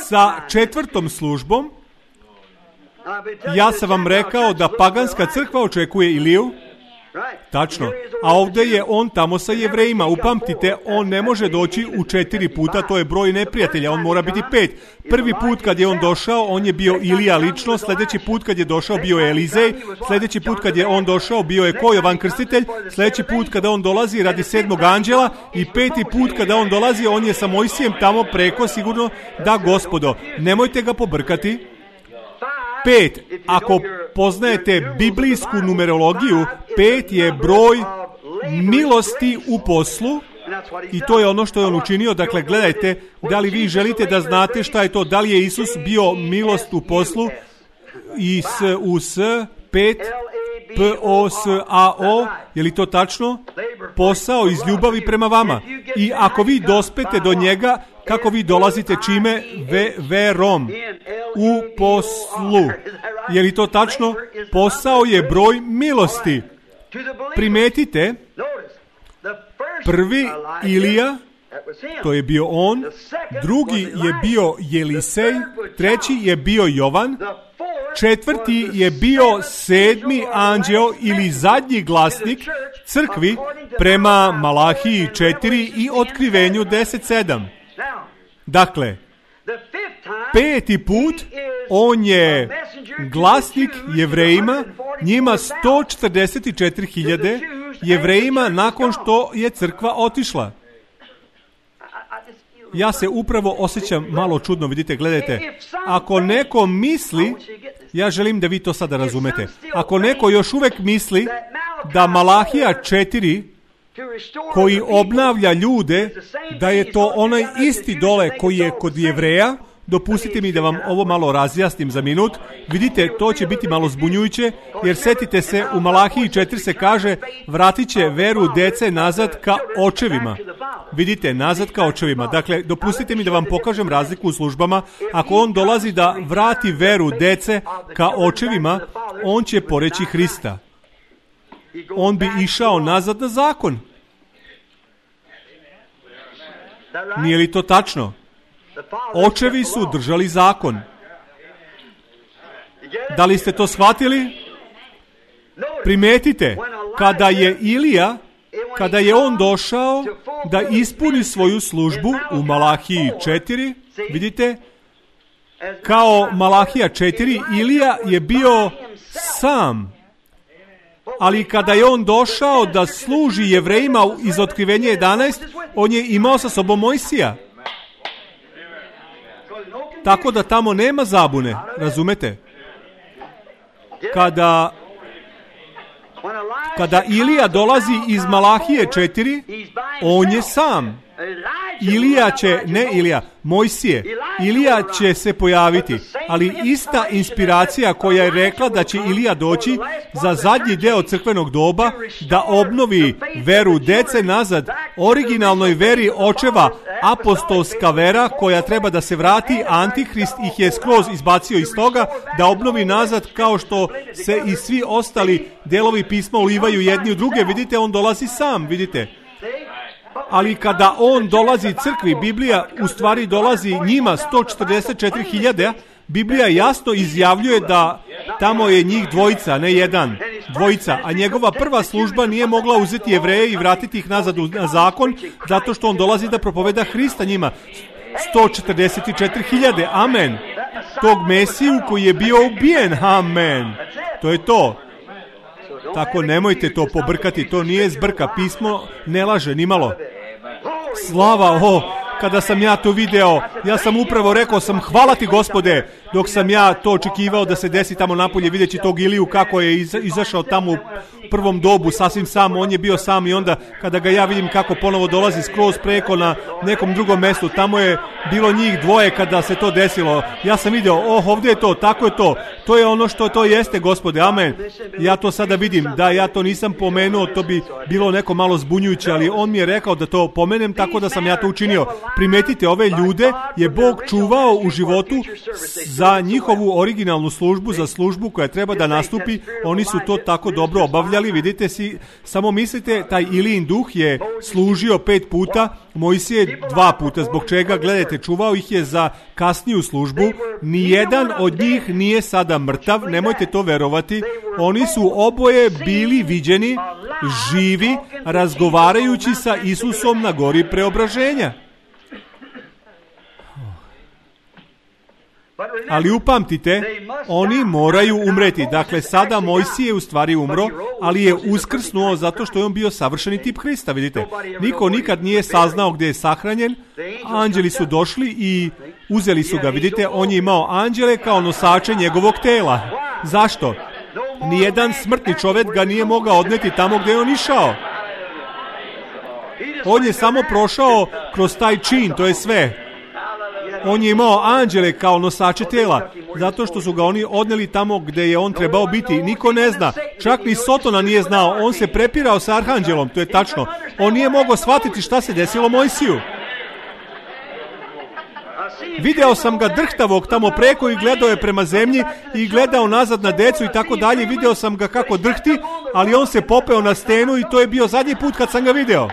sa 4. službom. Ja sam vam rekao da paganska crkva očekuje Iliju. Tačno. A ovdje je on tamo sa Jevrejima. Upamtite, on ne može doći u 4 puta, to je broj neprijatelja, on mora biti 5. Prvi put kad je on došao, on je bio Ilija lično, sljedeći put kad je došao bio je Elizej, sljedeći put kad je on došao bio je ko? Jovan Krstitelj, sljedeći put kada on dolazi radi 7. anđela i 5. put kada on dolazi, on je sa Mojsijem tamo preko, sigurno da, Gospodo, nemojte ga pobrkati. 5. Ako poznajete biblijsku numerologiju, 5 je broj milosti u poslu i to je ono što je on učinio. Dakle, gledajte, da li vi želite da znate šta je to, da li je Isus bio milost u poslu i s 5 POSAO, je li to tačno? Posao iz ljubavi prema vama. I ako vi dospete do njega, kako vi dolazite čime? Verom. U poslu. Je li to tačno? Posao je broj milosti. Primetite, prvi Ilija, to je bio on, drugi je bio Jelisej, treći je bio Jovan, četvrti je bio sedmi anđeo ili zadnji glasnik crkvi prema Malahiji 4 i Otkrivenju 10:7. Dakle, peti put on je glasnik Jevrejima, njima 144.000 Jevrejima nakon što je crkva otišla. Ja se upravo osjećam malo čudno, vidite, gledajte. Ako neko misli, ja želim da vi to sada razumete, ako neko još uvijek misli da Malahija 4 koji obnavlja ljude, da je to onaj isti dole koji je kod Jevreja, dopustite mi da vam ovo malo razjasnim za minut. Vidite, to će biti malo zbunjujuće, jer setite se, u Malahiji 4 se kaže, vratit će veru dece nazad ka očevima. Vidite, nazad ka očevima. Dakle, dopustite mi da vam pokažem razliku u službama. Ako on dolazi da vrati veru dece ka očevima, on će poreći Hrista. On bi išao nazad na zakon. Nije li to tačno? Očevi su držali zakon. Da li ste to shvatili? Primetite, kada je Ilija, kada je on došao da ispuni svoju službu u Malahiji 4, vidite, kao Malahija 4, Ilija je bio sam. Ali kada je on došao da služi Jevrejima iz Otkrivenja 11, on je imao sa sobom Mojsija. Tako da tamo nema zabune, razumete? Kada Ilija dolazi iz Malahije 4, on je sam. Mojsije. Ilija će se pojaviti, ali ista inspiracija koja je rekla da će Ilija doći za zadnji deo crkvenog doba da obnovi veru dece nazad, originalnoj veri očeva, apostolska vera koja treba da se vrati, Antihrist ih je skroz izbacio iz toga, da obnovi nazad kao što se i svi ostali delovi pisma ulivaju jedni u druge. Vidite, on dolazi sam, vidite. Ali kada on dolazi crkvi, Biblija u stvari dolazi njima 144.000, Biblija jasno izjavljuje da tamo je njih dvojica, ne jedan, dvojica, a njegova prva služba nije mogla uzeti Jevreje i vratiti ih nazad na zakon, zato što on dolazi da propoveda Hrista njima. 144.000, amen. Tog Mesiju koji je bio ubijen, amen. To je to. Tako nemojte to pobrkati, to nije zbrka, pismo ne laže nimalo. Slava, kada sam ja to video, ja sam upravo rekao sam, hvala ti Gospode, dok sam ja to očekivao da se desi tamo napolje, videći tog Iliju kako je izašao tamo u prvom dobu sasvim sam, on je bio sam i onda kada ga ja vidim kako ponovo dolazi skroz preko na nekom drugom mjestu, tamo je bilo njih dvoje kada se to desilo, ja sam vidio, ovdje je to, tako je to je ono što to jeste Gospode, amen. Ja to sada vidim, da ja to nisam pomenuo, to bi bilo neko malo zbunjujuće, ali on mi je rekao da to pomenem, tako da sam ja to učinio. Primetite, ove ljude je Bog čuvao u životu za njihovu originalnu službu, za službu koja treba da nastupi, oni su to tako dobro obavljali, vidite si, samo mislite, taj Ilijin duh je služio 5 puta, Mojsije 2 puta, zbog čega, gledajte, čuvao ih je za kasniju službu, nijedan od njih nije sada mrtav, nemojte to verovati, oni su oboje bili viđeni, živi, razgovarajući sa Isusom na gori preobraženja. Ali upamtite, oni moraju umreti. Dakle, sada Mojsije je u stvari umro, ali je uskrsnuo zato što je on bio savršeni tip Hrista, vidite. Niko nikad nije saznao gdje je sahranjen, anđeli su došli i uzeli su ga, vidite, on je imao anđele kao nosače njegovog tela. Zašto? Nijedan smrtni čovjek ga nije mogao odneti tamo gdje je on išao. On je samo prošao kroz taj čin, to je sve. On je imao anđele kao nosače tela, zato što su ga oni odneli tamo gdje je on trebao biti. Niko ne zna, čak ni Sotona nije znao, on se prepirao sa arhanđelom, to je tačno. On nije mogao shvatiti šta se desilo Mojsiju. Video sam ga drhtavog tamo preko i gledao je prema zemlji i gledao nazad na decu i tako dalje. Video sam ga kako drhti, ali on se popeo na stenu i to je bio zadnji put kad sam ga video.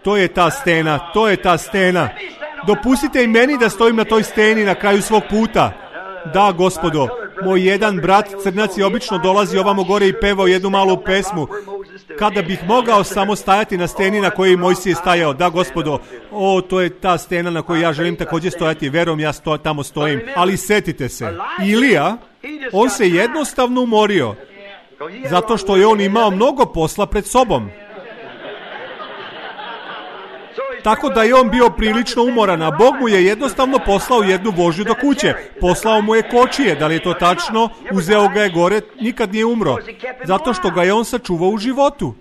To je ta stena, to je ta stena. Dopustite i meni da stojim na toj steni na kraju svog puta. Da, gospodo, moj jedan brat crnac je obično dolazi ovamo gore i pevao jednu malu pesmu. Kada bih mogao samo stajati na steni na kojoj Mojsije stajao. Da, gospodo, to je ta stena na kojoj ja želim također stojati. Verujem, ja tamo stojim. Ali setite se, Ilija, on se jednostavno umorio. Zato što je on imao mnogo posla pred sobom. Tako da je on bio prilično umoran, a Bog mu je jednostavno poslao jednu vožnju do kuće. Poslao mu je kočije, da li je to tačno? Uzeo ga je gore, nikad nije umro. Zato što ga je on sačuvao u životu.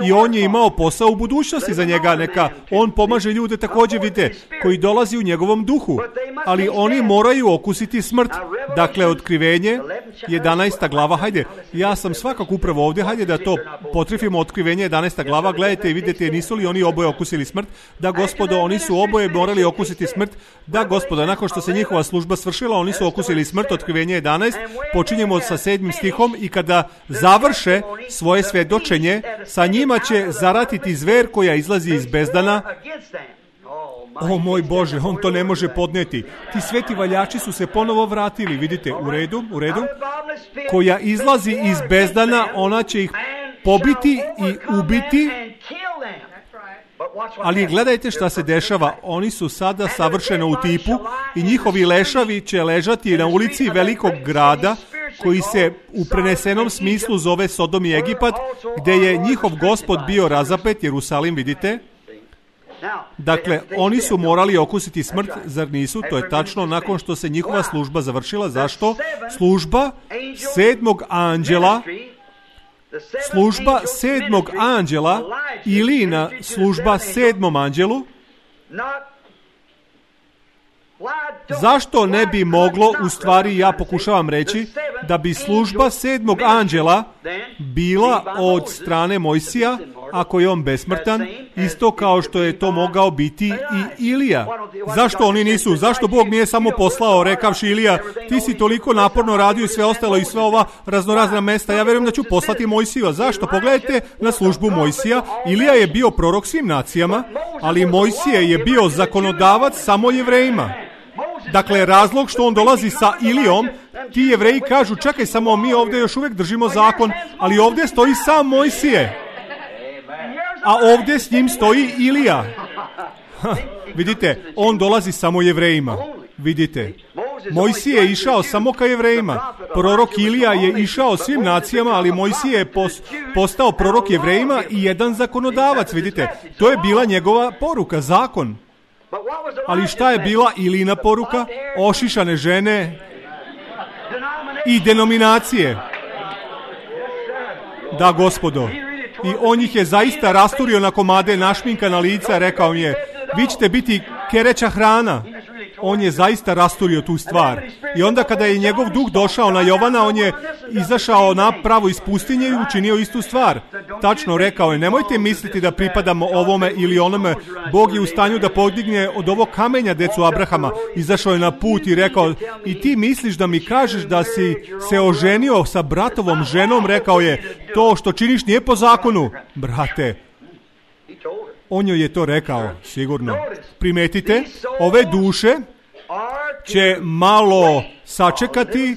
I on je imao posao u budućnosti za njega. Neka on pomaže ljude također, vidite, koji dolazi u njegovom duhu. Ali oni moraju okusiti smrt. Dakle, Otkrivenje, 11. glava, hajde, ja sam svakako upravo ovdje, hajde da to potrefimo, Otkrivenje, 11. glava, gledajte i vidite, nisu li oni oboje okusili smrt? Da, gospodo, oni su oboje morali okusiti smrt. Da, gospodo, nakon što se njihova služba svršila, oni su okusili smrt. Otkrivenje 11, počinjemo sa 7. stihom, i kada završe svoje svjedočenje, sa njima će zaratiti zver koja izlazi iz bezdana. O moj Bože, on to ne može podnijeti. Ti sveti valjači su se ponovo vratili, vidite, u redu, koja izlazi iz bezdana, ona će ih pobiti i ubiti. Ali gledajte šta se dešava, oni su sada savršeno u tipu i njihovi lešavi će ležati na ulici velikog grada koji se u prenesenom smislu zove Sodom i Egipat, gdje je njihov gospod bio razapet, Jerusalim, vidite. Dakle, oni su morali okusiti smrt, zar nisu? To je tačno, nakon što se njihova služba završila. Zašto? Služba 7. anđela, služba 7. anđela, Ilijina služba 7. anđelu. Zašto ne bi moglo, u stvari ja pokušavam reći, da bi služba 7. anđela bila od strane Mojsija, ako je on besmrtan, isto kao što je to mogao biti i Ilija. Zašto oni nisu? Zašto Bog nije samo poslao, rekavši Ilija, ti si toliko naporno radio i sve ostalo i sve ova raznorazna mesta, ja vjerujem da ću poslati Mojsija. Zašto? Pogledajte na službu Mojsija. Ilija je bio prorok svim nacijama, ali Mojsije je bio zakonodavac samo Jevrejima. Dakle, razlog što on dolazi sa Ilijom, ti Jevreji kažu, čekaj samo, mi ovdje još uvijek držimo zakon, ali ovdje stoji sam Mojsije, a ovdje s njim stoji Ilija. Vidite, on dolazi samo Jevrejima. Vidite, Mojsije je išao samo ka Jevrejima. Prorok Ilija je išao svim nacijama, ali Mojsije je postao prorok Jevrejima i jedan zakonodavac. Vidite, to je bila njegova poruka, zakon. Ali šta je bila Ilijina poruka? Ošišane žene i denominacije. Da, gospodo. I on ih je zaista rasturio na komade, našminkana lica, rekao mi je, vi ćete biti kereća hrana. On je zaista rasturio tu stvar. I onda kada je njegov duh došao na Jovana, on je izašao na pravo iz pustinje i učinio istu stvar. Tačno rekao je, nemojte misliti da pripadamo ovome ili onome. Bog je u stanju da podigne od ovog kamenja decu Abrahama. Izašao je na put i rekao, i ti misliš da mi kažeš da si se oženio sa bratovom ženom? Rekao je, to što činiš nije po zakonu. Brate, on joj je to rekao, sigurno. Primetite, ove duše će malo sačekati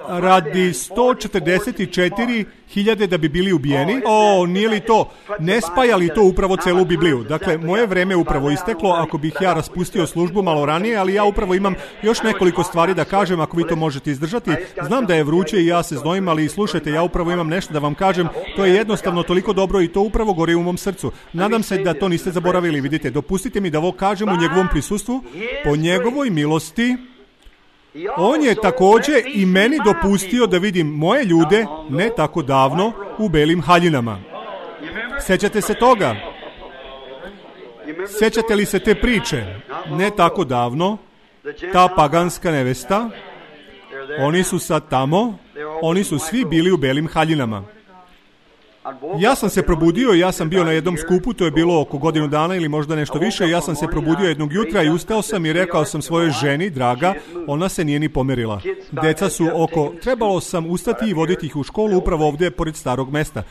radi 144.000 da bi bili ubijeni. Nije li to? Ne spaja li to upravo celu Bibliju? Dakle, moje vreme upravo isteklo, ako bih ja raspustio službu malo ranije, ali ja upravo imam još nekoliko stvari da kažem, ako vi to možete izdržati. Znam da je vruće i ja se znojim, ali slušajte, ja upravo imam nešto da vam kažem. To je jednostavno toliko dobro i to upravo gori u mom srcu. Nadam se da to niste zaboravili. Vidite, dopustite mi da ovo kažem u njegovom prisustvu, po njegovoj milosti. On je također i meni dopustio da vidim moje ljude ne tako davno u belim haljinama. Sjećate se toga? Sjećate li se te priče? Ne tako davno, ta paganska nevesta, oni su sad tamo, oni su svi bili u belim haljinama. Ja sam se probudio, ja sam bio na jednom skupu, to je bilo oko godinu dana ili možda nešto više, ja sam se probudio jednog jutra i ustao sam i rekao sam svojoj ženi, draga, ona se nije ni pomerila. Deca su trebalo sam ustati i voditi ih u školu upravo ovdje pored starog mesta.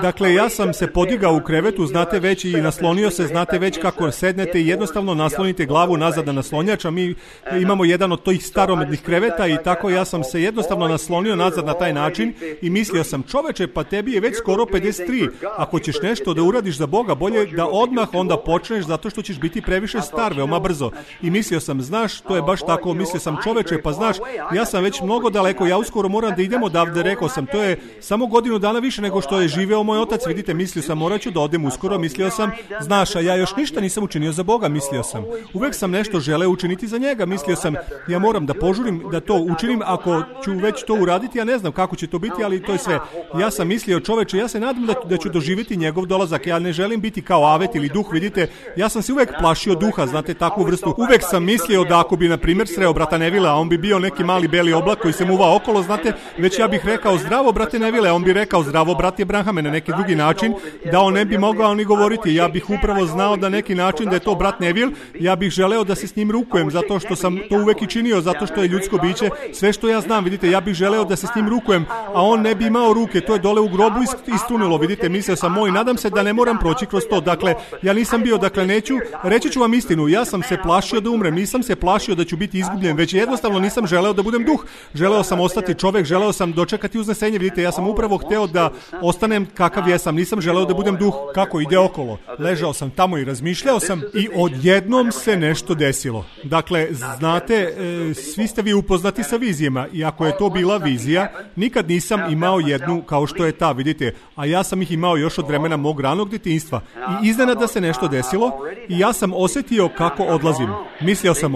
Dakle, ja sam se podigao u krevetu, znate već, i naslonio se, znate već kako sednete i jednostavno naslonite glavu nazad na naslonjač, a mi imamo jedan od tih staromodnih kreveta i tako ja sam se jednostavno naslonio nazad na taj način i mislio sam, čoveče, pa tebi je već skoro 53, ako ćeš nešto da uradiš za Boga, bolje da odmah onda počneš, zato što ćeš biti previše star veoma brzo. I mislio sam, znaš, to je baš tako, mislio sam, čoveče, pa znaš, ja sam već mnogo daleko, ja uskoro moram da idem odavde, rekao sam, to je samo godinu dana više nego što je živeo moj otac, vidite, mislio sam, morat ću da odem uskoro, mislio sam, znaš, a ja još ništa nisam učinio za Boga, mislio sam, uvek sam nešto želeo učiniti za njega, mislio sam, ja moram da požurim da to učinim, ako ću već to uraditi, ja ne znam kako će to biti, ali to je sve. Ja sam mislio, čoveče, ja se nadam da ću doživjeti njegov dolazak, ja ne želim biti kao avet ili duh, vidite, ja sam se uvek plašio duha, znate, takvu vrstu, uvek sam mislio da ako bi, na primjer, sreo brata Nevila, a on bi bio neki mali beli oblak koji se muva okolo, znate, već ja bih rekao, zdravo brate Nevile, on bi rekao, zdravo brate Abrahame, na neki drugi način, da on ne bi mogao ni govoriti, ja bih upravo znao da neki način da je to brat Nevil, ja bih želeo da se s njim rukujem, zato što sam to uvek i činio, zato što je ljudsko biće, sve što ja znam, vidite, ja bih želeo da se s njim rukujem, a on ne bi imao ruke, to je dole u grobu istrunilo, vidite, mislio sam moj, nadam se da ne moram proći kroz to, dakle, ja nisam bio, dakle, neću, reći ću vam istinu, ja sam se plašio da umrem, nisam se plašio da ću biti izgubljen, već jednostavno nisam želeo da budem duh, želeo sam ostati čovek, želeo sam dočekati uznesenje, vidite, ja sam upravo hteo da ostanem kakav jesam, nisam želeo da budem duh, kako ide okolo, ležao sam tamo i razmišljao sam i odjednom se nešto desilo, dakle, znate, svi ste vi upoznati sa vizijama i ako je to bila vizija, nikad nisam imao jednu kao što je ta, vidite, a ja sam ih imao još od vremena mog ranog djetinjstva i iznenada se nešto desilo i ja sam osjetio kako odlazim, mislio sam,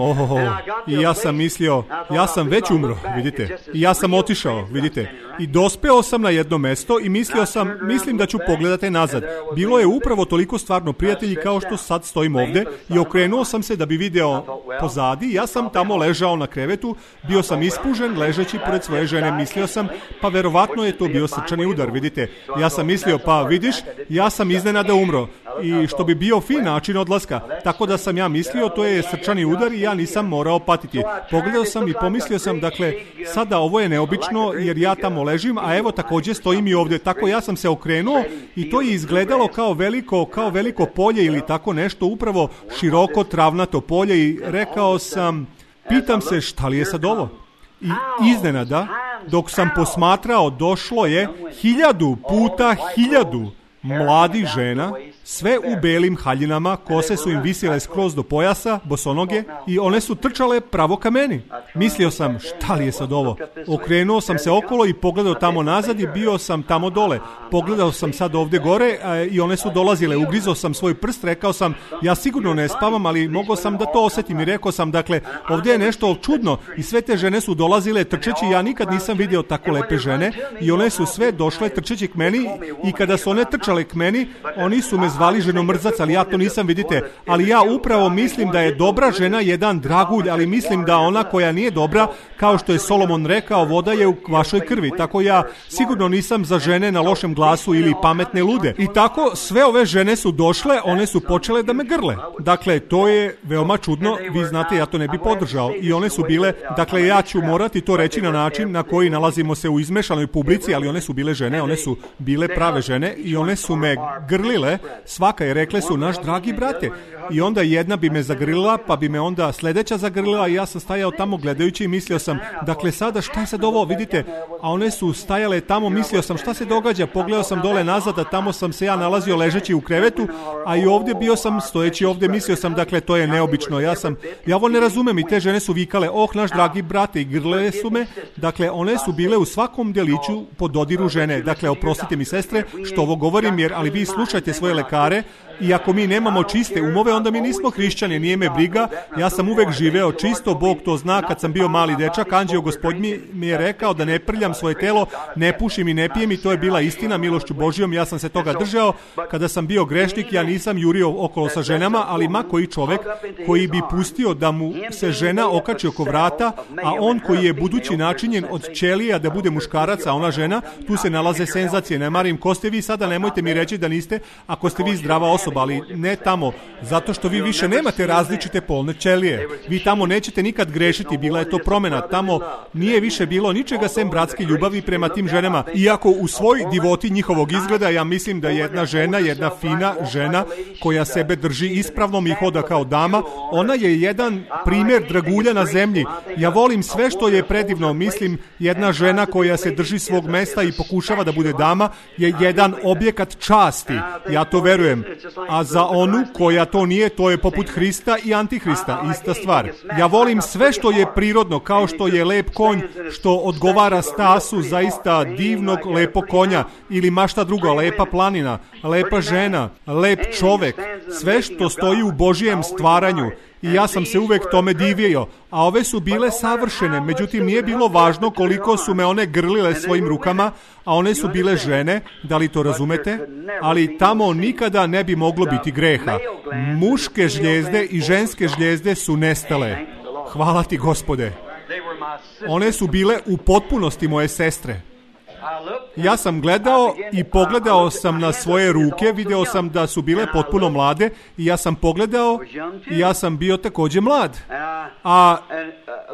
i ja sam mislio, ja sam već umro, vidite, i ja sam otišao, vidite, i dospeo sam na jedno mesto i mislim da ću pogledati nazad. Bilo je upravo toliko stvarno prijatelji kao što sad stojim ovdje i okrenuo sam se da bi video pozadi, ja sam tamo ležao na krevetu, bio sam ispužen, ležeći pored svoje žene, mislio sam, pa verovatno je to bio srčani udar, vidite, ja sam mislio, pa vidiš, ja sam iznenada umro i što bi bio fin način odlaska, tako da sam ja mislio, to je srčani udar i ja nisam morao patiti. Pogledao sam i pomislio sam, dakle, sada ovo je neobično jer ja tamo ležim, a evo također stojim i ovdje, tako ja sam se okrenuo i to je izgledalo kao veliko polje ili tako nešto, upravo široko travnato polje i rekao sam, pitam se šta li je sad ovo? I iznenada, dok sam posmatrao, došlo je 1000 puta 1000 mladih žena, sve u belim haljinama, kose su im visile skroz do pojasa, bosonoge, i one su trčale pravo ka meni. Mislio sam, šta li je sad ovo? Okrenuo sam se okolo i pogledao tamo nazad i bio sam tamo dole. Pogledao sam sad ovdje gore i one su dolazile. Ugrizao sam svoj prst, rekao sam, ja sigurno ne spavam, ali mogao sam da to osjetim i rekao sam, dakle, ovdje je nešto čudno i sve te žene su dolazile trčeći, ja nikad nisam vidio tako lepe žene i one su sve došle trčeći k meni i kada su one trčale k meni, oni su me zvali ženomrzac, ali ja to nisam, vidite, ali ja upravo mislim da je dobra žena jedan dragulj, ali mislim da ona koja nije dobra, kao što je Solomon rekao, voda je u vašoj krvi, tako ja sigurno nisam za žene na lošem glasu ili pametne lude. I tako sve ove žene su došle, one su počele da me grle. Dakle, to je veoma čudno, vi znate, ja to ne bi podržao i one su bile, dakle, ja ću morati to reći na način na koji nalazimo se u izmešanoj publici, ali one su bile žene, one su bile prave žene i one su me grlile, svaka je, rekle su, naš dragi brate. I onda jedna bi me zagrlila, pa bi me onda sljedeća zagrlila i ja sam stajao tamo gledajući i mislio sam, dakle, sada šta je sad ovo, vidite, a one su stajale tamo, mislio sam šta se događa, pogledao sam dole nazad, a tamo sam se ja nalazio ležeći u krevetu, a i ovdje bio sam stojeći ovdje, mislio sam, dakle, to je neobično, ja ovo ne razumem i te žene su vikale, naš dragi brate, i grlile su me, dakle, one su bile u svakom deliću po dodiru žene, dakle, oprostite mi sestre što ovo govorim, želim, jer ali vi slušajte svoje lekare, i ako mi nemamo čiste umove, onda mi nismo hrišćani, nije me briga, ja sam uvek živeo čisto, Bog to zna, kad sam bio mali dečak, anđeo Gospodnji mi je rekao da ne prljam svoje telo, ne pušim i ne pijem, i to je bila istina, milošću Božijom, ja sam se toga držao. Kada sam bio grešnik, ja nisam jurio okolo sa ženama, ali ma koji čovek koji bi pustio da mu se žena okači oko vrata, a on koji je budući načinjen od ćelija da bude muškarac, a ona žena, tu se nalaze senzacije. Ne marim ko ste vi sada, nemojte mi reći da niste, ako ste vi zdrava osoba, ali ne tamo, zato što vi više nemate različite polne ćelije. Vi tamo nećete nikad grešiti, bila je to promena. Tamo nije više bilo ničega sem bratske ljubavi prema tim ženama. Iako u svoj divoti njihovog izgleda, ja mislim da jedna žena, jedna fina žena koja sebe drži ispravnom i hoda kao dama, ona je jedan primjer dragulja na zemlji. Ja volim sve što je predivno. Mislim, jedna žena koja se drži svog mesta i pokušava da bude dama je jedan objekat časti. Ja to verujem. A za onu koja to nije, to je poput Hrista i Antihrista, ista stvar. Ja volim sve što je prirodno, kao što je lep konj, što odgovara stasu zaista divnog lepog konja, ili mašta druga, lepa planina, lepa žena, lep čovek, sve što stoji u Božijem stvaranju. I ja sam se uvek tome divio, a ove su bile savršene, međutim nije bilo važno koliko su me one grlile svojim rukama, a one su bile žene, da li to razumete? Ali tamo nikada ne bi moglo biti greha. Muške žljezde i ženske žljezde su nestale. Hvala ti, Gospode. One su bile u potpunosti moje sestre. Ja sam gledao i pogledao sam na svoje ruke, video sam da su bile potpuno mlade, i ja sam pogledao i ja sam bio također mlad. A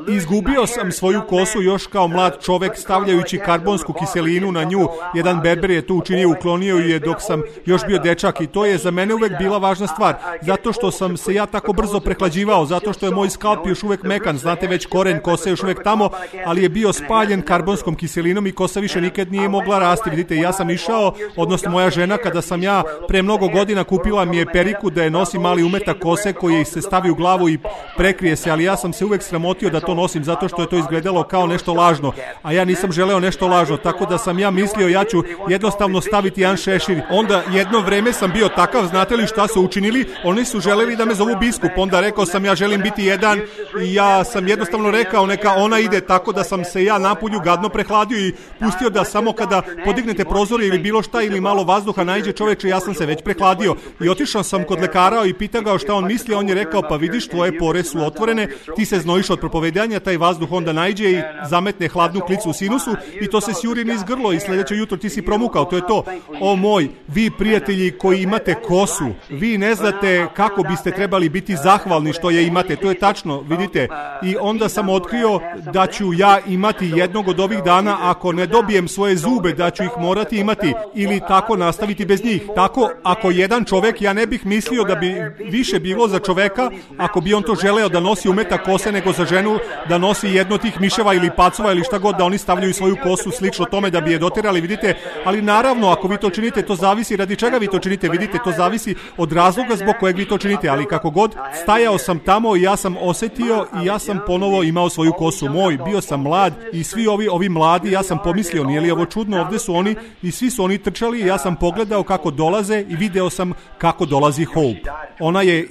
izgubio sam svoju kosu još kao mlad čovek stavljajući karbonsku kiselinu na nju. Jedan berber je to učinio, uklonio je dok sam još bio dečak, i to je za mene uvek bila važna stvar, zato što sam se ja tako brzo prehlađivao, zato što je moj skalp još uvek mekan, znate već, koren kose još uvek tamo, ali je bio spaljen karbonskom kiselinom i kosa više nikad nije mogla rasti. Vidite, ja sam išao, odnosno moja žena, kada sam ja pre mnogo godina kupila mi je periku da je nosi mali umetak kose koji se stavi u glavu i prekrije se, ali ja sam se uvek sramotio da to nosim zato što je to izgledalo kao nešto lažno, a ja nisam želeo nešto lažno, tako da sam ja mislio ja ću jednostavno staviti jedan šešir. Onda jedno vreme sam bio takav, znate li šta su učinili? Oni su želeli da me zovu biskup, onda rekao sam ja želim biti jedan, i ja sam jednostavno rekao neka ona ide, tako da sam se ja napolju gadno prehladio i pustio da samo kada podignete prozore ili bilo šta ili malo vazduha naiđe čoveče, ja sam se već prehladio. I otišao sam kod lekara i pitao ga šta on misli, on je rekao pa vidiš, tvoje pore su otvorene, ti se znojiš od propovedanja, taj vazduh onda naiđe i zametne hladnu klicu u sinusu i to se sjuri niz grlo i sljedeće jutro ti si promukao, to je to. O moj, vi prijatelji koji imate kosu, vi ne znate kako biste trebali biti zahvalni što je imate, to je tačno, vidite. I onda sam otkrio da ću ja imati jednog od ovih dana, ako ne dobijem svoje zube, da ću ih morati imati ili tako nastaviti bez njih. Tako, ako jedan čovek, ja ne bih mislio da bi više bilo za čoveka, ako bi on to želeo da nosi umetak kose, nego za ženu da nosi jedno tih miševa ili pacova ili šta god, da oni stavljaju svoju kosu slično tome da bi je doterali, vidite. Ali naravno, ako vi to činite, to zavisi radi čega vi to činite, vidite, to zavisi od razloga zbog kojeg vi to činite, ali kako god, stajao sam tamo i ja sam osetio i ja sam ponovo imao svoju kosu. Moj, bio sam mlad i svi ovi mladi, ja sam pomislio, nije li ovo čudno, ovdje su oni i svi su oni trčali i ja sam pogledao kako dolaze i video sam kako dolazi Hope. Ona je,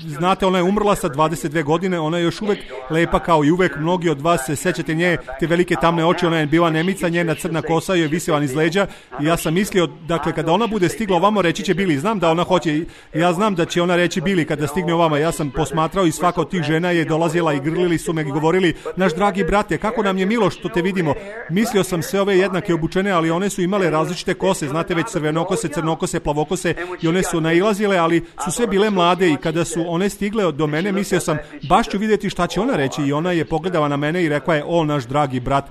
znate, ona je umrla sa 22 godine, ona je još uvek lepa kao i uvek, mnogi od vas se sećate nje, te velike tamne oči, ona je bila Nemica, njena crna kosa je visela iz leđa i ja sam mislio, dakle, kada ona bude stigla ovamo, reći će Billy, znam da ona hoće, ja znam da će ona reći Billy kada stigne ovamo, ja sam posmatrao i svaka od tih žena je dolazila i grlili su me i govorili, naš dragi brate, kako nam je milo što te vidimo. Mislio sam sve ove jednake obučene, ali one su imale različite kose, znate već crvenokose, crnokose, plavokose i one su nailazile, ali su sve bile mlade i kada su one stigle do mene, mislio sam, baš ću vidjeti šta će ona reći i ona je pogledala na mene i rekla je, o naš dragi brat,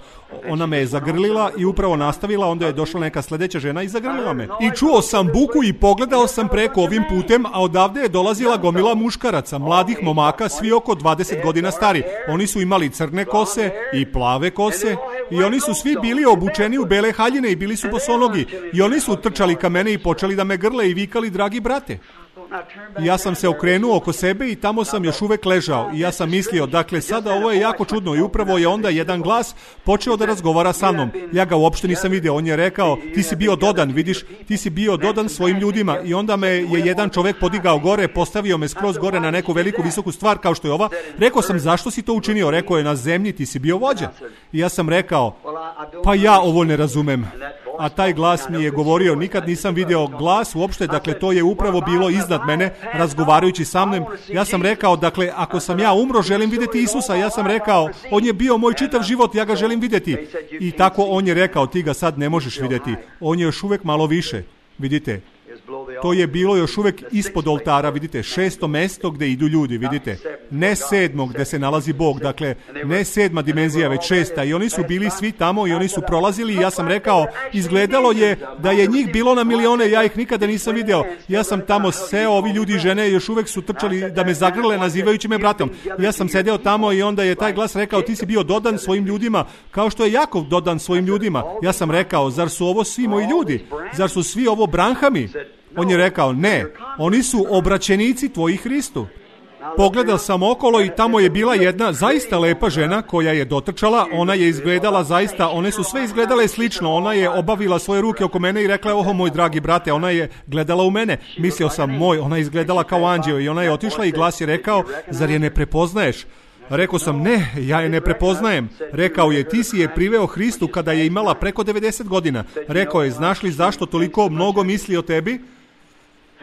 ona me je zagrlila i upravo nastavila, onda je došla neka sljedeća žena i zagrlila me. I čuo sam buku i pogledao sam preko ovim putem, a odavde je dolazila gomila muškaraca, mladih momaka, svi oko 20 godina stari. Oni su imali crne kose i plave kose i oni su svi bili obučeni u bele haljine i bili su bosonogi i oni su trčali ka mene i počeli da me grle i vikali, dragi brate. I ja sam se okrenuo oko sebe i tamo sam još uvek ležao. I ja sam mislio, dakle, sada ovo je jako čudno. I upravo je onda jedan glas počeo da razgovara sa mnom. Ja ga uopšte nisam video. On je rekao, ti si bio dodan, vidiš, ti si bio dodan svojim ljudima. I onda me je jedan čovek podigao gore, postavio me skroz gore na neku veliku visoku stvar kao što je ova. Rekao sam, zašto si to učinio? Rekao je, na zemlji ti si bio vođa. I ja sam rekao, pa ja ovo ne razumem. A taj glas mi je govorio, nikad nisam video glas uopšte, dakle to je upravo bilo iznad mene, razgovarajući sa mnom. Ja sam rekao, dakle, ako sam ja umro, želim vidjeti Isusa. Ja sam rekao, on je bio moj čitav život, ja ga želim vidjeti. I tako on je rekao, ti ga sad ne možeš vidjeti. On je još uvek malo više, vidite. To je bilo još uvek ispod oltara, vidite, 6. mesto gde idu ljudi, vidite. Ne 7. gde se nalazi Bog, dakle, ne 7. dimenzija, već 6. I oni su bili svi tamo i oni su prolazili i ja sam rekao, izgledalo je da je njih bilo na milione, ja ih nikada nisam video. Ja sam tamo seo, ovi ljudi i žene još uvek su trčali da me zagrle nazivajući me bratom. Ja sam sedeo tamo i onda je taj glas rekao, ti si bio dodan svojim ljudima, kao što je Jakov dodan svojim ljudima. Ja sam rekao, zar su ovo svi moji ljudi? Zar su svi ovo Branhami? On je rekao, ne, oni su obraćenici tvoji Hristu. Pogledao sam okolo i tamo je bila jedna zaista lepa žena koja je dotrčala, ona je izgledala zaista, one su sve izgledale slično, ona je obavila svoje ruke oko mene i rekla, oho moj dragi brate, ona je gledala u mene. Mislio sam, ona je izgledala kao anđeo i ona je otišla i glas je rekao, zar je ne prepoznaješ? Rekao sam, ne, ja je ne prepoznajem. Rekao je, ti si je priveo Hristu kada je imala preko 90 godina. Rekao je, znaš li zašto toliko mnogo misli o tebi?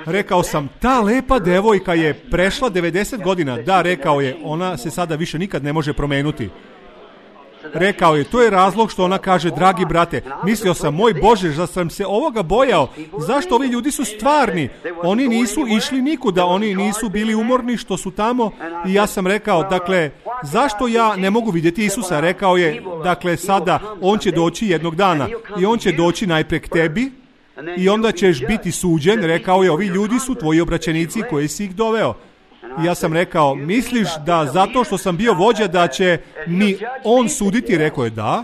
Rekao sam, ta lepa devojka je prešla 90 godina. Da, rekao je, ona se sada više nikad ne može promenuti. Rekao je, to je razlog što ona kaže, dragi brate, mislio sam, moj Bože, da sam se ovoga bojao. Zašto ovi ljudi su stvarni? Oni nisu išli nikuda, oni nisu bili umorni što su tamo. I ja sam rekao, dakle, zašto ja ne mogu vidjeti Isusa? Rekao je, dakle, sada, on će doći jednog dana i on će doći najpre k tebi i onda ćeš biti suđen. Rekao je, ovi ljudi su tvoji obraćenici koji si ih doveo. I ja sam rekao, misliš da zato što sam bio vođa da će mi on suditi? Rekao je, da.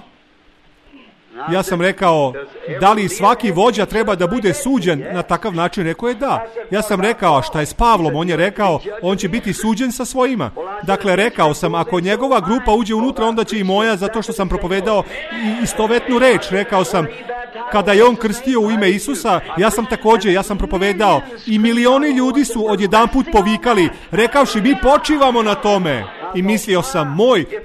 Ja sam rekao, da li svaki vođa treba da bude suđen na takav način? Rekao je, da. Ja sam rekao, a šta je s Pavlom? On je rekao, on će biti suđen sa svojima. Dakle, rekao sam, ako njegova grupa uđe unutra, onda će i moja, zato što sam propovedao istovetnu reč. Rekao sam, kada je on krstio u ime Isusa, ja sam propovedao i milioni ljudi su odjedanput povikali, rekavši, mi počivamo na tome. I mislio sam,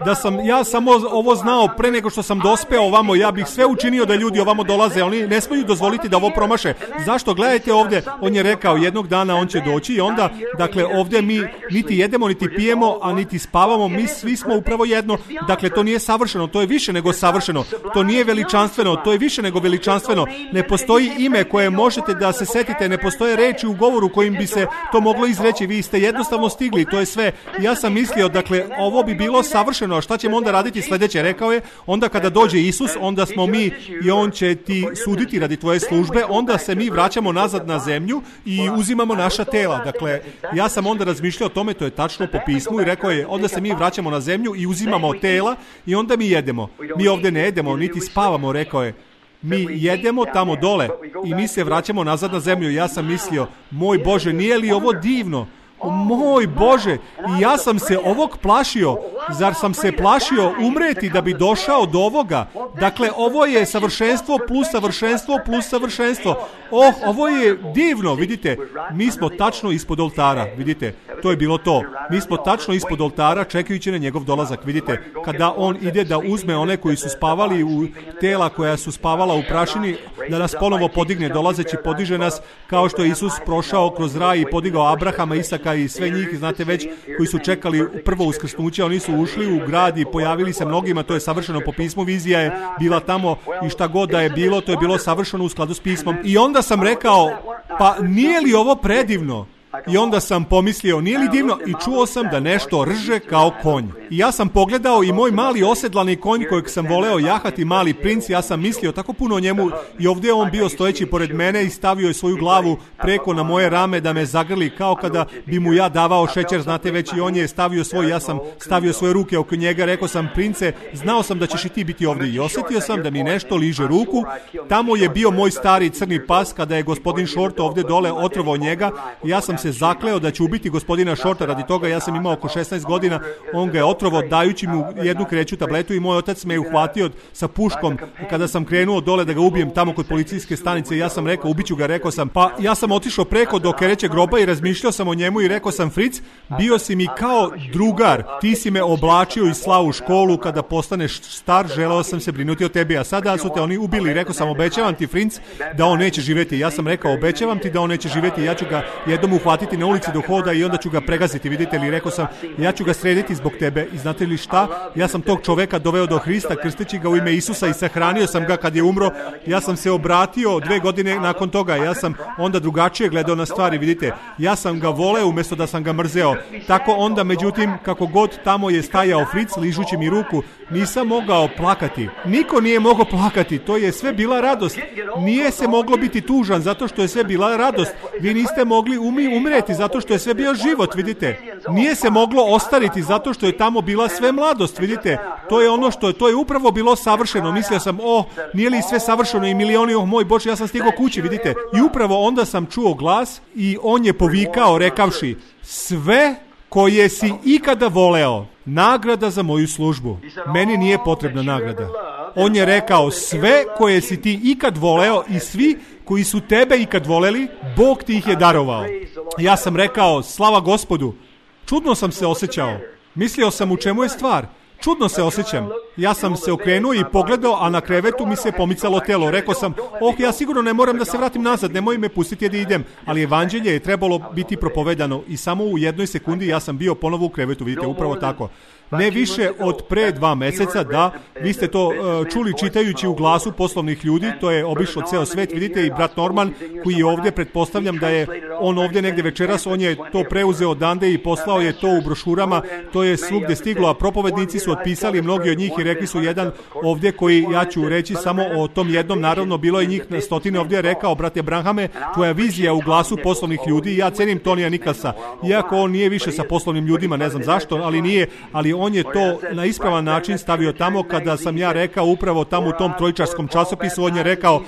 da sam ja samo ovo znao pre nego što sam dospeo ovamo, ja bih sve učinio da ljudi ovamo dolaze, oni ne smeju dozvoliti da ovo promaše. Zašto? Gledajte ovdje, on je rekao, jednog dana on će doći i onda, dakle, ovdje mi niti jedemo, niti pijemo, a niti spavamo, mi svi smo upravo jedno. Dakle, to nije savršeno, to je više nego savršeno, to nije veličanstveno, to je više nego veličanstveno. Ne postoji ime koje možete da se setite, ne postoje reči u govoru kojim bi se to moglo izreći, vi ste jednostavno stigli, to je sve. Ja sam mislio, dakle, ovo bi bilo savršeno, a šta ćemo onda raditi sljedeće? Rekao je, onda kada dođe Isus, onda smo mi i on će ti suditi radi tvoje službe, onda se mi vraćamo nazad na zemlju i uzimamo naša tela. Dakle, ja sam onda razmišljao o tome, to je tačno po pismu, i rekao je, onda se mi vraćamo na zemlju i uzimamo tela i onda mi jedemo. Mi ovdje ne jedemo, niti spavamo, rekao je. Mi jedemo tamo dole i mi se vraćamo nazad na zemlju. Ja sam mislio, moj Bože, nije li ovo divno? Moj Bože, i ja sam se ovog plašio. Zar sam se plašio umreti da bi došao do ovoga? Dakle, ovo je savršenstvo plus savršenstvo plus savršenstvo. Ovo je divno, vidite. Mi smo tačno ispod oltara, vidite. To je bilo to. Mi smo tačno ispod oltara čekajući na njegov dolazak, vidite. Kada on ide da uzme one koji su spavali u tela koja su spavala u prašini, da nas ponovo podigne, dolazeći podiže nas kao što je Isus prošao kroz raj i podigao Abrahama, Isaka i sve njih, znate već, koji su čekali prvo uskrsnuće. Oni su ušli u grad i pojavili se mnogima, to je savršeno po pismu, vizija je bila tamo i šta god da je bilo, to je bilo savršeno u skladu s pismom. I onda sam rekao, pa nije li ovo predivno? I onda sam pomislio, nije li divno? I čuo sam da nešto rže kao konj. I ja sam pogledao i moj mali osedlani konj kojeg sam voleo jahati, mali princ, ja sam mislio tako puno o njemu i ovdje je on bio stojeći pored mene i stavio je svoju glavu preko na moje rame da me zagrli kao kada bi mu ja davao šećer, znate već, i on je stavio svoj, ja sam stavio svoje ruke oko njega, rekao sam, prince, znao sam da ćeš i ti biti ovdje i osjetio sam da mi nešto liže ruku. Tamo je bio moj stari crni pas kada je gospodin Short ovdje dole otrovao njega i ja sam se zakleo da će ubiti gospodina Shorta radi toga. Ja sam imao oko 16 godina, on ga je otrovao dajući mu jednu kreću tabletu i moj otac me je uhvatio sa puškom kada sam krenuo dole da ga ubijem tamo kod policijske stanice. Ja sam rekao, ubiću ga, rekao sam, pa ja sam otišao preko do kerećeg groba i razmišljao sam o njemu i rekao sam, Fritz, bio si mi kao drugar, ti si me oblačio i slao u školu, kada postaneš star, želeo sam se brinuti o tebi, a sada su te oni ubili. Rekao sam, obećavam ti, Fritz, da on neće živjeti. Ja sam rekao, obećavam ti da on neće živjeti, ja ću ga jednom uhvatiti na ulici do hoda i onda ću ga pregaziti, vidite li, rekao sam, ja ću ga srediti zbog tebe. I znate li šta, ja sam tog čoveka doveo do Hrista, krsteći ga u ime Isusa i sahranio sam ga kad je umro. Ja sam se obratio 2 godine nakon toga, ja sam onda drugačije gledao na stvari, vidite, ja sam ga voleo umjesto da sam ga mrzeo. Tako onda, međutim, kako god tamo je stajao Fritz, ližući mi ruku, nisam mogao plakati. Niko nije mogao plakati, to je sve bila radost. Nije se moglo biti tužan zato što je sve bila radost. Vi niste mogli umreti zato što je sve bio život, vidite. Nije se moglo ostariti zato što je tamo bila sve mladost, vidite. To je ono što to je upravo bilo savršeno. Mislio sam, nije li sve savršeno i milioni, moj Bože, ja sam stigao kući, vidite. I upravo onda sam čuo glas i on je povikao rekavši, sve koje si ikada voleo, nagrada za moju službu. Meni nije potrebna nagrada. On je rekao, sve koje si ti ikad voleo i svi koji su tebe ikad voleli, Bog ti ih je darovao. Ja sam rekao, slava Gospodu. Čudno sam se osjećao. Mislio sam, u čemu je stvar. Čudno se osjećam. Ja sam se okrenuo i pogledao, a na krevetu mi se pomicalo telo. Rekao sam, ja sigurno ne moram da se vratim nazad, nemoj me pustiti da idem. Ali evanđelje je trebalo biti propovedano i samo u 1 sekundi ja sam bio ponovo u krevetu, vidite, upravo tako. Ne više od pre 2 meseca, da, vi ste to čuli čitajući u Glasu poslovnih ljudi, to je obišlo ceo svet, vidite, i brat Norman koji je ovdje, pretpostavljam da je on ovdje negdje večeras, on je to preuzeo odande i poslao je to u brošurama, to je svugde stiglo, a propovednici su otpisali mnogi od njih i rekli su jedan ovdje koji, ja ću reći samo o tom jednom, naravno bilo je njih na stotine ovdje, rekao, brate Branhame, tvoja vizija u Glasu poslovnih ljudi, ja cenim Tonija Nikolsa, iako on nije više sa poslovnim ljudima, ne znam zašto, ali nije, ali on je to na ispravan način stavio tamo. Kada sam ja rekao upravo tamo u tom trojičarskom časopisu, on je rekao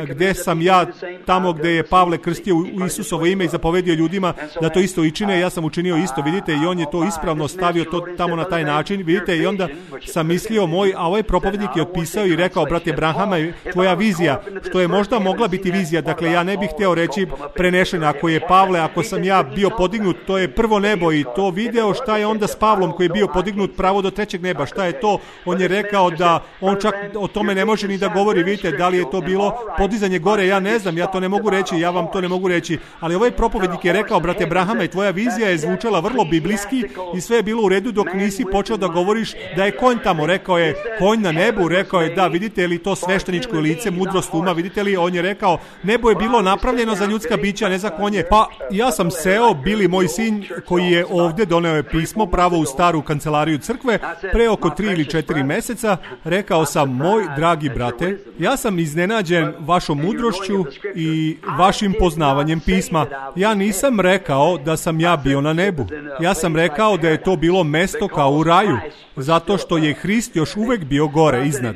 gdje sam ja tamo gdje je Pavle krstio u Isusovo ime i zapovedio ljudima da to isto i čine, ja sam učinio isto, vidite, i on je to ispravno stavio to tamo na taj način, vidite, i onda sam mislio a ovaj propovednik je otpisao i rekao, brate Branhama, tvoja vizija, što je možda mogla biti vizija, dakle ja ne bih hteo reći prenešena, ako je Pavle, ako sam ja bio podignut, to je prvo nebo i to video, šta je onda s Pavlom koji je bio podignut pravo do 3. neba, šta je to? On je rekao da on čak o tome ne može ni da govori, vidite, da li je to bilo podizanje gore, ja ne znam, ja to ne mogu reći, ja vam to ne mogu reći, ali ovaj propovednik je rekao, brate Brahama, i tvoja vizija je zvučala vrlo biblijski i sve je bilo u redu dok nisi počeo da govoriš da je konj tamo, rekao je, konj na nebu, rekao je, da, vidite li to svešteničko lice, mudrost uma, vidite li, on je rekao, nebo je bilo napravljeno za ljudska bića, ne za konje, pa ja sam seo, Bili, moj sin, koji je ovdje, doneo je pismo pravo u staru kancelariju crkve, pre oko 3 ili 4 meseca, rekao sam, moj dragi brate, ja sam iznenađen vašom mudrošću i vašim poznavanjem pisma. Ja nisam rekao da sam ja bio na nebu. Ja sam rekao da je to bilo mesto kao u raju, zato što je Hrist još uvek bio gore, iznad.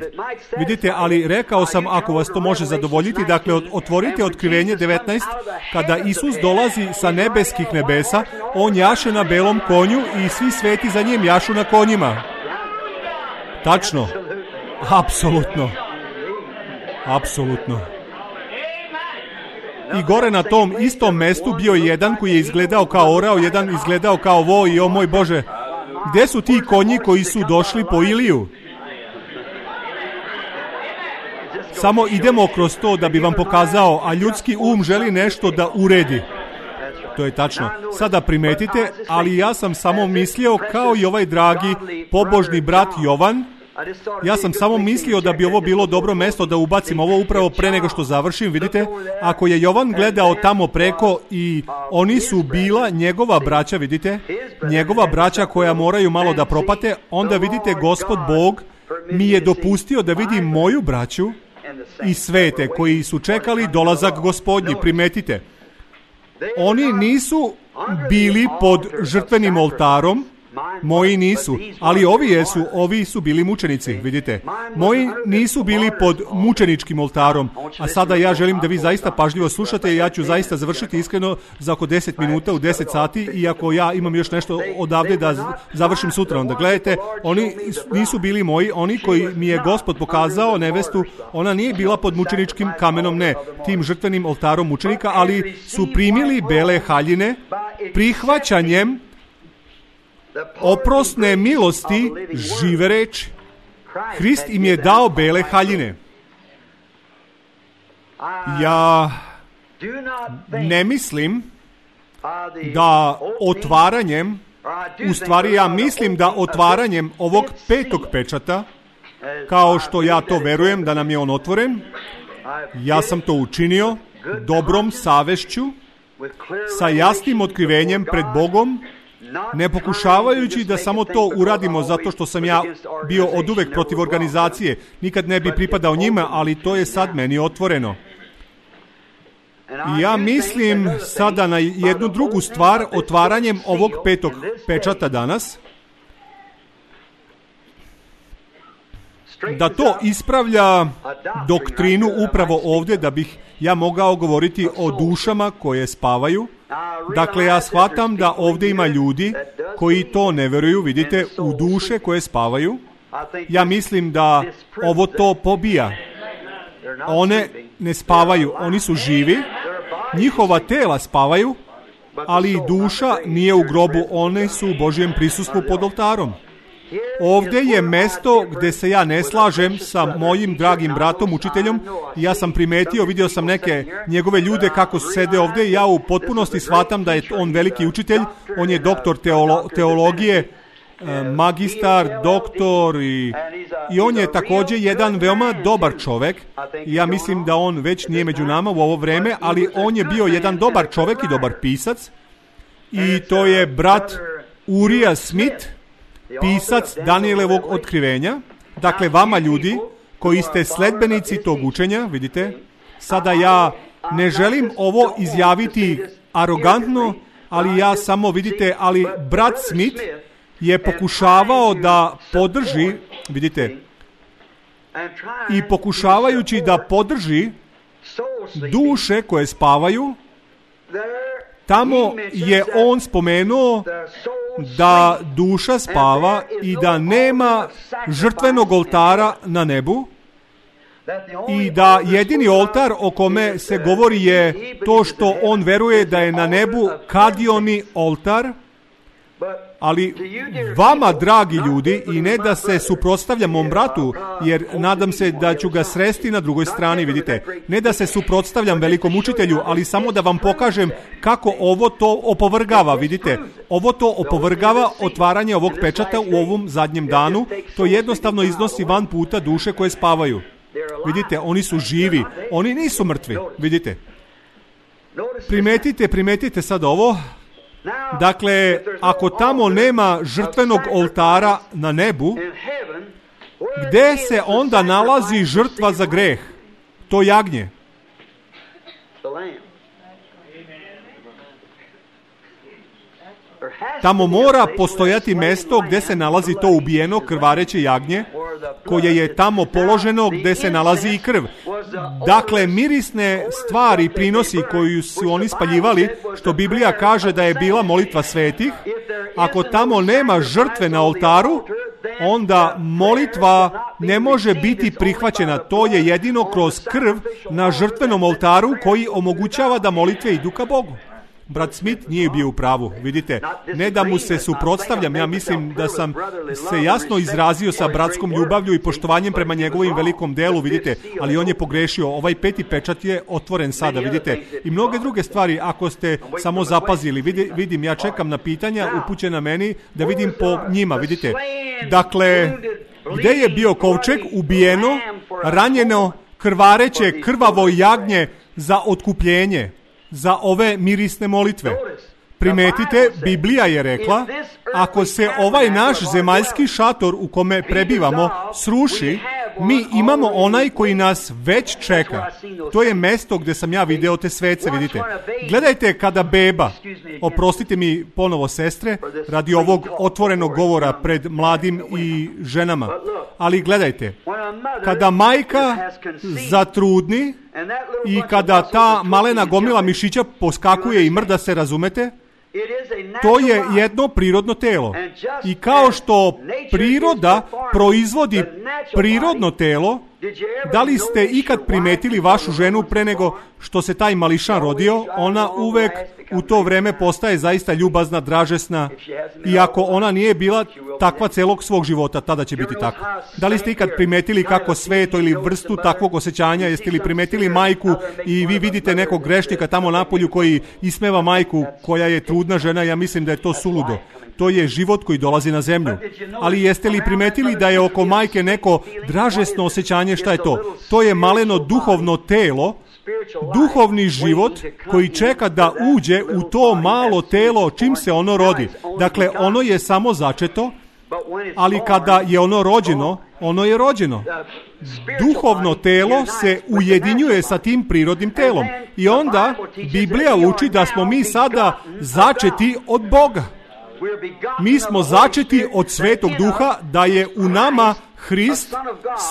Vidite, ali rekao sam, ako vas to može zadovoljiti, dakle, otvorite Otkrivenje 19, kada Isus dolazi sa nebeskih nebesa, on jaše na belom konju i svi sveti za njim jašu na konjima. Tačno. Apsolutno. Apsolutno. I gore na tom istom mestu bio je jedan koji je izgledao kao orao, jedan izgledao kao vo i o moj Bože, gdje su ti konji koji su došli po Iliju? Samo idemo kroz to da bi vam pokazao, a ljudski um želi nešto da uredi. To je tačno. Sada primetite, ali ja sam samo mislio, kao i ovaj dragi pobožni brat Jovan, ja sam samo mislio da bi ovo bilo dobro mesto da ubacim ovo upravo pre nego što završim, vidite, ako je Jovan gledao tamo preko i oni su bila njegova braća, vidite, njegova braća koja moraju malo da propate, onda vidite, Gospod Bog mi je dopustio da vidim moju braću i svete koji su čekali dolazak Gospodnji, primetite. Oni nisu bili pod žrtvenim oltarom, Moji nisu, ali ovi su bili mučenici, vidite. Moji nisu bili pod mučeničkim oltarom, a sada ja želim da vi zaista pažljivo slušate i ja ću zaista završiti iskreno za oko 10 minuta u 10 sati, iako ja imam još nešto odavde da završim sutra. Onda gledajte, oni nisu bili moji, oni koji mi je Gospod pokazao nevestu, ona nije bila pod mučeničkim kamenom, ne, tim žrtvenim oltarom mučenika, ali su primili bele haljine prihvaćanjem oprosne milosti žive reči. Hrist im je dao bele haljine. Ja ne mislim da otvaranjem, u stvari ja mislim da otvaranjem ovog 5. pečata, kao što ja to verujem da nam je on otvoren, ja sam to učinio dobrom savešću, sa jasnim otkrivenjem pred Bogom, ne pokušavajući da samo to uradimo zato što sam ja bio oduvek protiv organizacije, nikad ne bi pripadao njima, ali to je sad meni otvoreno. I ja mislim sada na jednu drugu stvar, otvaranjem ovog 5. pečata danas, da to ispravlja doktrinu upravo ovdje, da bih ja mogao govoriti o dušama koje spavaju. Dakle, ja shvatam da ovdje ima ljudi koji to ne veruju, vidite, u duše koje spavaju. Ja mislim da ovo to pobija. One ne spavaju, oni su živi, njihova tela spavaju, ali duša nije u grobu, one su u Božjem prisustvu pod oltarom. Ovdje je mesto gdje se ja ne slažem sa mojim dragim bratom, učiteljom. Ja sam primetio, vidio sam neke njegove ljude kako su sede ovdje i ja u potpunosti shvatam da je on veliki učitelj. On je doktor teologije, magistar, doktor i on je također jedan veoma dobar čovjek. Ja mislim da on već nije među nama u ovo vreme, ali on je bio jedan dobar čovjek i dobar pisac. I to je brat Uriah Smith, pisac Danijelovog otkrivenja. Dakle, vama ljudi koji ste sledbenici tog učenja, vidite, sada ja ne želim ovo izjaviti arogantno, ali ja samo, vidite, ali brat Smith je pokušavao da podrži, vidite, i pokušavajući da podrži duše koje spavaju, tamo je on spomenuo da duša spava i da nema žrtvenog oltara na nebu i da jedini oltar o kome se govori je to što on veruje da je na nebu kadioni oltar. Ali vama, dragi ljudi, i ne da se suprotstavljam mom bratu, jer nadam se da ću ga sresti na drugoj strani, vidite, ne da se suprotstavljam velikom učitelju, ali samo da vam pokažem kako ovo to opovrgava, vidite, ovo to opovrgava otvaranje ovog pečata u ovom zadnjem danu, to jednostavno iznosi van puta duše koje spavaju. Vidite, oni su živi, oni nisu mrtvi, vidite. Primetite sad ovo. Dakle, ako tamo nema žrtvenog oltara na nebu, gdje se onda nalazi žrtva za greh? To jagnje. Tamo mora postojati mjesto gdje se nalazi to ubijeno krvareće jagnje, koje je tamo položeno gdje se nalazi i krv. Dakle, mirisne stvari, prinosi koju su oni spaljivali, što Biblija kaže da je bila molitva svetih, ako tamo nema žrtve na oltaru, onda molitva ne može biti prihvaćena. To je jedino kroz krv na žrtvenom oltaru koji omogućava da molitve idu ka Bogu. Brat Smith nije bio u pravu, vidite, ne da mu se suprotstavljam, ja mislim da sam se jasno izrazio sa bratskom ljubavlju i poštovanjem prema njegovim velikom delu, vidite, ali on je pogrešio, ovaj 5. pečat je otvoren sada, vidite, i mnoge druge stvari, ako ste samo zapazili, vidim, ja čekam na pitanja upućena meni, da vidim po njima, vidite, dakle, gdje je bio kovčeg, ubijeno, ranjeno, krvareće, krvavo jagnje za otkupljenje, za ove mirisne molitve. Primetite, Biblija je rekla, ako se ovaj naš zemaljski šator u kome prebivamo sruši, Mi imamo onaj koji nas već čeka. To je mesto gdje sam ja video te svece, vidite. Gledajte kada beba, oprostite mi ponovo sestre, radi ovog otvorenog govora pred mladim i ženama, ali gledajte, kada majka zatrudni i kada ta malena gomila mišića poskakuje i mrda se, razumete, to je jedno prirodno telo. I kao što priroda proizvodi prirodno telo, da li ste ikad primetili vašu ženu pre nego što se taj mališan rodio? Ona uvek u to vreme postaje zaista ljubazna, dražesna, i ako ona nije bila takva celog svog života, tada će biti tako. Da li ste ikad primetili kako sveto ili vrstu takvog osjećanja? Jeste li primetili majku i vi vidite nekog grešnika tamo napolju koji ismeva majku koja je trudna žena? Ja mislim da je to suludo. To je život koji dolazi na zemlju. Ali jeste li primetili da je oko majke neko dražesno osjećanje? Šta je to? To je maleno duhovno telo, duhovni život koji čeka da uđe u to malo telo čim se ono rodi. Dakle, ono je samo začeto, ali kada je ono rođeno, ono je rođeno. Duhovno telo se ujedinjuje sa tim prirodnim telom. I onda Biblija uči da smo mi sada začeti od Boga. Mi smo začeti od Svetog Duha, da je u nama Hrist,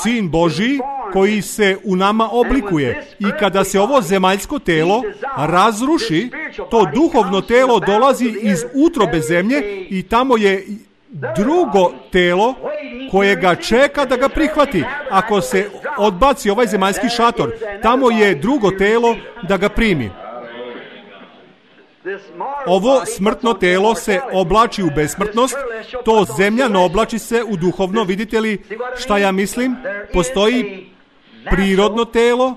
Sin Božji, koji se u nama oblikuje. I kada se ovo zemaljsko telo razruši, to duhovno telo dolazi iz utrobe zemlje i tamo je drugo telo koje ga čeka da ga prihvati. Ako se odbaci ovaj zemaljski šator, tamo je drugo telo da ga primi. Ovo smrtno telo se oblači u besmrtnost, to zemljano oblači se u duhovno. Vidite li šta ja mislim? Postoji prirodno telo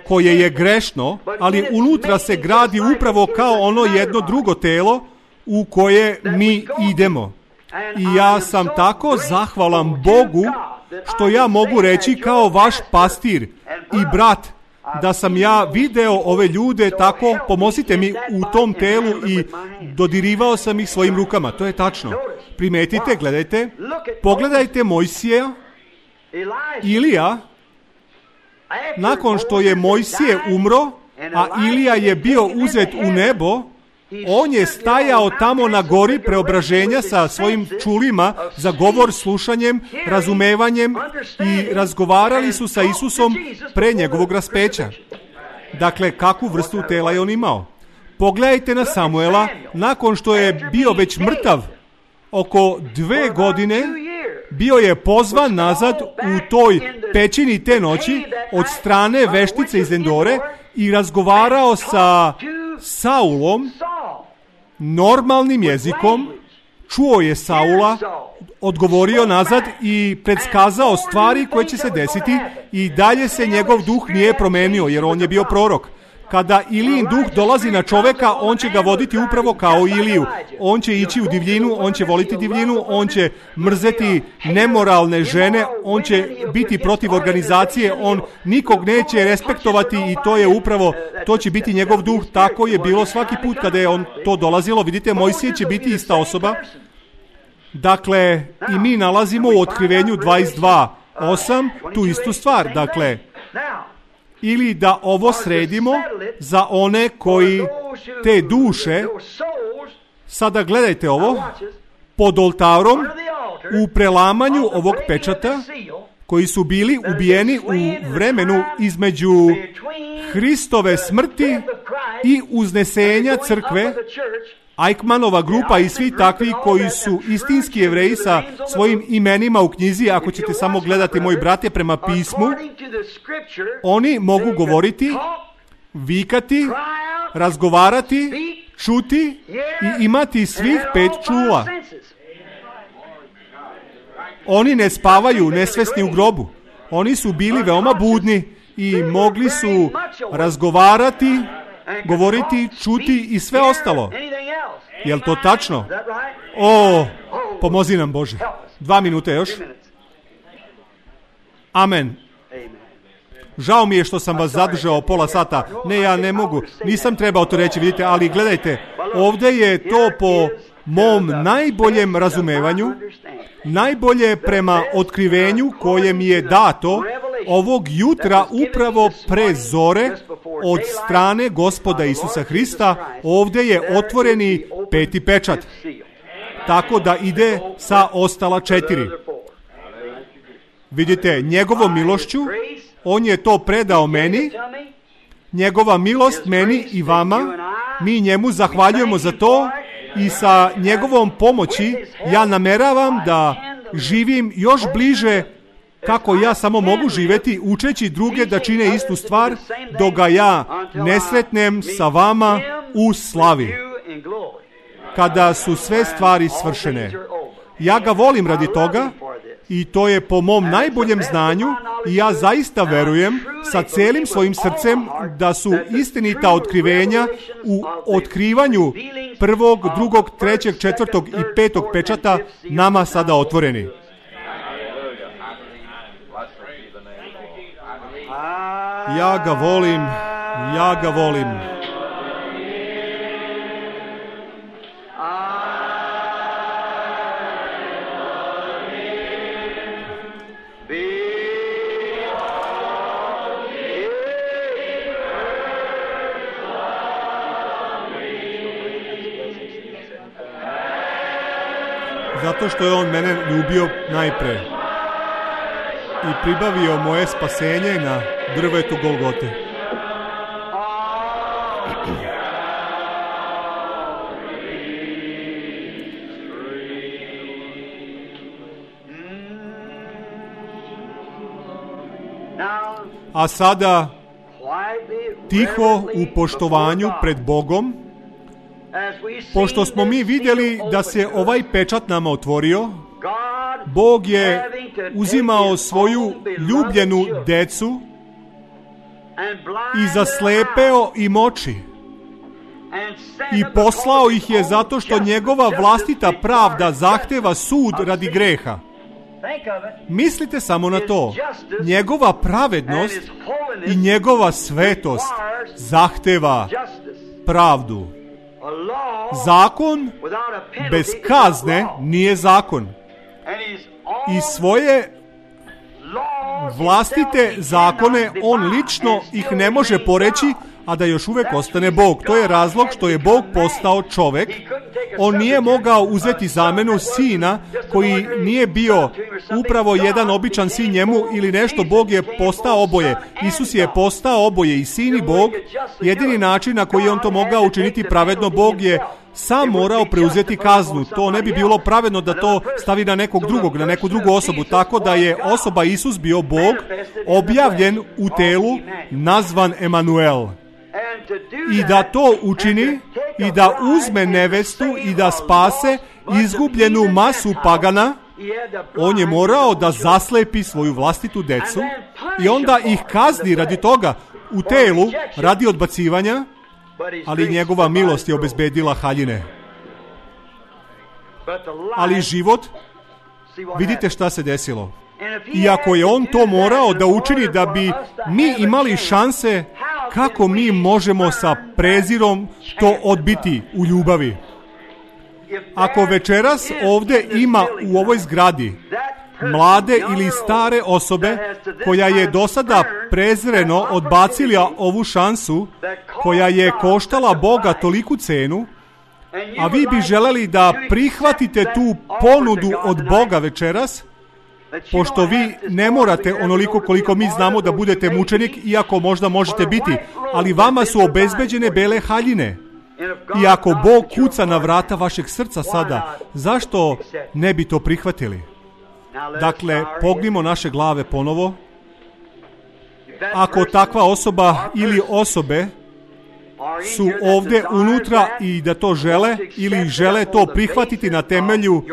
koje je grešno, ali unutra se gradi upravo kao ono jedno drugo telo u koje mi idemo. I ja sam tako zahvalan Bogu što ja mogu reći kao vaš pastir i brat, da sam ja video ove ljude tako, pomozite mi u tom telu, i dodirivao sam ih svojim rukama. To je tačno. Primetite, gledajte, pogledajte Mojsija, Ilija, nakon što je Mojsije umro, a Ilija je bio uzet u nebo, on je stajao tamo na gori preobraženja sa svojim čulima za govor, slušanjem, razumevanjem, i razgovarali su sa Isusom pre njegovog raspeća. Dakle, kakvu vrstu tela je on imao? Pogledajte na Samuela, nakon što je bio već mrtav oko 2 godine, bio je pozvan nazad u toj pećini te noći od strane veštice iz Endore i razgovarao sa Saulom normalnim jezikom. Čuo je Saula, odgovorio nazad i predskazao stvari koje će se desiti, i dalje se njegov duh nije promenio, jer on je bio prorok. Kada Ilijin duh dolazi na čoveka, on će ga voditi upravo kao Iliju. On će ići u divljinu, on će voliti divljinu, on će mrzeti nemoralne žene, on će biti protiv organizacije, on nikog neće respektovati, i to je upravo, to će biti njegov duh. Tako je bilo svaki put kada je on to dolazilo. Vidite, Mojsije će biti ista osoba. Dakle, i mi nalazimo u Otkrivenju 22:8 tu istu stvar. Dakle, ili da ovo sredimo za one koji te duše, sada gledajte ovo, pod oltarom u prelamanju ovog pečata, koji su bili ubijeni u vremenu između Hristove smrti i uznesenja crkve, Eichmannova grupa i svi takvi koji su istinski Jevreji sa svojim imenima u knjizi. Ako ćete samo gledati, moji brate, prema pismu, oni mogu govoriti, vikati, razgovarati, čuti i imati svih 5 čula. Oni ne spavaju nesvesni u grobu. Oni su bili veoma budni i mogli su razgovarati, govoriti, čuti i sve ostalo. Jel to tačno? O, pomozi nam Bože. 2 minute još. Amen. Žao mi je što sam vas zadržao pola sata. Ne, ja ne mogu. Nisam trebao to reći, vidite, ali gledajte, ovdje je to po mom najboljem razumevanju, najbolje prema otkrivenju koje mi je dato ovog jutra upravo pre zore od strane Gospoda Isusa Hrista, ovdje je otvoreni 5. pečat. Tako da ide sa ostala 4. Vidite, njegovom milošću, on je to predao meni, njegova milost meni i vama, mi njemu zahvaljujemo za to i sa njegovom pomoći ja nameravam da živim još bliže kako ja samo mogu živjeti, učeći druge da čine istu stvar, dok ga ja ne sretnem sa vama u slavi, kada su sve stvari svršene. Ja ga volim radi toga i to je po mom najboljem znanju i ja zaista verujem sa celim svojim srcem da su istinita otkrivenja u otkrivanju 1., 2., 3., 4. i 5. pečata nama sada otvoreni. Ja ga volim, ja ga volim. Zato što je on mene ljubio najpre i pribavio moje spasenje na drvetu Golgote. A sada, tiho u poštovanju pred Bogom, pošto smo mi vidjeli da se ovaj pečat nama otvorio, Bog je uzimao svoju ljubljenu decu i zaslepeo im oči i poslao ih je zato što njegova vlastita pravda zahteva sud radi greha. Mislite samo na to. Njegova pravednost i njegova svetost zahteva pravdu. Zakon bez kazne nije zakon. I svoje vlastite zakone on lično ih ne može poreći, a da još uvijek ostane Bog. To je razlog što je Bog postao čovjek. On nije mogao uzeti zamenu sina koji nije bio upravo jedan običan sin njemu ili nešto. Bog je postao oboje. Isus je postao oboje, i sin i Bog. Jedini način na koji je on to mogao učiniti pravedno, Bog je sam morao preuzeti kaznu. To ne bi bilo pravedno da to stavi na nekog drugog, na neku drugu osobu. Tako da je osoba Isus bio Bog, objavljen u telu, nazvan Emanuel. I da to učini i da uzme nevestu i da spase izgubljenu masu pagana, on je morao da zaslepi svoju vlastitu decu i onda ih kazni radi toga u telu, radi odbacivanja, ali njegova milost je obezbedila haljine. Ali život, vidite šta se desilo. Iako je on to morao da učini da bi mi imali šanse, kako mi možemo sa prezirom to odbiti u ljubavi? Ako večeras ovdje ima u ovoj zgradi mlade ili stare osobe koja je do sada prezreno odbacila ovu šansu koja je koštala Boga toliku cenu, a vi bi želeli da prihvatite tu ponudu od Boga večeras, pošto vi ne morate onoliko koliko mi znamo da budete mučenik, iako možda možete biti, ali vama su obezbeđene bele haljine. I ako Bog kuca na vrata vašeg srca sada, zašto ne bi to prihvatili? Dakle, pognimo naše glave ponovo. Ako takva osoba ili osobe su ovdje unutra i da to žele ili žele to prihvatiti na temelju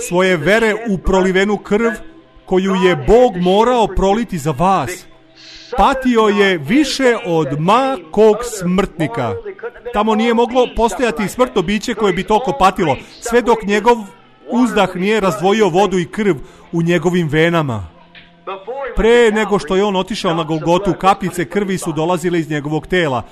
svoje vere u prolivenu krv koju je Bog morao proliti za vas, patio je više od ma kog smrtnika. Tamo nije moglo postojati smrtno biće koje bi toliko patilo, sve dok njegov uzdah nije razdvojio vodu i krv u njegovim venama. Pre nego što je on otišao na Golgotu, kapljice krvi su dolazile iz njegovog tela.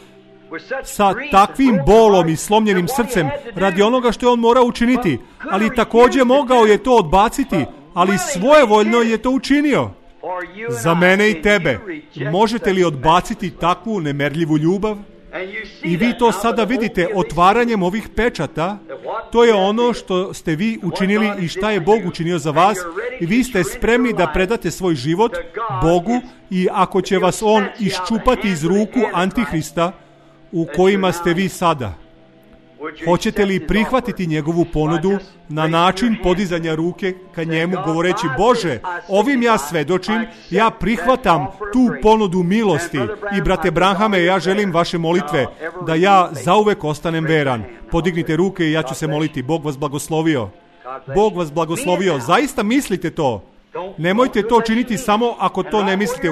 sa takvim bolom i slomljenim srcem radi onoga što je on morao učiniti, ali također mogao je to odbaciti, ali svojevoljno je to učinio. Za mene i tebe, možete li odbaciti takvu nemerljivu ljubav? I vi to sada vidite otvaranjem ovih pečata. To je ono što ste vi učinili i šta je Bog učinio za vas. I vi ste spremni da predate svoj život Bogu i ako će vas on iščupati iz ruku Antihrista u kojima ste vi sada. Hoćete li prihvatiti njegovu ponudu na način podizanja ruke ka njemu govoreći: Bože, ovim ja svedočim, ja prihvatam tu ponudu milosti i brate Branhame, ja želim vaše molitve da ja zauvek ostanem veran. Podignite ruke i ja ću se moliti. Bog vas blagoslovio. Bog vas blagoslovio. Zaista mislite to. Nemojte to činiti samo ako to ne mislite.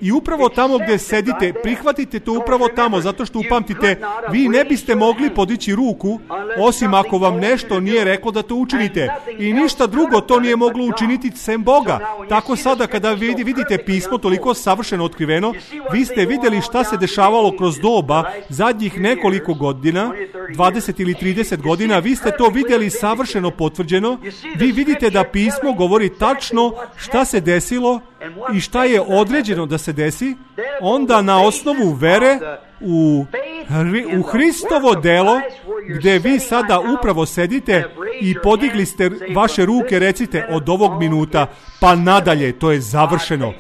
I upravo tamo gdje sedite, prihvatite to upravo tamo, zato što upamtite, vi ne biste mogli podići ruku, osim ako vam nešto nije reklo da to učinite. I ništa drugo to nije moglo učiniti sem Boga. Tako sada kada vidite pismo toliko savršeno otkriveno, vi ste vidjeli šta se dešavalo kroz doba zadnjih nekoliko godina, 20 ili 30 godina, vi ste to vidjeli savršeno potvrđeno. Vi vidite da pismo govori tačno šta se desilo i šta je određeno da se desi, onda na osnovu vere u Hristovo delo, gdje vi sada upravo sedite i podigli ste vaše ruke, recite od ovog minuta pa nadalje, to je završeno.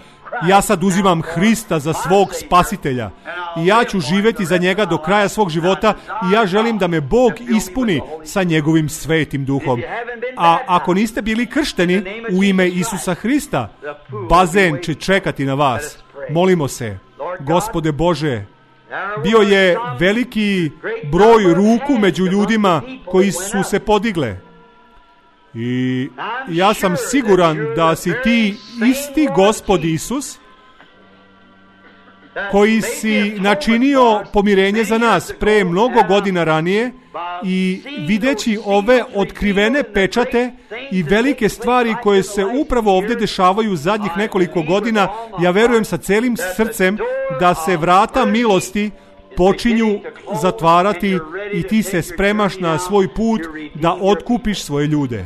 Ja sad uzimam Hrista za svog spasitelja i ja ću živjeti za njega do kraja svog života i ja želim da me Bog ispuni sa njegovim svetim duhom. A ako niste bili kršteni u ime Isusa Hrista, bazen će čekati na vas. Molimo se. Gospode Bože, bio je veliki broj ruku među ljudima koji su se podigle. I ja sam siguran da si ti isti Gospod Isus koji si načinio pomirenje za nas pre mnogo godina ranije i videći ove otkrivene pečate i velike stvari koje se upravo ovdje dešavaju zadnjih nekoliko godina, ja verujem sa celim srcem da se vrata milosti počinju zatvarati i ti se spremaš na svoj put da otkupiš svoje ljude.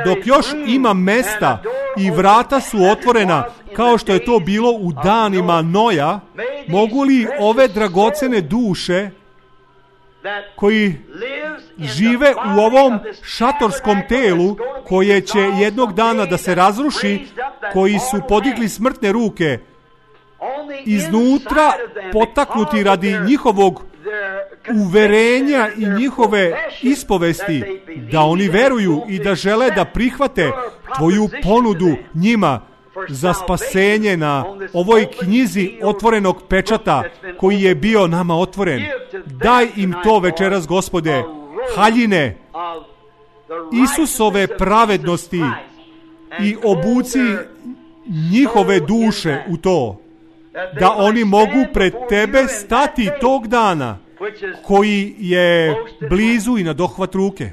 Dok još ima mesta i vrata su otvorena, kao što je to bilo u danima Noja, mogu li ove dragocene duše koji žive u ovom šatorskom telu, koje će jednog dana da se razruši, koji su podigli smrtne ruke, iznutra potaknuti radi njihovog uverenja i njihove ispovesti, da oni veruju i da žele da prihvate tvoju ponudu njima za spasenje na ovoj knjizi otvorenog pečata koji je bio nama otvoren. Daj im to večeras, Gospode, haljine Isusove pravednosti i obuci njihove duše u to, da oni mogu pred tebe stati tog dana koji je blizu i na dohvat ruke,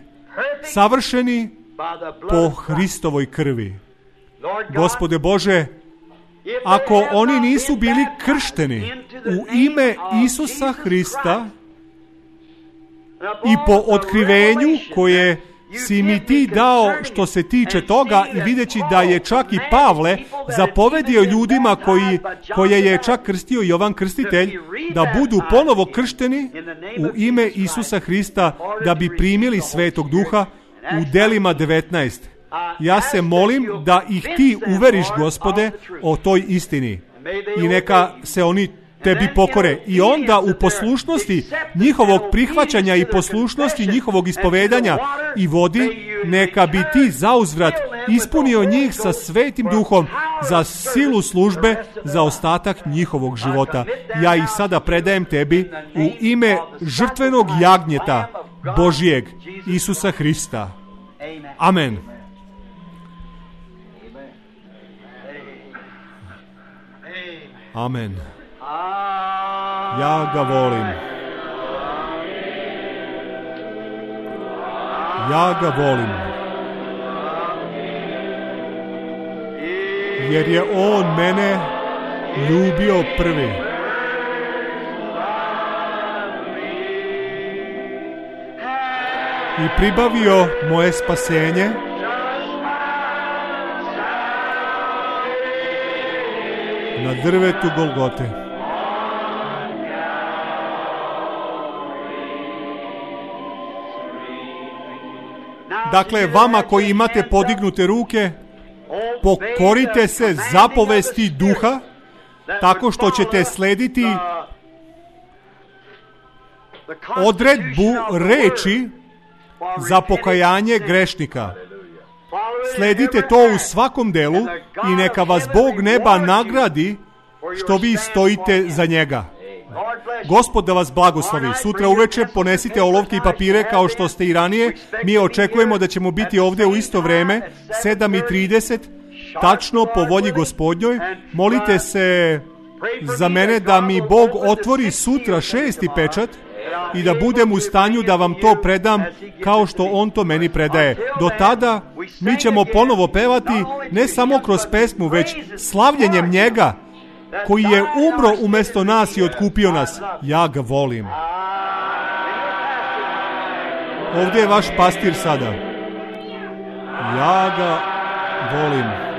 savršeni po Hristovoj krvi. Gospode Bože, ako oni nisu bili kršteni u ime Isusa Hrista i po otkrivenju koje si mi ti dao što se tiče toga, i videći da je čak i Pavle zapovedio ljudima koje je čak krstio Jovan Krstitelj, da budu ponovo kršteni u ime Isusa Hrista, da bi primili Svetog Duha u Delima 19. Ja se molim da ih ti uveriš, Gospode, o toj istini i neka se oni tebi pokore. I onda u poslušnosti njihovog prihvaćanja i poslušnosti njihovog ispovedanja i vodi, neka bi ti zauzvrat ispunio njih sa Svetim Duhom za silu službe za ostatak njihovog života. Ja ih sada predajem tebi u ime žrtvenog jagnjeta Božijeg, Isusa Hrista. Amen. Amen. Ja ga volim. Ja ga volim. Jer je on mene ljubio prvi. i pribavio moje spasenje na drvetu Golgote. Dakle, vama koji imate podignute ruke, pokorite se zapovesti Duha tako što ćete slediti odredbu reči za pokajanje grešnika. Sledite to u svakom delu i neka vas Bog neba nagradi što vi stojite za njega. Gospod da vas blagoslovi. Sutra uveče ponesite olovke i papire kao što ste i ranije. Mi očekujemo da ćemo biti ovdje u isto vreme, 7:30, tačno po volji Gospodnjoj. Molite se za mene da mi Bog otvori sutra 6. pečat i da budem u stanju da vam to predam kao što On to meni predaje. Do tada mi ćemo ponovo pevati ne samo kroz pesmu, već slavljenjem njega koji je umro umjesto nas i otkupio nas. Ja ga volim. Ovdje je vaš pastir sada. Ja ga volim.